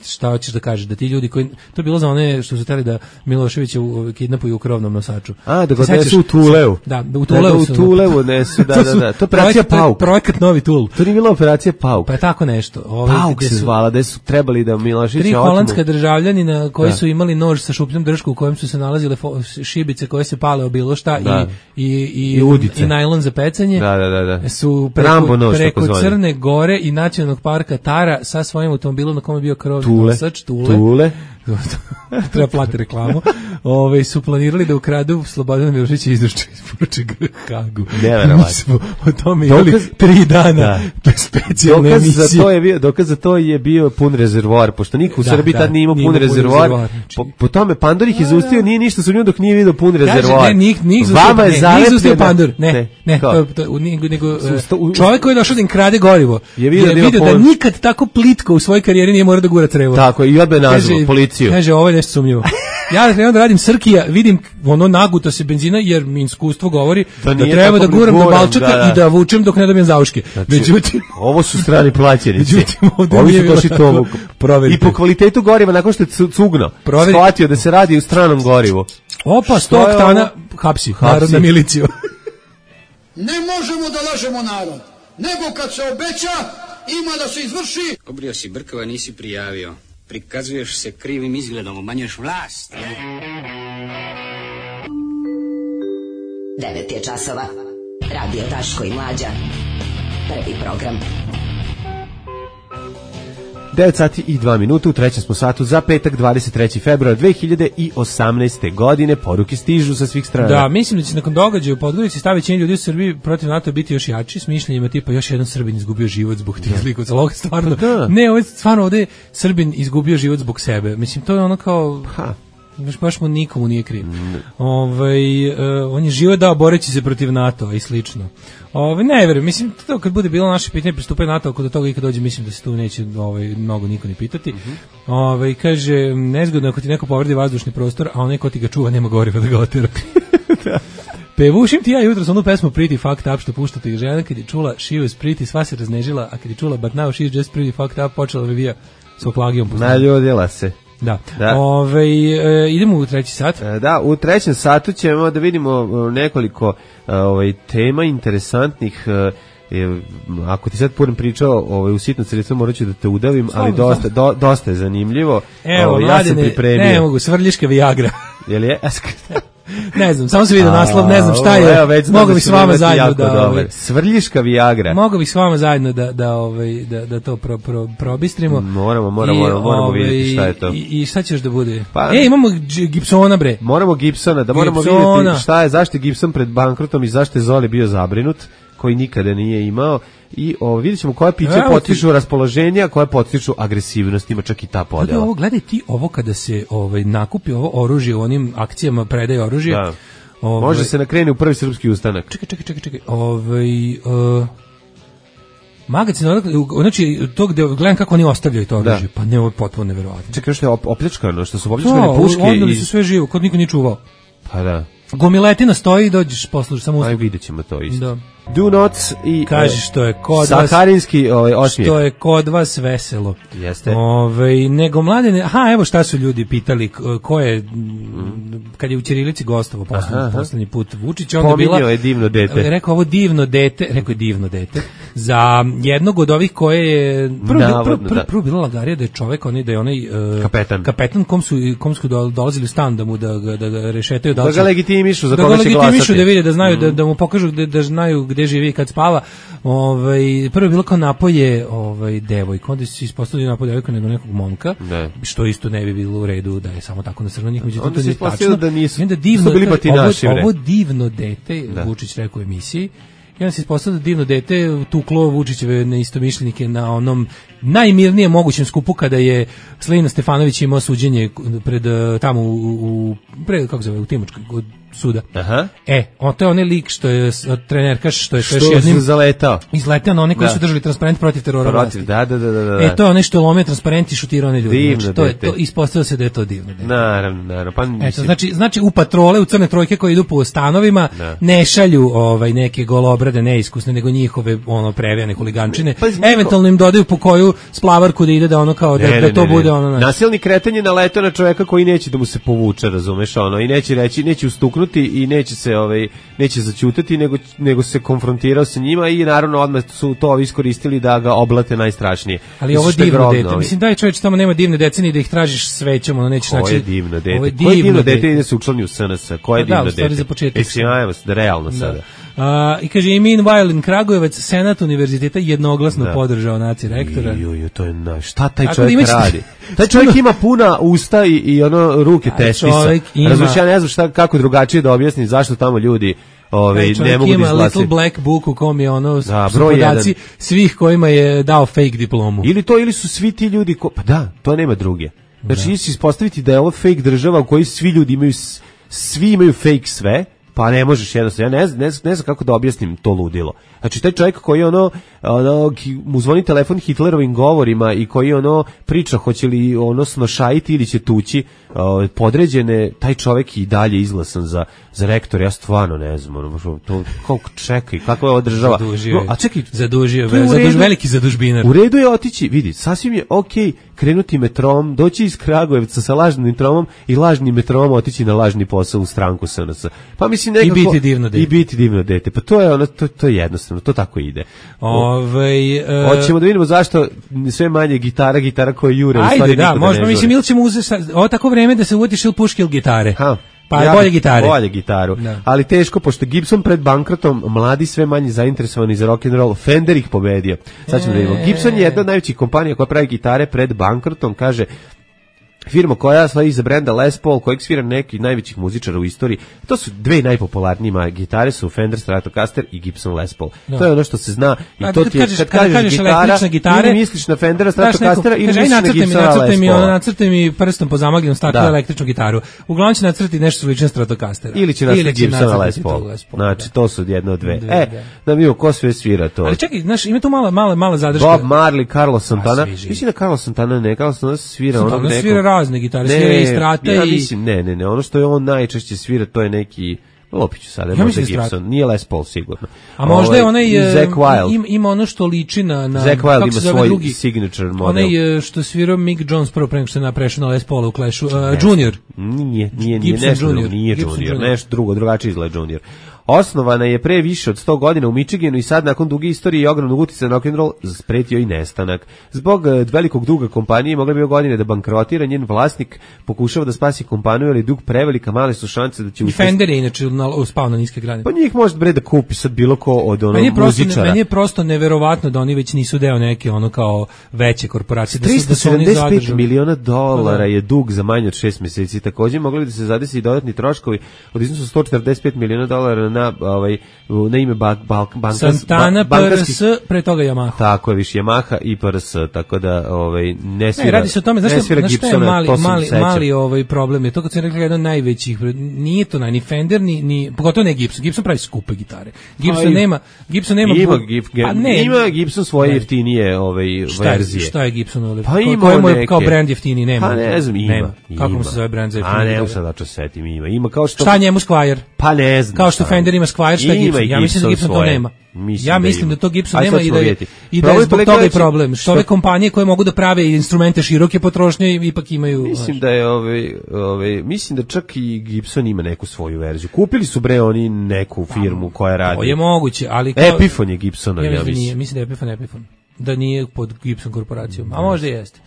šta hoćeš da kažeš, da ti ljudi koji, to je bilo za one što su hteli da Miloševića kidnapuju u krovnom nosaču. A, da ga nesu u Tuleu. Da, u Tuleu. Da, u Tuleu nesu, da, da, da. To je operacija Pauk. Projekat Novi Tul. To nije bila operacija Pauk. Pa je tako nešto. Ove, Pauk se zvala, da su trebali da Miloševića tri holandska državljanina koji da. Su imali nož sa šupljom dršku u kojem su se nalazile šibice koje se pale o bilo šta da. i, i, i, I, i najlon za pecanje. Da, da, da, da. Su preko, nož, preko Crne Gore i nacionalnog parka Tara sa svojim automobilom na kome je bio krovni nosač, Tule. Tule. Treba plati reklamu. Ove, su planirali da ukradu Slobodana Miloševića izruče isporuče Hagu. Neverovatno. O tome imali tri dana da. Specijalne dokaz emisije. Za to je bio, dokaz za to je bio pun rezervoar, pošto niko u da, Srbiji da, tad nije imao pun rezervoar. rezervoar. Po, po tome Pandor ih izustio, nije ništa su nju dok nije vidio pun rezervoar. Kaže, ne, njih, njih Vama je zalepljeno. Pandor, ne, ne, ne to, to, nego, nego čovjek koji je došao da im krade gorivo je vidio, je da, vidio da nikad tako plitko u svojoj karijeri nije morao da gura crevo. Tako, i odbe nazvao policiju. Kaže, ovo je nešto sumnjivo. Ja krenuo da radim Srkija, vidim ono naguto se benzina, jer mi iskustvo govori da, da treba da guram do Balčaka da, da. I da vučem dok ne dobijem zauške. Znači, međutim, ovo su strani plaćenici. Međutim, ovi su došli to i po kvalitetu goriva, nakon što je cugno, shvatio da se radi u stranom gorivu. Opa, sto oktana, hapsi, narodna miliciju. Ne možemo da lažemo narod, nego kad se obeća, ima da se izvrši. Obrio si brkova, nisi prijavio. Prikazuješ se krivim izgledom, umanjuješ vlast. devet je časova. Radio Daško i Mlađa. Prvi program. devet sati i dva minuta, u trećem smo satu za petak dvadeset treći februar dve hiljade osamnaeste. godine. Poruke stižu sa svih strana. Da, mislim da će nakon događaja u Podgorici stavi većina ljudi u Srbiji protiv NATO biti još jači, s mišljenjima tipa još jedan Srbin izgubio život zbog tih zlikovaca. Ovo stvarno, da. Ne, ovo je stvarno ovde Srbin izgubio život zbog sebe. Mislim, to je ono kao... Ha. Baš, baš mu nikomu nije kriv. Mm. Ovaj, uh, on je život dao boreći se protiv NATO i slično. Ovaj, ne verujem, mislim, to kad bude bilo naše pitanje pristupanje NATO, ako do toga ikad dođe, mislim da se tu neće ovaj, mnogo niko ni pitati. Mm-hmm. Ovaj, kaže, nezgodno ako ti neko povredi vazdušni prostor, a onaj ko ti ga čuva nema goriva da ga otera. Da. Pevušim ti ja jutros onu pesmu Pretty Fucked Up što puštate i žena kad je čula She Was Pretty, sva se raznežila, a kad je čula But Now She's Just Pretty Fucked Up, počela da vija s oklagijom. Naljudila se. Da. Da. Ove, e, idemo u treći sat. E, da, u trećem satu ćemo da vidimo nekoliko ovaj, tema interesantnih. E, ako ti sad punem pričao ovaj, u sitno sredstvo, morat ću da te udavim, ali dosta, do, dosta je zanimljivo. Evo, o, ja sam pripremio. Ne mogu, Svrljiška Viagra. Je li je? Ne znam, samo se vidio naslov, ne znam šta je. Mogu bih s vama zajedno da ovaj, Svrljiška Viagra. Mogu bih s vama zajedno da da ovaj da da to pro, pro, probistrimo. Moramo, moramo, I, moramo ovaj, vidjeti šta je to. I, i šta ćeš da bude? Pa, e, imamo Gibsona bre. Moramo Gibsona, da moramo Gibsona. Vidjeti šta je, zašto je Gibson pred bankrotom i zašto je Zoli bio zabrinut, koji nikada nije imao. I o, vidjet ćemo koje piće potiču ti... raspoloženja, koje potiču agresivnost, ima čak i ta podjela. Gledaj, ovo, gledaj ti ovo kada se ovaj, nakupi ovo oružje u onim akcijama predaje oružja. Da. Ove, Može se nakreni u prvi srpski ustanak. Čekaj, čekaj, čekaj, čekaj. Ovaj uh, magacin, znači to gde gledam kako oni ostavljaju to oružje, pa ne, ovo je potpuno neverovatno. Čekaj, što je opljačkano, što su opljačkane puške i onda i su sve živo, kod niko nije čuvao. Pa da. Gomiletina stoji i dođeš poslušaš samo Aj, vidjet ćemo to isto. Da. Do not i kaže što je kod vas saharinski ovaj osmijeh. Što je kod vas veselo. Jeste. Ovaj nego mladene, aha, evo šta su ljudi pitali ko je mm. kad je u ćirilici gostovao poslednji poslednji put Vučić, onda Pominjao bila je divno dete. Rekao ovo divno dete, rekao je divno dete za jednog od ovih koje je prvo prvo, prvo, prvo bila lagarija da je čovjek onaj da je onaj uh, kapetan kapetan kom su kom su dolazili u stan da mu da ga da ga rešetaju da, da ga legitimišu za da koga će glasati. Da ga legitimišu da vide da znaju mm. da, da mu pokažu da, da znaju gde živi kad spava. Ovaj prvo je bilo kao napoje ovaj devojka, onda se ispostavilo napoje devojka nego nekog momka, ne. Što isto ne bi bilo u redu da je samo tako na crno njih, međutim to nije tačno. Da nisu, onda divno, bili batinaši, ovo, ovo divno dete, da. Vučić rekao u emisiji, i onda se ispostavilo da divno dete tuklo Vučićeve neistomišljenike na onom najmirnijem mogućem skupu kada je Slina Stefanović imao suđenje pred tamo u, u pred kako se zove u Timočkoj suda. Aha. E, on to je onaj lik što je trenerkaš što je što još jednim zaletao. Izletao na one koji da. Su držali transparent protiv terora vlasti. Da, da, da, da, da. E, to je ono što lome transparent i šutirao one ljudi. Divno, znači, to je to ispostavilo se da je to divno. Dete. Naravno, naravno. Pa mislim... Eto, znači, znači u patrole, u crne trojke koje idu po stanovima, da. Ne šalju ovaj neke golobrade neiskusne, nego njihove ono previjane huligančine. Pa, eventualno im dodaju po koju splavarku da ide da ono kao ne, da, ne, da to ne, bude ono. Nasilni kretenje naletao na čoveka koji neće da mu se povuče, razumeš, ono, i neće reći, neće ustuknuti i neće se ovaj neće zaćutati, nego nego se konfrontirao sa njima i naravno odmah su to iskoristili da ga oblate najstrašnije. Ali ovo divno dete, mislim daj čovječe tamo nema divne decenije da ih tražiš svećom, ono nećeš naći. Ovo je divno dete. Ovo je divno, divno dete, dete ide se učlani u S N S. Ko je da, divno dete? Za početak. Sjajno, da realno sada. Uh, I kaže i meanwhile in Kragujevac Senat univerziteta jednoglasno da. Podržao naci rektora. Jo, jo, to je na šta taj čovjek imać... radi? Taj čovjek ima puna usta i, i ono ruke testisa. Ima... Razumiješ, ja ne znam šta, kako drugačije da objasnim zašto tamo ljudi Ove, ne mogu da izglasiti. Little black book u kom je ono da, su podaci jedan. Svih kojima je dao fake diplomu. Ili to, ili su svi ti ljudi, ko, pa da, to nema druge. Znači, da. Ići ispostaviti da je ovo fake država u kojoj svi ljudi imaju, svi imaju fake sve, pa ne možeš jednostavno, ja ne znam, ne, ne znam kako da objasnim to ludilo. Znači, taj čovjek koji ono, ono mu zvoni telefon Hitlerovim govorima i koji ono priča hoće li ono snošajiti ili će tući uh, podređene, taj čovjek i dalje izglasan za, za rektor, ja stvarno ne znam, ono, to, koliko čekaj, kako je ova država. Zadužio no, a čekaj, zadužio, zaduž, veliki zadužbinar. U redu je otići, vidi, sasvim je okej okay krenuti metrom, doći iz Kragujevca sa lažnim metrom i lažnim metrom otići na lažni posao u stranku S N S. Pa mislim nekako, i biti divno dete. I biti divno dete. Pa to je ono, to, to je jednostavno, to tako ide. Ovaj uh, hoćemo da vidimo zašto sve manje gitara, gitara koje jure, ajde, u stvari da, možemo, mislim, ili ćemo uzeti ovo tako vreme da se uvatiš ili puške ili gitare. Ha. Pa ja, bolje gitare. Bolje gitaru. Da. Ali teško, pošto Gibson pred bankrotom, mladi sve manje zainteresovani za rock and roll, Fender ih pobedio. Sad ćemo da vidimo. Gibson je jedna od najvećih kompanija koja pravi gitare pred bankrotom, kaže firma koja slavi za brenda Les Paul, kojeg svira neki najvećih muzičara u istoriji. To su dve najpopularnije gitare, su Fender Stratocaster i Gibson Les Paul. No. To je ono što se zna i a, to ti je, kad, kad kažeš, kažeš gitara, gitare, ili misliš na Fendera Stratocastera ili misliš na Gibsona Les Paula. Nacrtaj mi prstom po zamagljenom staklu električnu gitaru. Uglavnom će nacrtati nešto slično Stratocastera. Ili će nacrtati Gibsona Les Paula. Znači, to su jedno od dve. E, da vidimo ko sve svira to. Ali čekaj, znaš, ima tu mala, mala, mala zadrška. Bob Marley, Carlos Santana. Mislim da Carlos Santana ne, Carlos Santana svira onog nekog. Svira razne gitare, svira i strata ja i... mislim, ne, ne, ne, ono što je on najčešće svira, to je neki, lopiću sada, ja možda Gibson, nije Les Paul sigurno. A možda je onaj, ima, ima ono što liči na... na Zack Wild ima svoj drugi, signature model. Onaj što svirao Mick Jones prvo prema što se naprešao na Les Paula u Clashu, uh, Junior. Nije, nije, nije, nešto drugo, nije Gibson Junior, Junior, nešto drugo, drugačije izgleda Junior. Osnovana je pre više od sto godina u Michiganu i sad nakon duge istorije i ogromnog uticaja na rock'n'roll spretio i nestanak. Zbog velikog duga kompanije mogla bi godine da bankrotira, njen vlasnik pokušava da spasi kompaniju, ali dug prevelika, male su šanse da će uspjeti. I Fender je inače uspao na niske grane. Pa njih može bre da kupi sad bilo ko od onog meni muzičara. Meni je prosto neverovatno da oni već nisu deo neke ono kao veće korporacije. tristo sedamdeset pet miliona dolara je dug za manje od šest mjeseci. Također mogli bi da se zadesi i dodatni troškovi od iznosu sto četrdeset pet miliona dolara na na ovaj na ime ba, ba, bankas, Santana, ba, P R S, pre toga Yamaha. Tako je, više Yamaha i P R S, tako da ovaj ne svira. Ne, radi se o tome, znaš ne svira šta je Gibsona, mali, mali, sećam. mali ovaj problem je to kad sam rekao jedan od najvećih, nije to ni Fender, ni, ni pogotovo ne Gibson, Gibson pravi skupe gitare. Gibson Aj, nema, Gibson nema... Ima, bu, gif, pa ne, ima Gibson svoje jeftinije ovaj, šta verzije. Je, šta je Gibson ovdje? Pa ima Kojemu je neke. kao brand jeftiniji? Nema. Pa ne znam, ima. Nema. Kako mu se zove brand za jeftiniji? A ne, sad da ću setim, ima. Ima kao što... Šta njemu Squier? Pa ne znam. Kao što Fender ima Squier, šta je Gibson? Ja mislim da Gibson to nema. Mislim ja da mislim ima. da to Gibson Aj, nema i da je, i da je zbog toga i problem. Što ove kompanije koje mogu da prave instrumente široke potrošnje ipak imaju... Mislim da je ove, ove, mislim da čak i Gibson ima neku svoju verziju. Kupili su bre oni neku firmu koja radi. To je moguće, ali... Kao, Epiphone je Gibsonov, ja, ja mislim. Nije, mislim da je Epiphone Epiphone. Da nije pod Gibson korporacijom. A možda i jeste.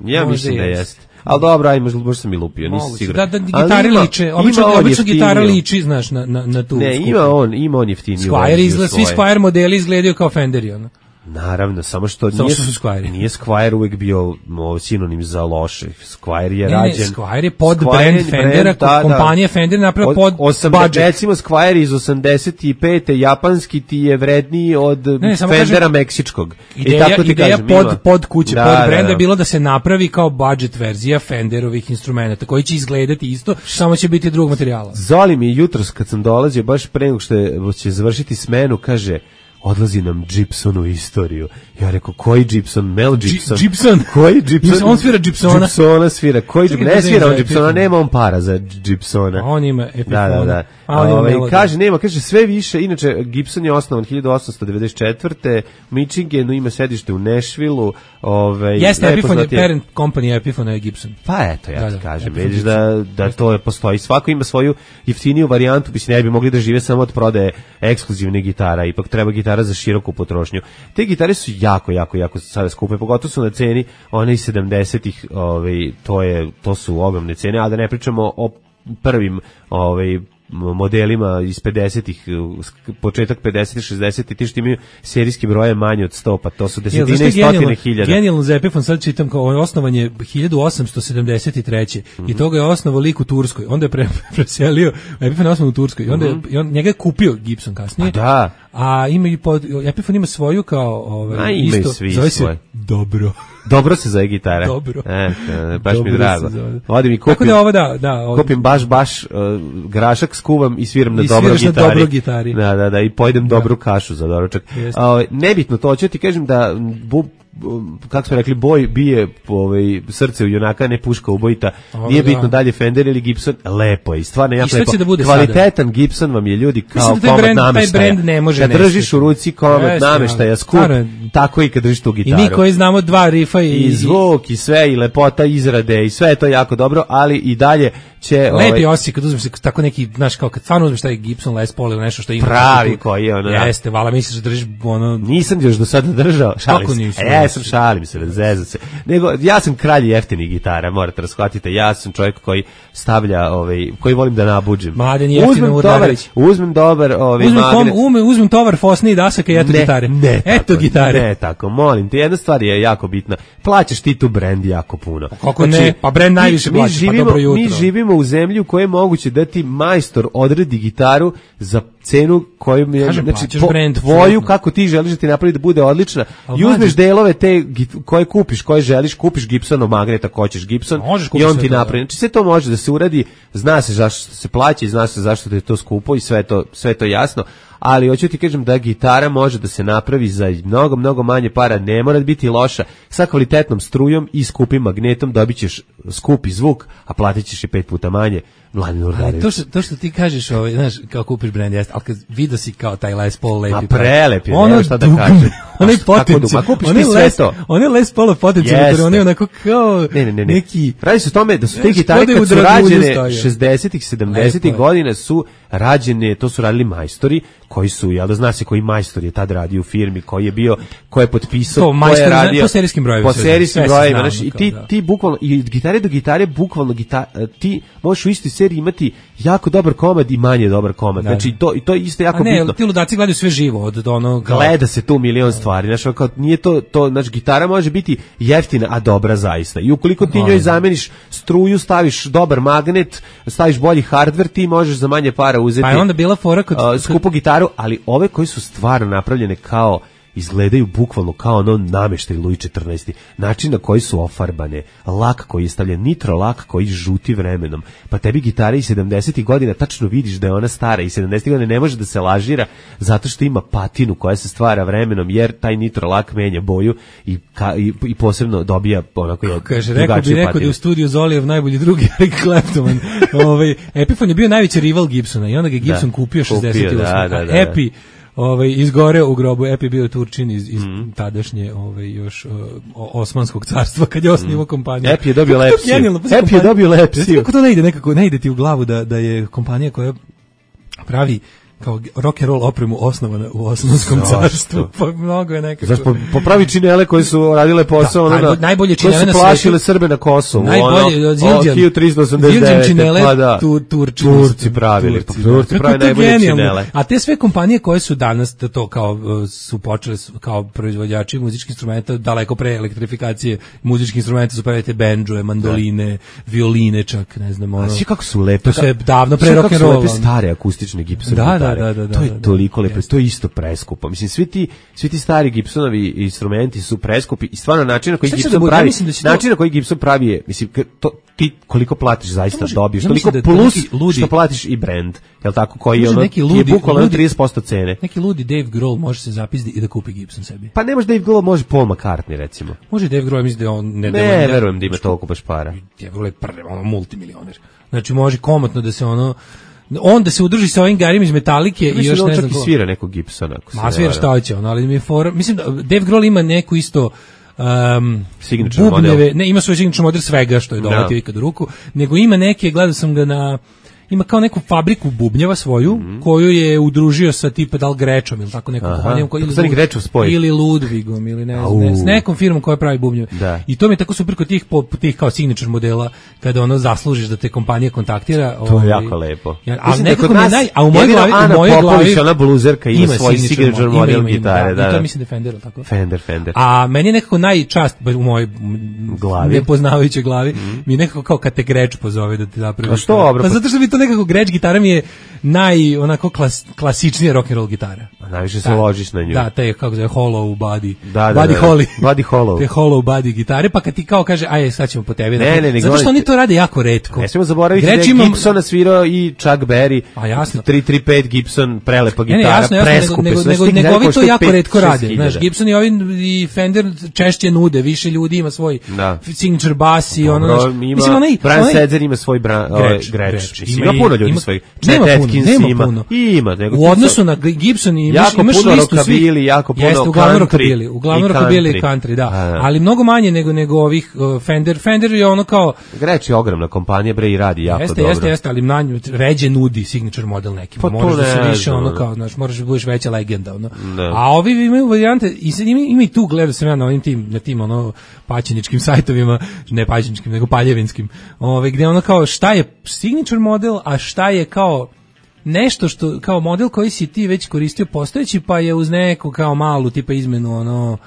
Ja možda mislim jest. da jeste. Ali dobro, aj, možda, možda sam i lupio, nisam siguran. Da, da gitare liče, obično, obično gitara liči, znaš, na, na, na tu. Ne, skupu. ima on, ima on jeftiniju. Squier izgleda, svi Squier modeli izgledaju kao Fenderi, ono. Naravno, samo što samo nije, što Squier. nije Squier uvek bio o, sinonim za loše. Squier je ne, rađen... Ne, Squier je pod Squier brand Fendera, brand, da, kompanija da. Fender napravila pod osam, budget. Recimo Squier iz osamdeset pete japanski ti je vredniji od ne, ne, Fendera kažem, meksičkog. Ideja, I tako ti ideja kažem, pod, pod kuće, da, pod da, brenda da, da. je bilo da se napravi kao budget verzija Fenderovih instrumenta, koji će izgledati isto, samo će biti drugog materijala. Zoli mi jutros kad sam dolazio, baš pre nego što je, će završiti smenu, kaže... odlazi nam Gibson u istoriju. Ja rekao, koji Gibson? Mel Gibson? G Gibson? Koji Gibson? On svira Gibsona? Gibsona svira. Koji Gibson? Ne svira on Gibsona, nema on para za Gibsona. A on ima Epiphone. Da, da, da. A on ovaj, kaže, nema, kaže, sve više, inače, Gibson je osnovan hiljadu osamsto devedeset četvrte u Michiganu, ima sedište u Nashvilleu. Ovaj, jeste, Epiphone je parent company, Epiphone je Gibson. Pa eto, ja ti kažem, vidiš da, da to postoji. Svako ima svoju jeftiniju varijantu, mislim, ne bi mogli da žive samo od prodaje ekskluzivne gitara, ipak treba gitara za široku potrošnju. Te gitare su jako, jako, jako sada skupe, pogotovo su na ceni one iz sedamdesetih, ovaj, to, je, to su ogromne cene, a da ne pričamo o prvim ovaj, modelima iz pedesetih, početak pedesetih, šezdesetih, ti što imaju serijski broje manje od sto, pa to su desetine i stotine hiljada. Genijalno za Epiphone, sad čitam kao osnovan je hiljadu osamsto sedamdeset treće Mm-hmm. i toga je osnovao lik u Turskoj, onda je pre, preselio, Epiphone je osnovan u Turskoj, i onda mm-hmm. je, i on, njega je kupio Gibson kasnije, a, da. a ima i pod, Epiphone ima svoju kao ovaj, a, isto, zove se svoje. Dobro. Dobro se zove gitara. Dobro. E, baš Dobro mi drago. Odim i kupim, tako da ovo da, da, ovo, kupim baš, baš uh, grašak, skuvam i sviram na i dobro gitari. na dobro gitari. Da, da, da, i pojedem da. dobru kašu za doručak. Uh, nebitno to, ću ti kažem da bu, kako smo rekli, boj bije ovaj, srce u junaka, ne puška ubojita. O, Nije da. bitno dalje Fender ili Gibson, lepo je. Stvarno jako lepo. Da kvalitetan sada? Gibson vam je, ljudi, kao da komad brand, nameštaja. Taj ne može kad držiš u ruci komad yes, nameštaja, skup, tako i kad držiš tu gitaru. I mi koji znamo dva rifa i, i zvuk i sve, i lepota izrade i sve je to jako dobro, ali i dalje će... Lepi ovaj, osjećaj kad uzmeš tako neki, znaš, kao kad stvarno uzmeš taj Gibson Les Paul ili nešto što ima... Pravi koji je ono... Jeste, vala misliš da držiš ono... Nisam još do sada držao, šalim se. Nisam, e, ja sam šalim se, zezam se. Nego, ja sam kralj jeftinih gitara, morate razhvatiti, ja sam čovjek koji stavlja, ovaj, koji volim da nabuđim. Mladen jeftino Urdarević. Uzmem dobar, ovaj, uzmem, magnet. Kom, ume, uzmem tovar Fosni i dasaka i eto ne, gitare. Ne, eto tako, gitare. Ne, tako, molim te, jedna stvar je jako bitna. Plaćaš ti tu brend jako puno. Kako znači, ne, pa brend najviše mi, plaćaš, živimo, pa dobro jutro. Mi živimo u zemlji u kojoj je moguće da ti majstor odredi gitaru za cenu koju mi je, Kažem, znači, po, brand, tvoju, fredno. kako ti želiš da ti napravi da bude odlična, i uzmeš delove te koje kupiš, koje želiš, kupiš Gibsonov magnet ako hoćeš Gibson i on ti napravi. Znači sve to može da se uradi, zna se zašto se plaća i zna se zašto je to skupo i sve to, sve to jasno, ali hoću ti kažem da gitara može da se napravi za mnogo, mnogo manje para, ne mora biti loša, sa kvalitetnom strujom i skupim magnetom dobit ćeš skupi zvuk, a platit ćeš i pet puta manje. Mladen Urdarević. To što, to što ti kažeš, ovaj, znaš, kao kupiš brand, jeste, ali kad vidio si kao taj Les Paul lepi. A prelep je, ono nema šta da kažem. Onaj potencijal. Ma kupiš ti sve to. Onaj Les Paul potencijal, on je onako kao ne, ne, ne, ne. neki... Radi se o tome da su te gitare kad su rađene šezdesetih, sedamdesetih godina su rađene, to su radili majstori, koji su, jel da zna se koji majstor je tad radio u firmi, koji je bio, koji je potpisao, ko je radio... Po serijskim brojevima. Po serijskim brojevima, znaš, i ti, ti bukvalno, i od gitare do gitare, bukvalno, gita, ti možeš u istoj seriji imati jako dobar komad i manje dobar komad. Da. Znači, to, i to je isto jako ne, bitno. Ti ludaci gledaju sve živo, od onog... Gleda se tu milion stvari. stvari. Znači, kao, nije to, to, znači, gitara može biti jeftina, a dobra zaista. I ukoliko ti njoj zameniš struju, staviš dobar magnet, staviš bolji hardware, ti možeš za manje para uzeti pa je onda bila fora kod, uh, skupu gitaru, ali ove koji su stvarno napravljene kao izgledaju bukvalno kao ono nameštaj Luj četrnaesti. Način na koji su ofarbane, lak koji je stavljen, nitro lak koji žuti vremenom. Pa tebi gitara iz sedamdesetih godina tačno vidiš da je ona stara i sedamdesetih godina ne može da se lažira zato što ima patinu koja se stvara vremenom jer taj nitro lak menja boju i, ka, i, i posebno dobija onako je kaže, rekao bi neko da je u studiju Zolijev najbolji drugi Eric Clapton. ovaj, Epiphone je bio najveći rival Gibsona i onda ga Gibson da, kupio šezdeset osam. Da, da, da, da. Epi ovaj izgoreo u grobu. Epi bio Turčin iz, iz mm. tadašnje ovaj još uh, Osmanskog carstva kad je osnivao mm. kompaniju. Epi je dobio lepsiju. Epi je dobio lepsiju. Kako to ne ide nekako, ne ide ti u glavu da da je kompanija koja pravi kao rock and roll opremu osnovana u Osmanskom carstvu. Pa mnogo je nekako. Zašto popravi činele koji su radile posao, da, najbolje, najbolje činele na svetu. Plašile Srbe na Kosovu. Najbolje od Zildjian. hiljadu tristo osamdeset devet. Činele, pa da. tu, Turči, Turci pravili. Turci, Turci pravi najbolje činele. A te sve kompanije koje su danas da to kao su počele kao proizvođači muzičkih instrumenta daleko pre elektrifikacije muzičkih instrumenta su pravili te bendžuje, mandoline, da. Violine čak, ne znam, ono. A svi kako su lepe. To sve davno pre rock and roll. Lepe stare akustične Gibson da, da, da, da, to je da, toliko lepo, jest. to je isto preskupo. Mislim, svi ti, svi ti stari Gibsonovi instrumenti su preskupi i stvarno način na koji Šta Gibson da pravi, da to... način na koji Gibson pravi je, mislim, to, ti koliko platiš zaista može, dobiješ, ja toliko da plus ludi, što platiš i brand, jel tako, koji je ono, neki ludi, ti je bukvalno trideset posto cene. Neki ludi Dave Grohl može se zapisati i da kupi Gibson sebi. Pa ne može Dave Grohl, može Paul McCartney, recimo. Može Dave Grohl, mislim da on... Ne, ne, ne verujem da ima toliko baš para. Dave Grohl je prvi, ono, multimilioner. Znači, može komotno da se ono... On da se udruži sa ovim garima iz Metalike i još da ne znam ko. Čak i svira nekog Gibsona. Ma svira šta hoće, on, ali mi je fora... Mislim da Dave Grohl ima neku isto... Um, signature bubnjeve, model. Ne, ima svoj signature model svega što je doletio no. ikad u ruku, nego ima neke, gledao sam ga na... Ima kao neku fabriku bubnjeva svoju, mm. koju je udružio sa tipa da li Grečom ili tako nekom kompanijom, ili, ili Ludvigom ili ne znam, ne, s nekom firmom koja pravi bubnjeve. Da. I to mi je tako super kod tih, po, tih kao signature modela, kada ono zaslužiš da te kompanija kontaktira. To je jako lepo. Ja, ali nekako mi naj, a u mojoj glavi, u mojoj glavi, ona bluzerka ima, ima svoj signature model ima, ima, gitare. Da, da, da. To mislim da je Fender, tako? Fender, Fender. A meni je nekako najčast, u mojoj glavi, nepoznavajućoj glavi, mm. mi je nekako kao kad te Greč pozove da ti napravi. A što dobro? Pa zato što mi to nekako Gretsch gitara mi je naj onako klas, klasičnija rock and roll gitara. A najviše se ložiš na nju. Da, te kako zove hollow body. Da, da, body da, holly. Body hollow. Te hollow body gitare, pa kad ti kao kaže aj sad ćemo po tebi. Ne, ne, ne, zato što oni to rade jako retko. Ne smemo zaboraviti da je imam... Gibsona svirao i Chuck Berry. A jasno. tri tri pet Gibson, prelepa gitara, ne, ne, jasno, jasno, preskupe. Nego, nego, nego, nego ovi to jako retko rade. Znaš, Gibson i ovi i Fender češće nude, više ljudi ima svoj da. signature bass i ono. Dobro, ima, mislim, onaj, Brian onaj, Setzer ima svoj bra, Gretsch. Gretsch. Ima, ima puno ljudi svoj. Nema puno, nema puno. Ima, nego u odnosu na Gibson i imaš, imaš listu svih. Jako puno jeste, uglavnom rockabilly, uglavnom rockabilly i country, da. A, ali mnogo manje nego nego ovih uh, Fender. Fender je ono kao Gretsch je ogromna kompanija, bre, i radi jako jeste, dobro. Jeste, jeste, ali na nju ređe nudi signature model neki. Pa možeš da se više ono kao, znaš, možeš da budeš veća legenda, ono. Ne. A ovi imaju varijante i sad ima, ima i tu gledao sam ja na ovim tim na tim ono paćeničkim sajtovima, ne paćeničkim, nego paljevinskim. Ovaj gde ono kao šta je signature model, a šta je kao nešto što kao model koji si ti već koristio postojeći, pa je uz neku kao malu tipa izmenu ono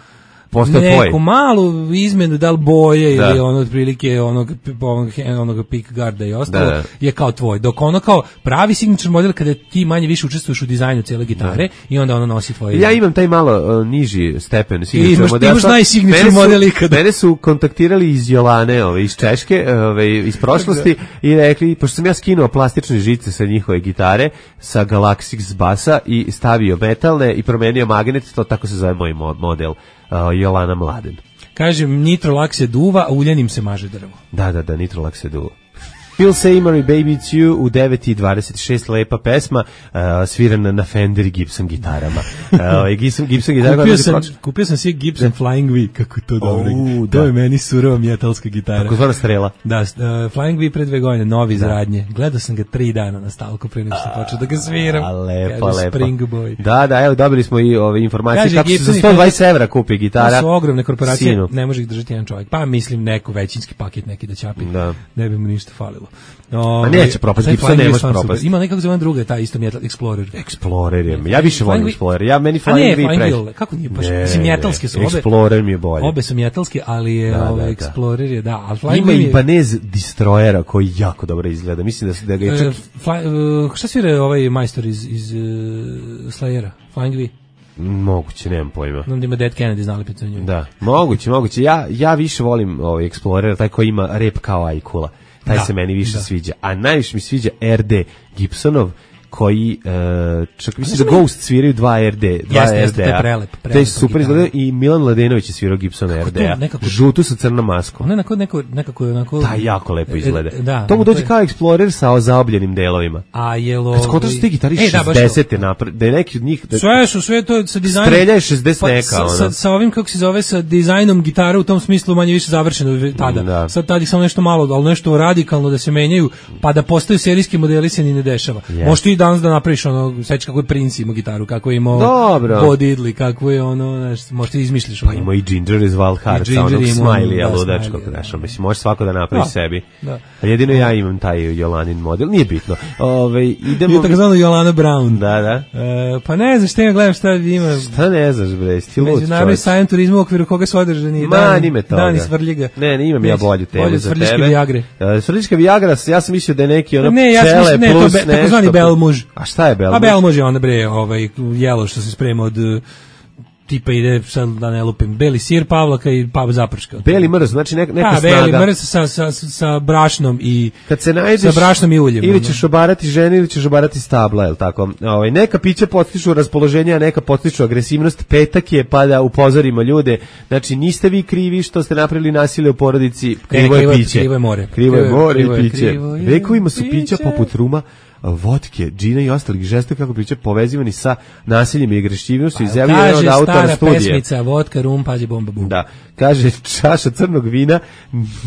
Postoje neku tvoj. Malu izmenu da li boje da. Ili ono otprilike onog onog, onog pick guarda i ostalo da, da. Je kao tvoj, dok ono kao pravi signature model kada ti manje više učestvuješ u dizajnu cijele gitare da. I onda ono nosi tvoje. Ja imam taj malo uh, niži stepen signature modela. Imaš najsignature model ikada. Mene su kontaktirali iz Jolane, ove, iz Češke, ove, iz prošlosti i rekli, pošto sam ja skinuo plastične žice sa njihove gitare, sa Galaxix basa i stavio metalne i promenio magnet, to tako se zove moj model. Uh, Jolana Mladen. Kažem, nitrolak se duva, a uljanim se maže drvo. Da, da, da, nitrolak se duva. Phil Seymour i Baby It's You u devet i dvadeset šest, lepa pesma, uh, svirana na Fender i Gibson gitarama. Uh, Gibson, Gibson gitarama. Kupio sam, kupio sam si Gibson Flying V, kako to dobro. Oh, to je meni surova metalska gitara. Tako zvana strela. Da, uh, Flying V pre dve godine, novi iz radnje. Gledao sam ga tri dana na stalku pre nego što sam počeo da ga sviram. A, lepa, lepa. Spring Boy. Da, da, evo, dobili smo i ove informacije. Kaže, kako Gibson se za sto dvadeset evra kupi gitara. To su ogromne korporacije, sinu. Ne može ih držati jedan čovjek. Pa mislim, neko većinski paket neki da ćapi. Da. Ne bi mu ništa falilo. A neće propast, Gibson ne može propast. Ima nekako zove druga, ta isto Metal Explorer. Explorer je, ja više volim Explorer. Ja meni Flying V preći. Kako nije baš? Mislim, metalske su obe. Explorer mi je bolje. Obe su metalske, ali je da, ovaj, da, Explorer je, da. Al Flying ima i Ibanez Destroyera koji jako dobro izgleda. Mislim da se da ga je čak... Uh, fly, uh, šta svira ovaj majstor iz, iz uh, Slayera? Flying V? Moguće, nemam pojma. Onda ima Dead Kennedy znali picu njoj. Da, moguće, moguće. Ja, ja više volim ovaj Explorer, taj koji ima rep kao Ajkula. Taj da, se meni više da. sviđa. A najviše mi sviđa R D Gibsonov, koji uh, čak mislim da Ghost sviraju dva R D, dva jeste, R D-a. Jeste, to je prelep. To je super izgleda i Milan Ladenović je svirao Gibsona R D-a. Žutu sa crnom maskom. Ono nekako, nekako, nekako, onako... Da, jako lepo izgleda. Da, to mu dođe kao Explorer sa zaobljenim delovima. A jelo... Kad skotaš su ti gitari e, šezdeset napred, da je neki od njih... Da, sve su, sve to sa dizajnom... Strelja je šezdeset neka, sa, ono. Sa, sa ovim, kako se zove, sa dizajnom gitara u tom smislu manje više završeno tada. Da. Sad tada samo nešto malo, ali nešto radikalno da se menjaju, pa da postaju serijski modeli se ni ne dešava. Yes. Možeš ti danas da napraviš ono, sećaš kako je Prince imao gitaru, kako je imao Bo Diddley, kako je ono, znaš, možeš ti izmišljiš. Pa imao i Ginger iz Wild Hearts, onog Smiley-a ludačkog, znaš, mislim, možeš svako da napravi da, sebi. Da. A jedino ja imam taj Jolanin model, nije bitno. Ove, idemo... Je tako zvano Jolana Brown. Da, da. E, pa ne znaš, te gledam šta ima... Šta ne znaš, bre, ti lud čovječ. Međunarodni sajam turizma u okviru koga su održani Ma, dan, nime toga. Dan iz Svrljiga. Ne, ne imam ja bolju temu za tebe. Svrljiške Viagre. Uh, Svrljiška Viagra, ja sam mislio da je neki ono ne, ja cele ne, plus to be, nešto. Takozvani Belmuž. A šta je Belmuž? A Belmuž je onda bre, ovaj, jelo što se sprema od tipa ide, sad da ne lupim, beli sir, pavlaka i pav zaprška. Beli mrz, znači neka, neka A, snaga. Beli mrz sa, sa, sa brašnom i kad se najdeš, sa brašnom i uljem. Ili ćeš obarati žene ili ćeš obarati stabla, je li tako? Ovaj, neka pića podstiču raspoloženje, a neka podstiču agresivnost. Petak je pa da upozorimo ljude. Znači, niste vi krivi što ste napravili nasilje u porodici, krivo je piće. Krivo je more. Krivo je more i piće. Vekovima su pića poput ruma, vodke, džina i ostalih žesta, kako priče, povezivani sa nasiljem i agrešivnošću, izjavljeno od autora studije. Kaže stara pesmica, vodka, rum, pađe, bomba, bum. Da, kaže, čaša crnog vina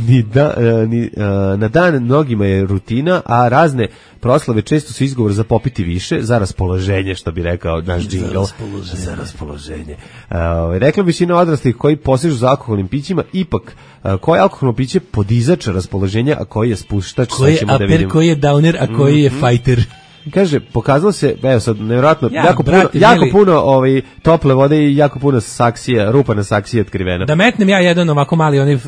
ni da, ni, na dan mnogima je rutina, a razne proslave često su izgovor za popiti više, za raspoloženje, što bi rekao naš džingl. Za raspoloženje. Za raspoloženje. Uh, rekla većina odraslih koji posežu za alkoholnim pićima, ipak, uh, koje alkoholno piće podizač raspoloženja, a koji je spuštač, koji je upper, da koji je downer, a koji je fighter. Kaže, pokazalo se, evo sad, nevjerojatno, ja, jako, brate, puno, jako puno ovaj, tople vode i jako puno saksija, rupa na saksiji otkrivena. Da metnem ja jedan ovako mali onaj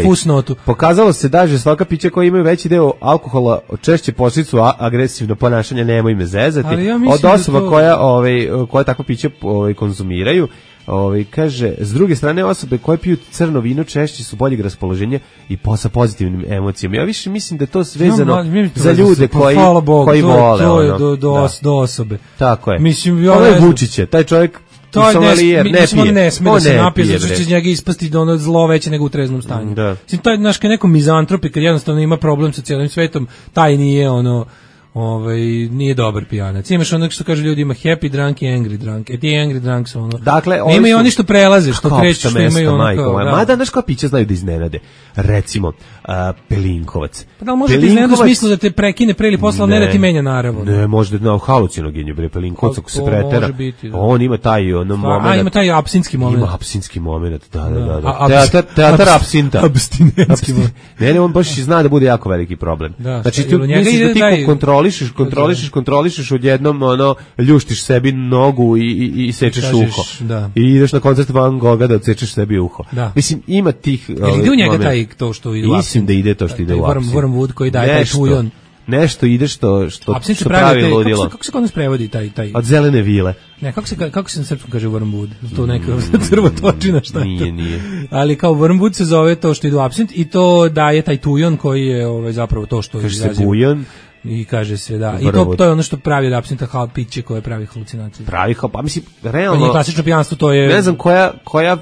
fusnotu. Pokazalo se da žestoka pića koji imaju veći deo alkohola češće posljedicu agresivno ponašanje, nemoj me zezati, ja od osoba to... koja, ovaj, koja takvo piće ovaj, konzumiraju. Ovaj, kaže, s druge strane osobe koje piju crno vino češće su boljeg raspoloženja i po sa pozitivnim emocijama. Ja više mislim da je to vezano no, za ljude koji, Bog, koji to, vole. To je do, do, da. do osobe. Tako je. Mislim, ja ovo je Vučiće, taj čovjek to ne, ne, ne, mislim, pije. On ne sme da se ne napije, pije, zato što će njega ispasti da ono zlo veće nego u treznom stanju. Da. Mislim, taj, znaš, kad neko mizantropi, kad jednostavno ima problem sa cijelim svetom, taj nije ono... Ovaj nije dobar pijanac. Imaš onog što kaže ljudi ima happy drunk i angry drunk. E ti angry drunk su ono. Dakle, oni imaju oni što prelaze, što kreću, što imaju ono kao. Da. Mada znaš kao pića znaju da iznenade. Recimo, uh, Pelinkovac. Pa da li može ti iznenaditi u smislu da te prekine pre ili posle, ne da ti menja naravno. Ne, može da na halucinogenju bre Pelinkovac ako se pretera. Biti, da. On ima taj ono momenat. A ima taj apsinski momenat. Ima apsinski momenat, da, da, da. da. Teatar, teatar apsinta. Abstinentski. Ne, ne, on baš zna da bude jako veliki problem. Da, znači ti misliš da ti kontrolišeš, kontrolišeš, kontrolišeš odjednom ono ljuštiš sebi nogu i i, i sečeš kažeš, uho. Da. I ideš na koncert Van Gogha da odsečeš sebi uho. Da. Mislim ima tih ovaj, ide u njega taj to što ide u apsin. Mislim da ide to što ide u apsin. Wormwood koji daje taj tujon. Nešto ide što što apsin što pravi taj, ludilo. Kako se, kako se kod nas prevodi taj taj od zelene vile. Ne, kako se kako se na srpskom kaže Wormwood? To neka crvotočina šta je. Nije, nije. Ali kao Wormwood se zove to što ide u apsint i to daje taj tujon koji je ovaj zapravo to što kaže se bujon. I kaže se da. I to, to je ono što pravi od apsinta hal piće koje pravi halucinacije. Pravi hal, pa mislim realno. To klasično pijanstvo, to je. Ne znam koja koja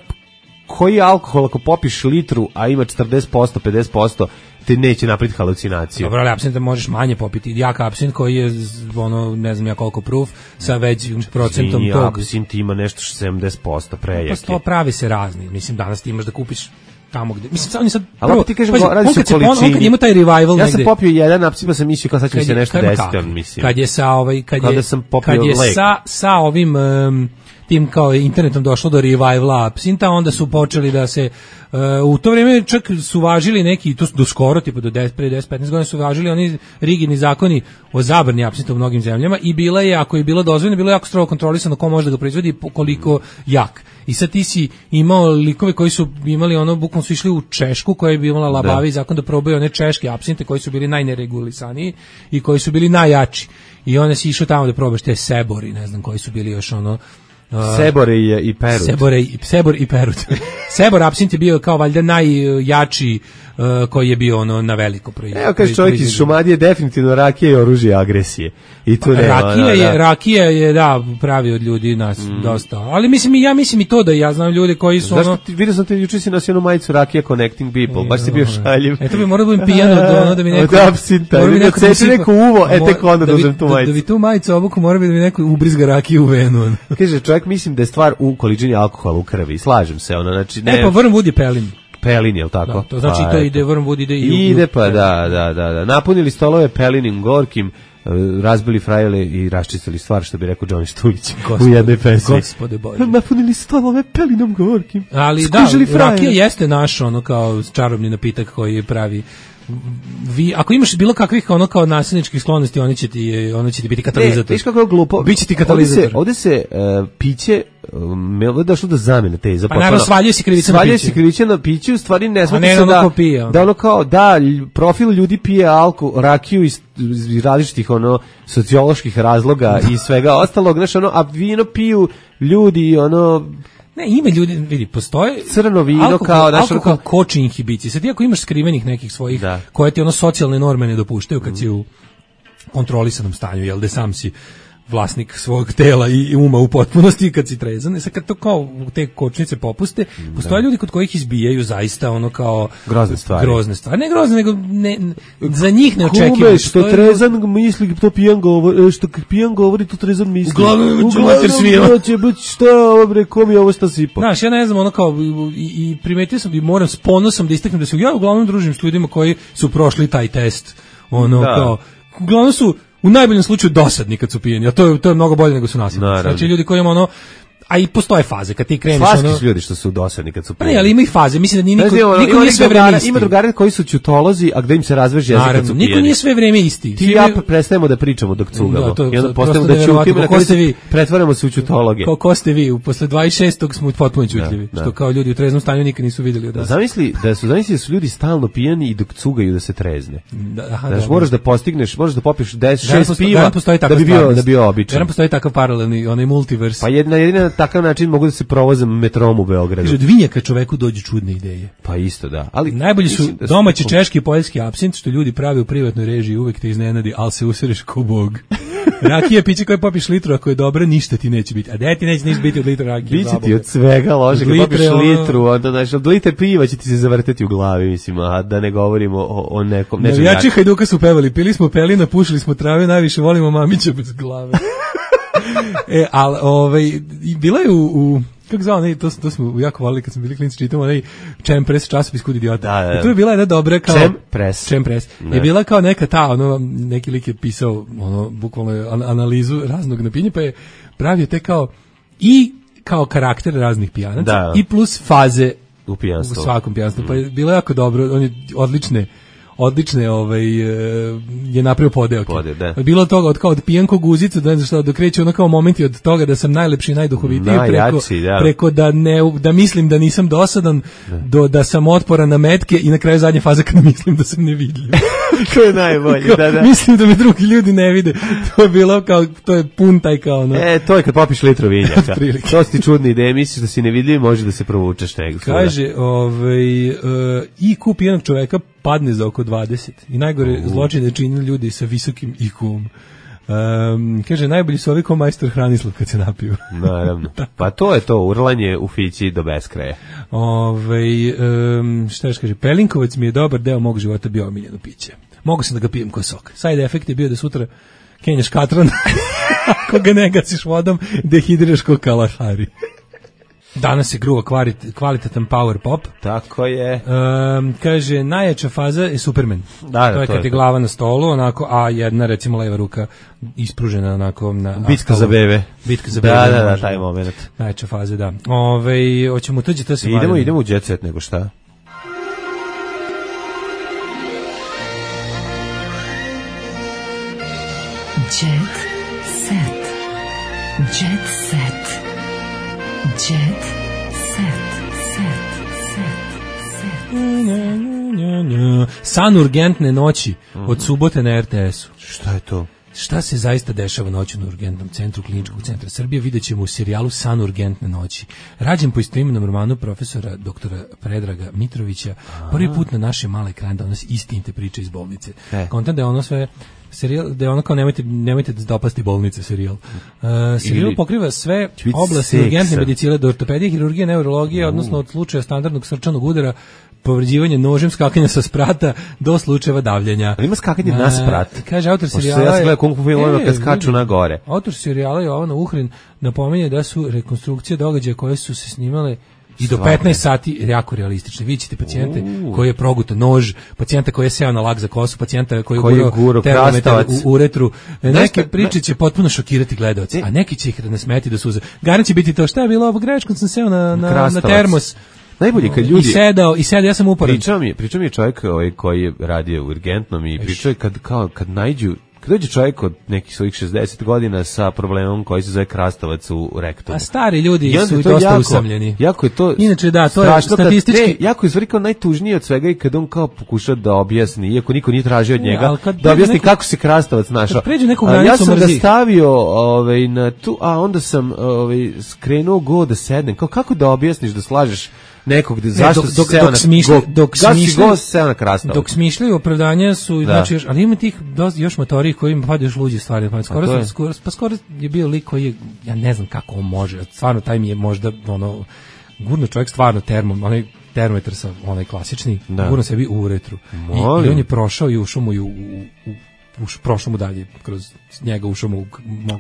koji alkohol ako popiš litru, a ima četrdeset posto, pedeset posto, te neće napraviti halucinaciju. Dobro, ali apsint možeš manje popiti. Jak apsint koji je ono ne znam ja koliko proof sa većim procentom Zini, tog. Apsint ima nešto sedamdeset posto prejaki. Pa to pravi se razni. Mislim danas ti imaš da kupiš tamo gde. Mislim oni sad prvo ti kažeš radi se o količini. On kad ima taj revival ja negde. Ja sam popio jedan apsint pa sam mislio kao sad će mi se nešto desiti, on mislim. Kad je sa ovaj kad je sam kad je sa sa ovim um, tim kao internetom došlo do revivala apsinta, onda su počeli da se uh, u to vrijeme čak su važili neki, to su do skoro, tipa do deset, pre deset petnaest godina su važili oni rigidni zakoni o zabrani apsinta u mnogim zemljama i bila je, ako je bilo dozvoljeno, bilo je jako strogo kontrolisano ko može da ga proizvodi i koliko jak. I sad ti si imao likove koji su imali ono, bukvalno su išli u Češku koja je imala labavi zakon da probaju one češke apsinte koji su bili najneregulisaniji i koji su bili najjači. I onda si išao tamo da probaš te sebori, ne znam koji su bili još ono... Uh, Sebore i, i Perut. Sebore i, Sebor i Perut. Sebor apsint je bio kao valjda najjači uh, koji je bio ono na veliko proizvodnje. Evo kaže čovjek iz Šumadije definitivno rakija je oružje agresije. I tu nema, rakija da, je da. rakija je da pravi od ljudi nas mm. dosta. Ali mislim ja mislim i to da ja znam ljude koji su Zašto ono ti vidio sam te juče si nosio onu majicu rakija connecting people. Baš si bio šaljiv. Eto bi morao da budem pijan od ono da mi neko od apsinta. Da mi neko seče neko uvo, e tek onda da uzmem tu majicu. Da bi tu majicu obuku mora bi da mi neko ubrizga rakiju u venu. Kaže čovjek mislim da je stvar u količini alkohola u krvi. Slažem se, ono znači ne. E pa Wormwood je pelin. Pelin, jel tako? Da, to znači pa, to ide Wormwood ide i ide pa da, da, da, da. Napunili stolove pelinim gorkim, razbili frajle i raščistili stvar, što bi rekao Johnny Štujić u jednoj pesmi. Gospode Bože. Napunili stolove pelinom gorkim. Ali Skužili da, frajle. Rakija jeste naš ono kao čarobni napitak koji pravi. Vi, ako imaš bilo kakvih ono kao nasilničkih sklonosti, oni će ti, ono će ti biti katalizator. Ne, viš kako je glupo. Biće ti katalizator. Ovde se, ovde se uh, piće, um, je došlo do zamene teze. Pa naravno svaljuje se krivica na piće. Svaljuje se krivica na piće, u stvari ne smatra ne se ono da, pije, ono. da ono kao, da, profil ljudi pije alko, rakiju iz, iz različitih ono socioloških razloga i svega ostalog, znaš, ono, a vino piju ljudi, ono... Ne, ima ljudi, vidi, postoje crno vino alkohol, kao naš alkohol koči inhibicije. Sad ti ako imaš skrivenih nekih svojih da. koje ti ono socijalne norme ne dopuštaju kad mm. si u kontrolisanom stanju, jel da sam si vlasnik svog tela i uma u potpunosti kad si trezan. I sad kad to kao te kočnice popuste, postoje ljudi kod kojih izbijaju zaista ono kao grozne stvari. Grozne stvari. Ne grozne, nego ne, za njih ne očekivamo. Kume, što trezan misli, to pijan govori, što pijan govori, to trezan misli. Uglavnom ću mater svijela. Će biti šta, bre, kom je ovo šta sipa. Znaš, ja ne znam, ono kao, i, i primetio sam i moram s ponosom da istaknem da se ja uglavnom družim s ljudima koji su prošli taj test. Ono da. Kao, uglavnom su u najboljem slučaju dosadni kad su pijeni, a to je, to je mnogo bolje nego su nasilnici. Znači ljudi koji imaju ono, a i postoje faze kad ti kreneš Slaski ono. Su ljudi što su dosadni kad su pijeni. Pa ne, ali ima i faze, mislim da nije niko, znači, ono, niko nije sve vreme isti. Ima drugari koji su ćutolozi, a gde im se razveže jezik kad su pijeni. Niko nije sve vreme isti. Ti ja prestajemo da pričamo dok cugamo. Da, I onda postajemo da ćutimo, na kraju se pretvaramo se u ćutologe. Ko, ko ste vi? Posle dvadeset šestog smo potpuno ćutljivi, da, što kao ljudi u treznom stanju nikad nisu videli od nas. Zamisli da su zamisli da su ljudi stalno pijeni i dok cugaju da se trezne. Da, aha, znači, moraš da postigneš, možeš da popiješ deset šest piva da bi bio da bio običan. Verujem postoji takav paralelni, onaj multivers. Pa jedna jedina takav način mogu da se provozam metrom u Beogradu. Kaže, od vinjaka čoveku dođu čudne ideje. Pa isto, da. Ali najbolji su domaći su... češki i poljski apsint, što ljudi pravi u privatnoj režiji, uvek te iznenadi, ali se usereš ko bog. Rakija piće koje popiš litru, ako je dobra, ništa ti neće biti. A de ti neće ništa biti od litra rakije. Biće ti od svega lože, kad popiš litru, onda, znaš, od litre piva će ti se zavrteti u glavi, mislim, a da ne govorimo o, o nekom... Navijači Hajduka su pevali, pili smo pelina, pušili smo trave, najviše volimo mamića bez glave. e, ali, ovaj, bila je u... u kako zvao, ne, to, to smo jako volili kad smo bili klinci, čitamo onaj Čempres, časopis Kud idiota. Da, da. I tu je bila jedna dobra kao... Čempres. Čempres. Je bila kao neka ta, ono, neki lik je pisao, ono, bukvalno analizu raznog napinja, pa je pravio te kao i kao karakter raznih pijanaca da. I plus faze u pijanstvu. U svakom pijanstvu. Mm. Pa je bilo jako dobro, on je odlične odlične ovaj je napravio podeo. Podeo, da. Bilo toga od kao od pijanko guzicu da znači da kreće ono kao momenti od toga da sam najlepši i najduhovitiji preko da. preko da ne da mislim da nisam dosadan da. Do da sam otporan na metke i na kraju zadnje faze kad mislim da sam nevidljiv. To je najbolje, da, da. Mislim da me drugi ljudi ne vide. To je bilo kao to je pun taj kao no. E, to je kad popiš litru vinjaka. To su ti čudne ideje, misliš da si nevidljiv, može da se provučeš negdje. Kaže, ovaj uh, I Q pijanog čoveka padne za oko dvadeset i najgore uh. zločine čine ljudi sa visokim I Q-om. Um, kaže, najbolji su ovi ko majstor Hranislav kad se napiju. Naravno. Pa to je to, urlanje u fići do beskraja. Ove, um, šta još kaže, Pelinkovac mi je dobar deo mog života bio omiljeno piće. Mogu sam da ga pijem ko sok. Side efekt je bio da sutra kenjaš katran, ako ga ne gasiš vodom, dehidriraš ko Kalahari. Danas se gruva kvalitetan power pop. Tako je. Um, kaže, najjača faza je Superman. Da, da, to je to kad je je glava na stolu, onako, a jedna, recimo, leva ruka ispružena onako na... Bitka na za bebe. Bitka za da, bebe. Da, da, može. taj moment. Najjača faza, da. Ove, hoćemo tuđi, to se idemo, valjamo. idemo u jet set, nego šta? Jet set. Jet set. Jet set. San urgentne noći od subote na er te esu. Šta je to? Šta se zaista dešava noću na urgentnom centru Kliničkog centra Srbije, vidjet ćemo u serijalu San urgentne noći. Rađen po istoimenom romanu profesora doktora Predraga Mitrovića, prvi put na naše male ekrane donosi istinite priče iz bolnice. E. Kontent da je ono sve serijal, da je ono kao nemojte, nemojte da dopasti bolnice serijal. Uh, serijal Ili, pokriva sve oblasti seksa. urgentne medicine, od ortopedije, hirurgije, neurologije, odnosno od slučaja standardnog srčanog udara, povređivanje nožem, skakanja sa sprata do slučajeva davljenja. Ali ima skakanje na sprat. Kaže autor serijala. Ja sam gledao kung fu filmova kad skaču na gore. Autor serijala Jovana Uhrin napominje da su rekonstrukcije događaja koje su se snimale i do petnaest sati jako realistične. Vi ćete pacijente uh. koji je progutao nož, pacijenta koji je seo na lak za kosu, pacijenta koji, koji je gurao termometar u uretru. Neke ne, priče će potpuno šokirati gledaoce, a neki će ih nasmeti do suza. Garant će biti to, šta je bilo ovo greškom, sam seo na, na, na termos. Najbolje kad ljudi i sedao i sedao, ja sam uporan. Pričao mi, pričao mi je čovjek ovaj koji je radio u urgentnom i pričao je kad kao kad naiđu kad dođe čovjek od nekih svojih šezdeset godina sa problemom koji se zove krastavac u rektumu. A stari ljudi su dosta jako, usamljeni. Jako je to. Inače da, to je statistički ne, jako je stvari kao najtužnije od svega i kad on kao pokuša da objasni, iako niko nije tražio od njega, ne, da objasni neko, kako se krastavac našao. Pređe neku granicu ja sam mrzi. ga stavio ovaj na tu, a onda sam ovaj skrenuo go da sednem. Kao kako da objasniš da slažeš nekog da zašto dok, se dok, seo dok na smišlja, dok smišljaju seo na krastavac. Dok smišljaju opravdanja su da. Znači još, ali ima tih dosta, još motori koji im padaju još luđe stvari, pa skoro, sam, skoro pa skoro je bio lik koji je, ja ne znam kako on može, stvarno taj mi je možda ono gurno čovjek stvarno termom, onaj termometar sa onaj klasični, da. Gurno sebi u uretru. I, I on je prošao i ušao mu u, u, u Uš, prošlo mu dalje, kroz njega ušao mu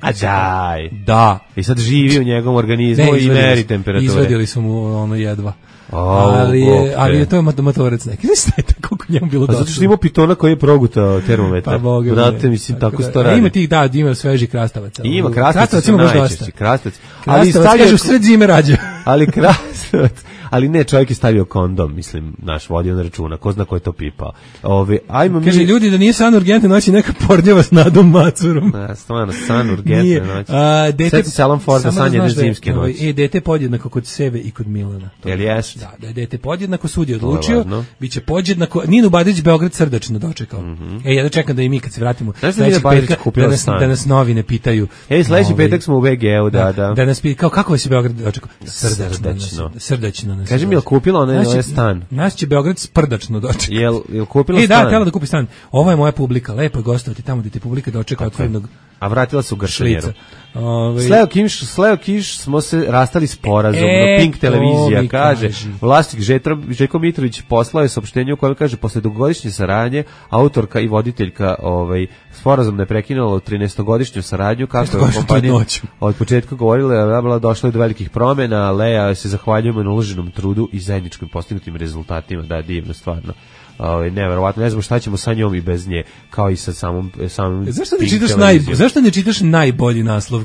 a daj. Da. I sad živi u njegovom organizmu ne, i meri temperature. Izvedili su mu ono jedva. Oh, ali, je, ali je to motorac neki. Ne znate koliko njemu bilo dosta. Zato što ima pitona koji je progutao termometar. Pa boga. Znate, mislim, tako, tako da, sto radi. Ima tih, da, ima sveži krastavaca. Ima krastavac, krastavac ima baš dosta. Krastavac, ali stavio... kaže u sred zime rađa. Ali krastavac, ali ne, čovjek je stavio kondom, mislim, naš vodio na računa, ko zna ko je to pipao. Ove, ajmo kaže, mi... ljudi, da nije san urgentne noći, neka pornjava s Nadom Macurom. Da, stvarno, san urgentne noći. Dete... Sjeti se Alan Forda, san jedne zimske da, noći. E, dete podjednako kod sebe i kod Milana. Jel jest? Da, da je dete podjednako, sud je odlučio, biće podjednako. Ninu Badić Beograd srdačno dočekao. Mm -hmm. E, ja da čekam da i mi kad se vratimo sledećeg petka, da nas, da nas novine pitaju. E, sledeći petak smo u B G U, da, da. Da nas pitaju, kao, kako se Beograd dočekao? Srdačno. Srdačno nas. Kaži mi, jel kupila onaj stan? Nas će Beograd sprdačno dočekao. Jel, jel kupila e, stan? E, da, htjela da kupi stan. Ovo je moja publika, lepo je gostovati tamo gdje te publika dočeka otvorenog. A vratila se u Gršanjeru. Sleo Kiš, Sleo Kiš smo se rastali sporazumno. E, Pink televizija kaže, vlasnik Željko Mitrović poslao je saopštenje u kojem kaže, posle dugogodišnje saradnje, autorka i voditeljka ovaj, sporazumno je prekinula trinaestogodišnju saradnju, kako je kompanija od početka govorila, bila došla do velikih promjena, Lea se zahvaljujemo na uloženom trudu i zajedničkim postignutim rezultatima, da, divno, stvarno. Ovaj neverovatno, ne znam šta ćemo sa njom i bez nje, kao i sa samom samom. Zašto ne čitaš naj zašto ne čitaš najbolji naslov?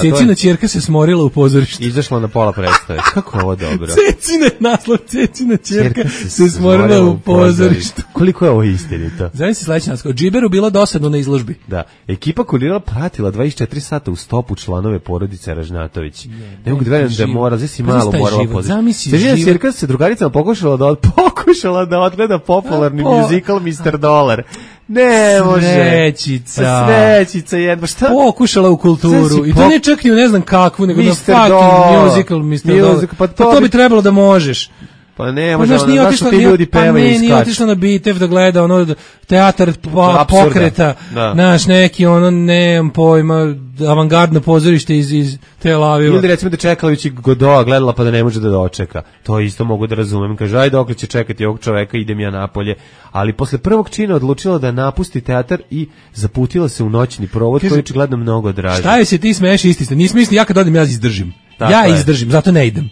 Cecina ćerka se smorila u pozorištu. Izašla na pola predstave. Kako je ovo dobro? Cecina naslov, Cecina ćerka se, se smorila u pozorištu. Koliko je ovo istinito? Zanim se sledeći naslov. Džiberu bilo dosadno na izložbi. Da. Ekipa kurirala pratila dvadeset četiri sata u stopu članove porodice Ražnatović. Ne, ne mogu da verujem da mora, znači si malo morala pozorištu. Cecina ćerka se drugaricama pokušala da od, pokušala da odgleda popularni po... muzikal mister Dolar. Ne može. Srećica. Srećica jedna. Šta? Pokušala u kulturu. I to po... ne čak ni u ne znam kakvu, nego na fucking musical mister mister Pa to, pa to bi trebalo da možeš. Pa ne, može, pa, ono, zašto ti ljudi pevaju pa i skaču? Pa nije otišla na Bitev da gleda ono teatar pa, pokreta, naš neki ono, nemam pojma, avangardno pozorište iz, iz Tel Aviva. Ili recimo da Čekalović Godoa gledala pa da ne može da dočeka. To isto mogu da razumem. Kaže, ajde dokle će čekati ovog čoveka, idem ja napolje. Ali posle prvog čina odlučila da napusti teatar i zaputila se u noćni provod, koji je očigledno mnogo draži. Šta je se ti smeješ, isti ste? Nisam misli, ja kad odim, ja izdržim. Tako ja je. izdržim, zato ne idem.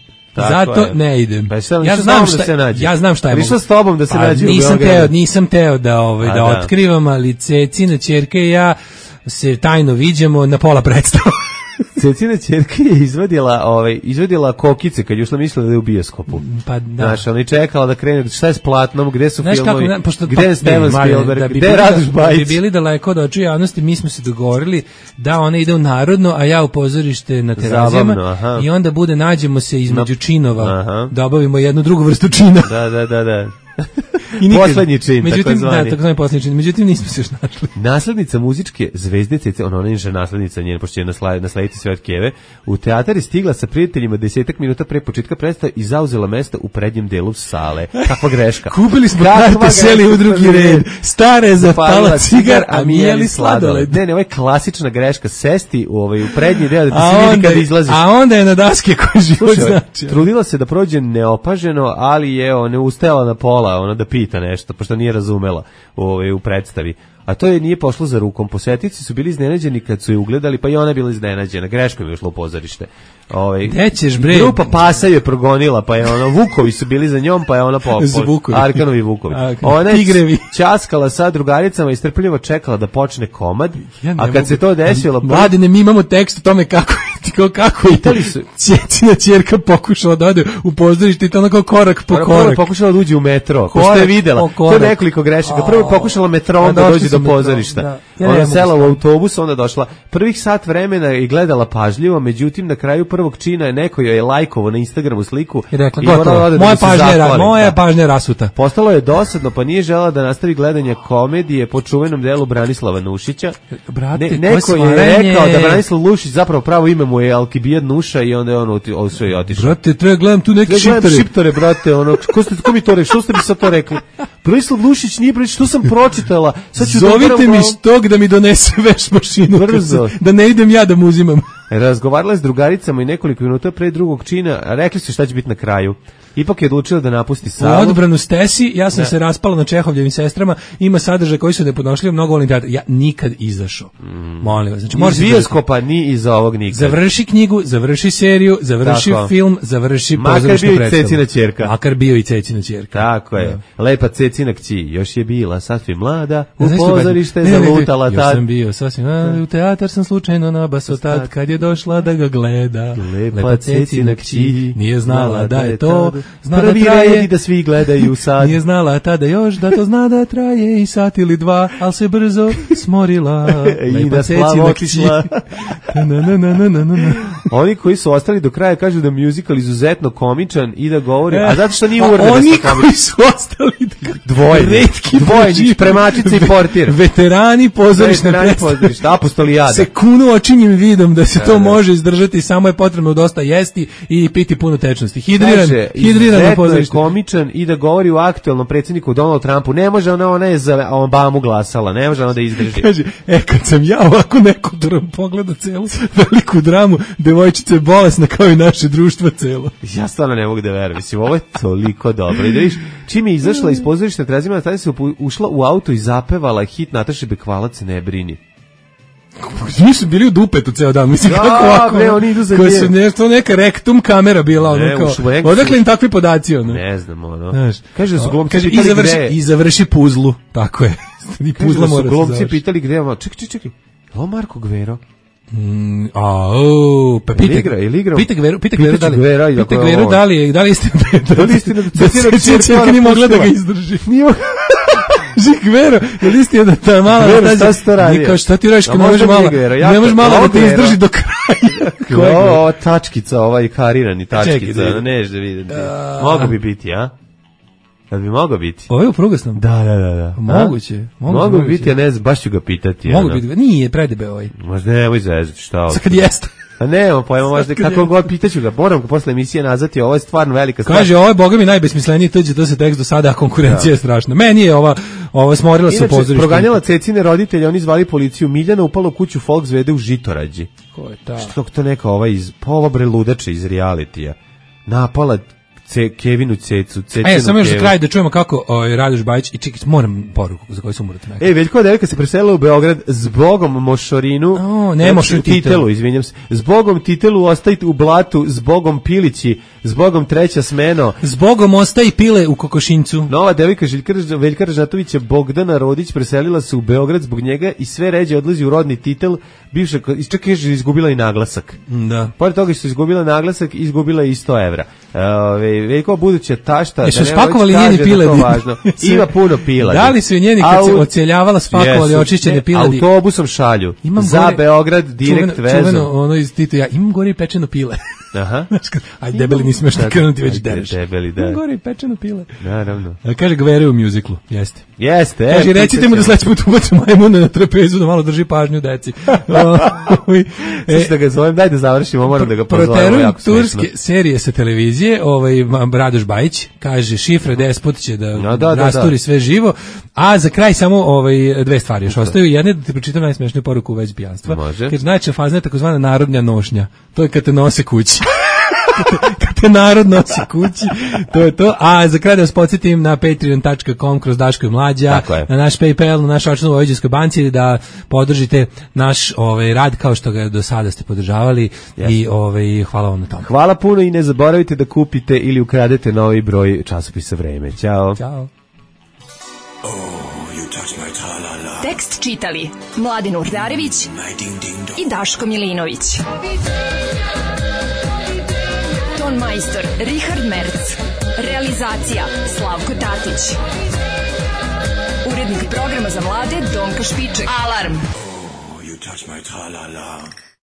Zato je. ne idem. Pa ja, ja znam šta, da se nađe. Ja znam šta je. Išao s tobom da se pa, nađe u nisam Beogradu. teo, nisam teo da ovaj A, da, da otkrivam, ali Cecina ćerka i ja se tajno viđamo na pola predstava. Cecina ćerka je izvadila, ovaj, izvadila kokice kad je ušla, mislila da je u bioskopu. Pa da. Znaš, ona je čekala da krene, šta je s platnom, gde su Znaš filmovi, kako, pošto, gde je Steven Spielberg, da bi gde je Radoš Bajić. Da bi bili daleko od očiju javnosti, mi smo se dogovorili da ona ide u Narodno, a ja u pozorište na Terazijama. Zabavno, i onda bude, nađemo se između no. činova, aha. da obavimo jednu drugu vrstu čina. Da, da, da, da. I nikad, poslednji čin, međutim, tako zvani. Da, tako zvani poslednji čin. Međutim, nismo se još našli. Naslednica muzičke zvezde Cece, ona ona je naslednica njena, pošto će nasla, naslediti sve od Keve, u teatar je stigla sa prijateljima desetak minuta pre početka predstave i zauzela mesto u prednjem delu sale. Kakva greška. Kupili smo karte, seli u drugi red. Stare zapala cigar, a mi jeli sladoled. Ne, ne, ovo je klasična greška, sesti u, ovaj, u prednji deo da ti se vidi kada izlaziš. A onda je na daske koji život znači. Trudila se da prođe neopaženo, ali je ona ustajala na pola, ona da pita nešto, pošto nije razumela ovaj, u predstavi. A to je nije pošlo za rukom. Posetici su bili iznenađeni kad su je ugledali, pa i ona je bila iznenađena. Greškom je ušla u pozorište. Ovaj, Gde ćeš, bre? Grupa Pasa je progonila, pa je ona, Vukovi su bili za njom, pa je ona po, po Arkanovi Vukovi. Ona je ćaskala sa drugaricama i strpljivo čekala da počne komad, ja a kad mogu, se to desilo... Mladine, mi imamo tekst o tome kako je kako je su Cecina ćerka pokušala da ode u pozorište i to onako korak po korak. Prvo pokušala da uđe u metro, ko što je videla. To je nekoliko grešaka. Prvo je pokušala metrom da dođe do pozorišta. Da. Ja ona sela u autobus, onda došla. Prvih sat vremena i gledala pažljivo, međutim na kraju prvog čina je neko joj je lajkovo na Instagramu sliku i rekla, gotovo, da moja pažnja je moja pažnja rasuta. Postalo je dosadno, pa nije želela da nastavi gledanje komedije po čuvenom delu Branislava Nušića. Brate, ne, neko je rekao da Branislav Nušić zapravo pravo ime mu je Alkibijad Nuša i onda je on ovo sve i otišao. Brate, treba gledam tu neke šiptore. Šiptore, brate, ono, ko, ste, ko mi to rekli, što ste mi sad to rekli? Branislav Nušić nije Branislav, što sam pročitala. Sad ću zovite mi štog da mi donese veš mašinu. Brzo. Da ne idem ja da mu uzimam. Razgovarala je s drugaricama i nekoliko minuta pre drugog čina, rekli su šta će biti na kraju. Ipak je odlučila da napusti salu. U odbranu Stesi, ja sam ne. se raspala na Čehovljevim sestrama, ima sadržaj koji su nepodnošljivi, mnogo volim teatr. Ja nikad izašao. Mm. Molim vas. Znači, iz bioskopa ni iz ovog nikad. Završi knjigu, završi seriju, završi Tako. film, završi pozorišnu predstavu. Makar bio i Cecina ćerka. Makar bio i Cecina ćerka. Tako je. Da. Lepa Cecina kći, još je bila sasvim mlada, u pozorište je zalutala tad. Još sam bio sasvim mlada, u teatar sam slučajno nabaso tad, kad je došla da ga gleda. Lepa Cecina kći, nije znala da je to. Zna prvi da red i da svi gledaju sad. Nije znala tada još da to zna da traje i sat ili dva, ali se brzo smorila. I da slavo otišla. Oni koji su ostali do kraja kažu da je musical izuzetno komičan i da govori, a zato što nije uvreda oni koji su ostali dvoje, retki dvoje, premačica i portir. Veterani pozorišne predstave. Apostolijada. Se kunu očinjim vidom da se to može izdržati, samo je potrebno dosta jesti i piti puno tečnosti. Hidriran, hidriran na pozorište. Komičan i da govori u aktuelnom predsjedniku Donald Trumpu. Ne može ona, ona je za Obamu glasala, ne može ona da izdrži. Kaže, e, kad sam ja ovako nekulturan pogleda celu veliku dramu, devojčica je bolesna kao i naše društvo celo. Ja stvarno ne mogu da verujem, mislim, ovo je toliko dobro. I da viš, čim je izašla iz pozorišta Terazijama, tada se ušla u auto i zapevala hit Nataše Bekvalac Ne brini. Nisu bili u dupetu ceo dan, mislim, da, kako ovako, ne, oni idu za nje. Su nešto, neka rektum kamera bila, ono, ne, kao, odakle im takvi podaci, ono? Ne znam, ono. Znaš, kaže da su glumci kaže, pitali i završi, gde... I završi puzlu, tako je. I puzla mora da su glumci pitali gde, ono, čekaj, čekaj, čekaj, ovo Marko Gvero? Mm, a, o, pa pite, pite Gveru, pite Gveru da li, pite Gveru da li, da li istina da li istina da Cecina nije mogla da ga izdrži. Nije Žik Vero, je li istina da ta mala tađe, kao šta ti radiš, kad ne možeš malo, ne možeš malo da te izdrži do kraja. Ova tačkica, ovaj karirani tačkica, neš da vidim. Mogu bi biti, a? Da bi mogao biti. Ovo je u prugasnom? Da, da, da. da. Moguće. Mogu bi biti, ja ne znam, baš ću ga pitati. Mogu biti, nije predebe ovaj. Možda nemoj zezati, šta ovo. Sad kad jeste. A nema pojma, možda kako god pitaću ga. Moram ga posle emisije nazvati, ovo je stvarno velika stvar. Kaže, ovo je boga mi najbesmisleniji tuđe, to se tekst do sada, a konkurencija je strašna. Meni je ova, ova smorila se u pozorištu. Proganjala Cecine roditelje, oni zvali policiju. Miljana upala u kuću Volkswede u Žitorađi. Ko je ta? Što to neka ova iz, pa ova bre ludača iz realitija. Napala Ce, Kevinu Cecu, Cecinu E, samo još za Kevu. kraj da čujemo kako o, Radoš Bajić i čekaj, moram poruku za koju sam morate nekako. E, Veljko devojka se preselila u Beograd zbogom Mošorinu. O, ne, Mošorinu Titelu, Titelu, izvinjam se. Zbogom Titelu ostaje u blatu, zbogom Pilići, zbogom treća smeno. Zbogom ostaje pile u kokošincu. Nova devojka Željka Veljka Ražnatovića Bogdana Rodić preselila se u Beograd zbog njega i sve ređe odlazi u rodni Titel. Bivša, čak je izgubila i naglasak. Da. Pored toga što je izgubila naglasak, izgubila i sto evra. Ove, Veljko buduća tašta, E, su da ne spakovali kaže njeni da piladi. to važno. Ima puno piladi. Da li su njeni kad se Au- ocjeljavala spakovali Jesu. očišćene Ne, piladi? Autobusom šalju. Imam za gore- Beograd direkt čuveno, vezom. Čuveno, ono iz Tito, ja imam gore i pečeno pile. Aha. Ajde, debeli nismo još Da, krenuti, već ajde, dereš. debeli, da. Imam gore i pečeno pile. Naravno. A kaže Gvere u mjuziklu, jeste. Jeste. e, Kaže, recite mu da pitat sledeći put ubaci majmuna na trapezu, da malo drži pažnju deci. ćemo. Sad da ga zovem, daj da završimo, moram da ga pozovemo. Proterujem jako turske smešno. serije sa televizije, ovaj Radoš Bajić kaže šifre despot će da, No, da, da, rasturi da. sve živo, a za kraj samo ovaj dve stvari još ostaju. Jedna da ti pročitam najsmešniju poruku u vezi pijanstva. Može. Kaže najčešća faza je takozvana narodnja nošnja. To je kad te nose kući. Kad te narod nosi kući, to je to. A za kraj da vas podsjetim na patreon tačka com kroz Daško i Mlađa, Tako je. na naš PayPal, na naš račun u Vojvođanskoj banci, da podržite naš ovaj rad kao što ga do sada ste podržavali. Jeste. I ovaj hvala vam na tome. Hvala puno i ne zaboravite da kupite ili ukradete novi broj časopisa Vreme. Ćao. Ćao. Tekst čitali Mladin Urdarević i Daško Milinović. Ton majstor Richard Merc. Realizacija Slavko Tatić. Urednik programa za mlade Donka Špiček. Alarm! You touch my tra-la-la.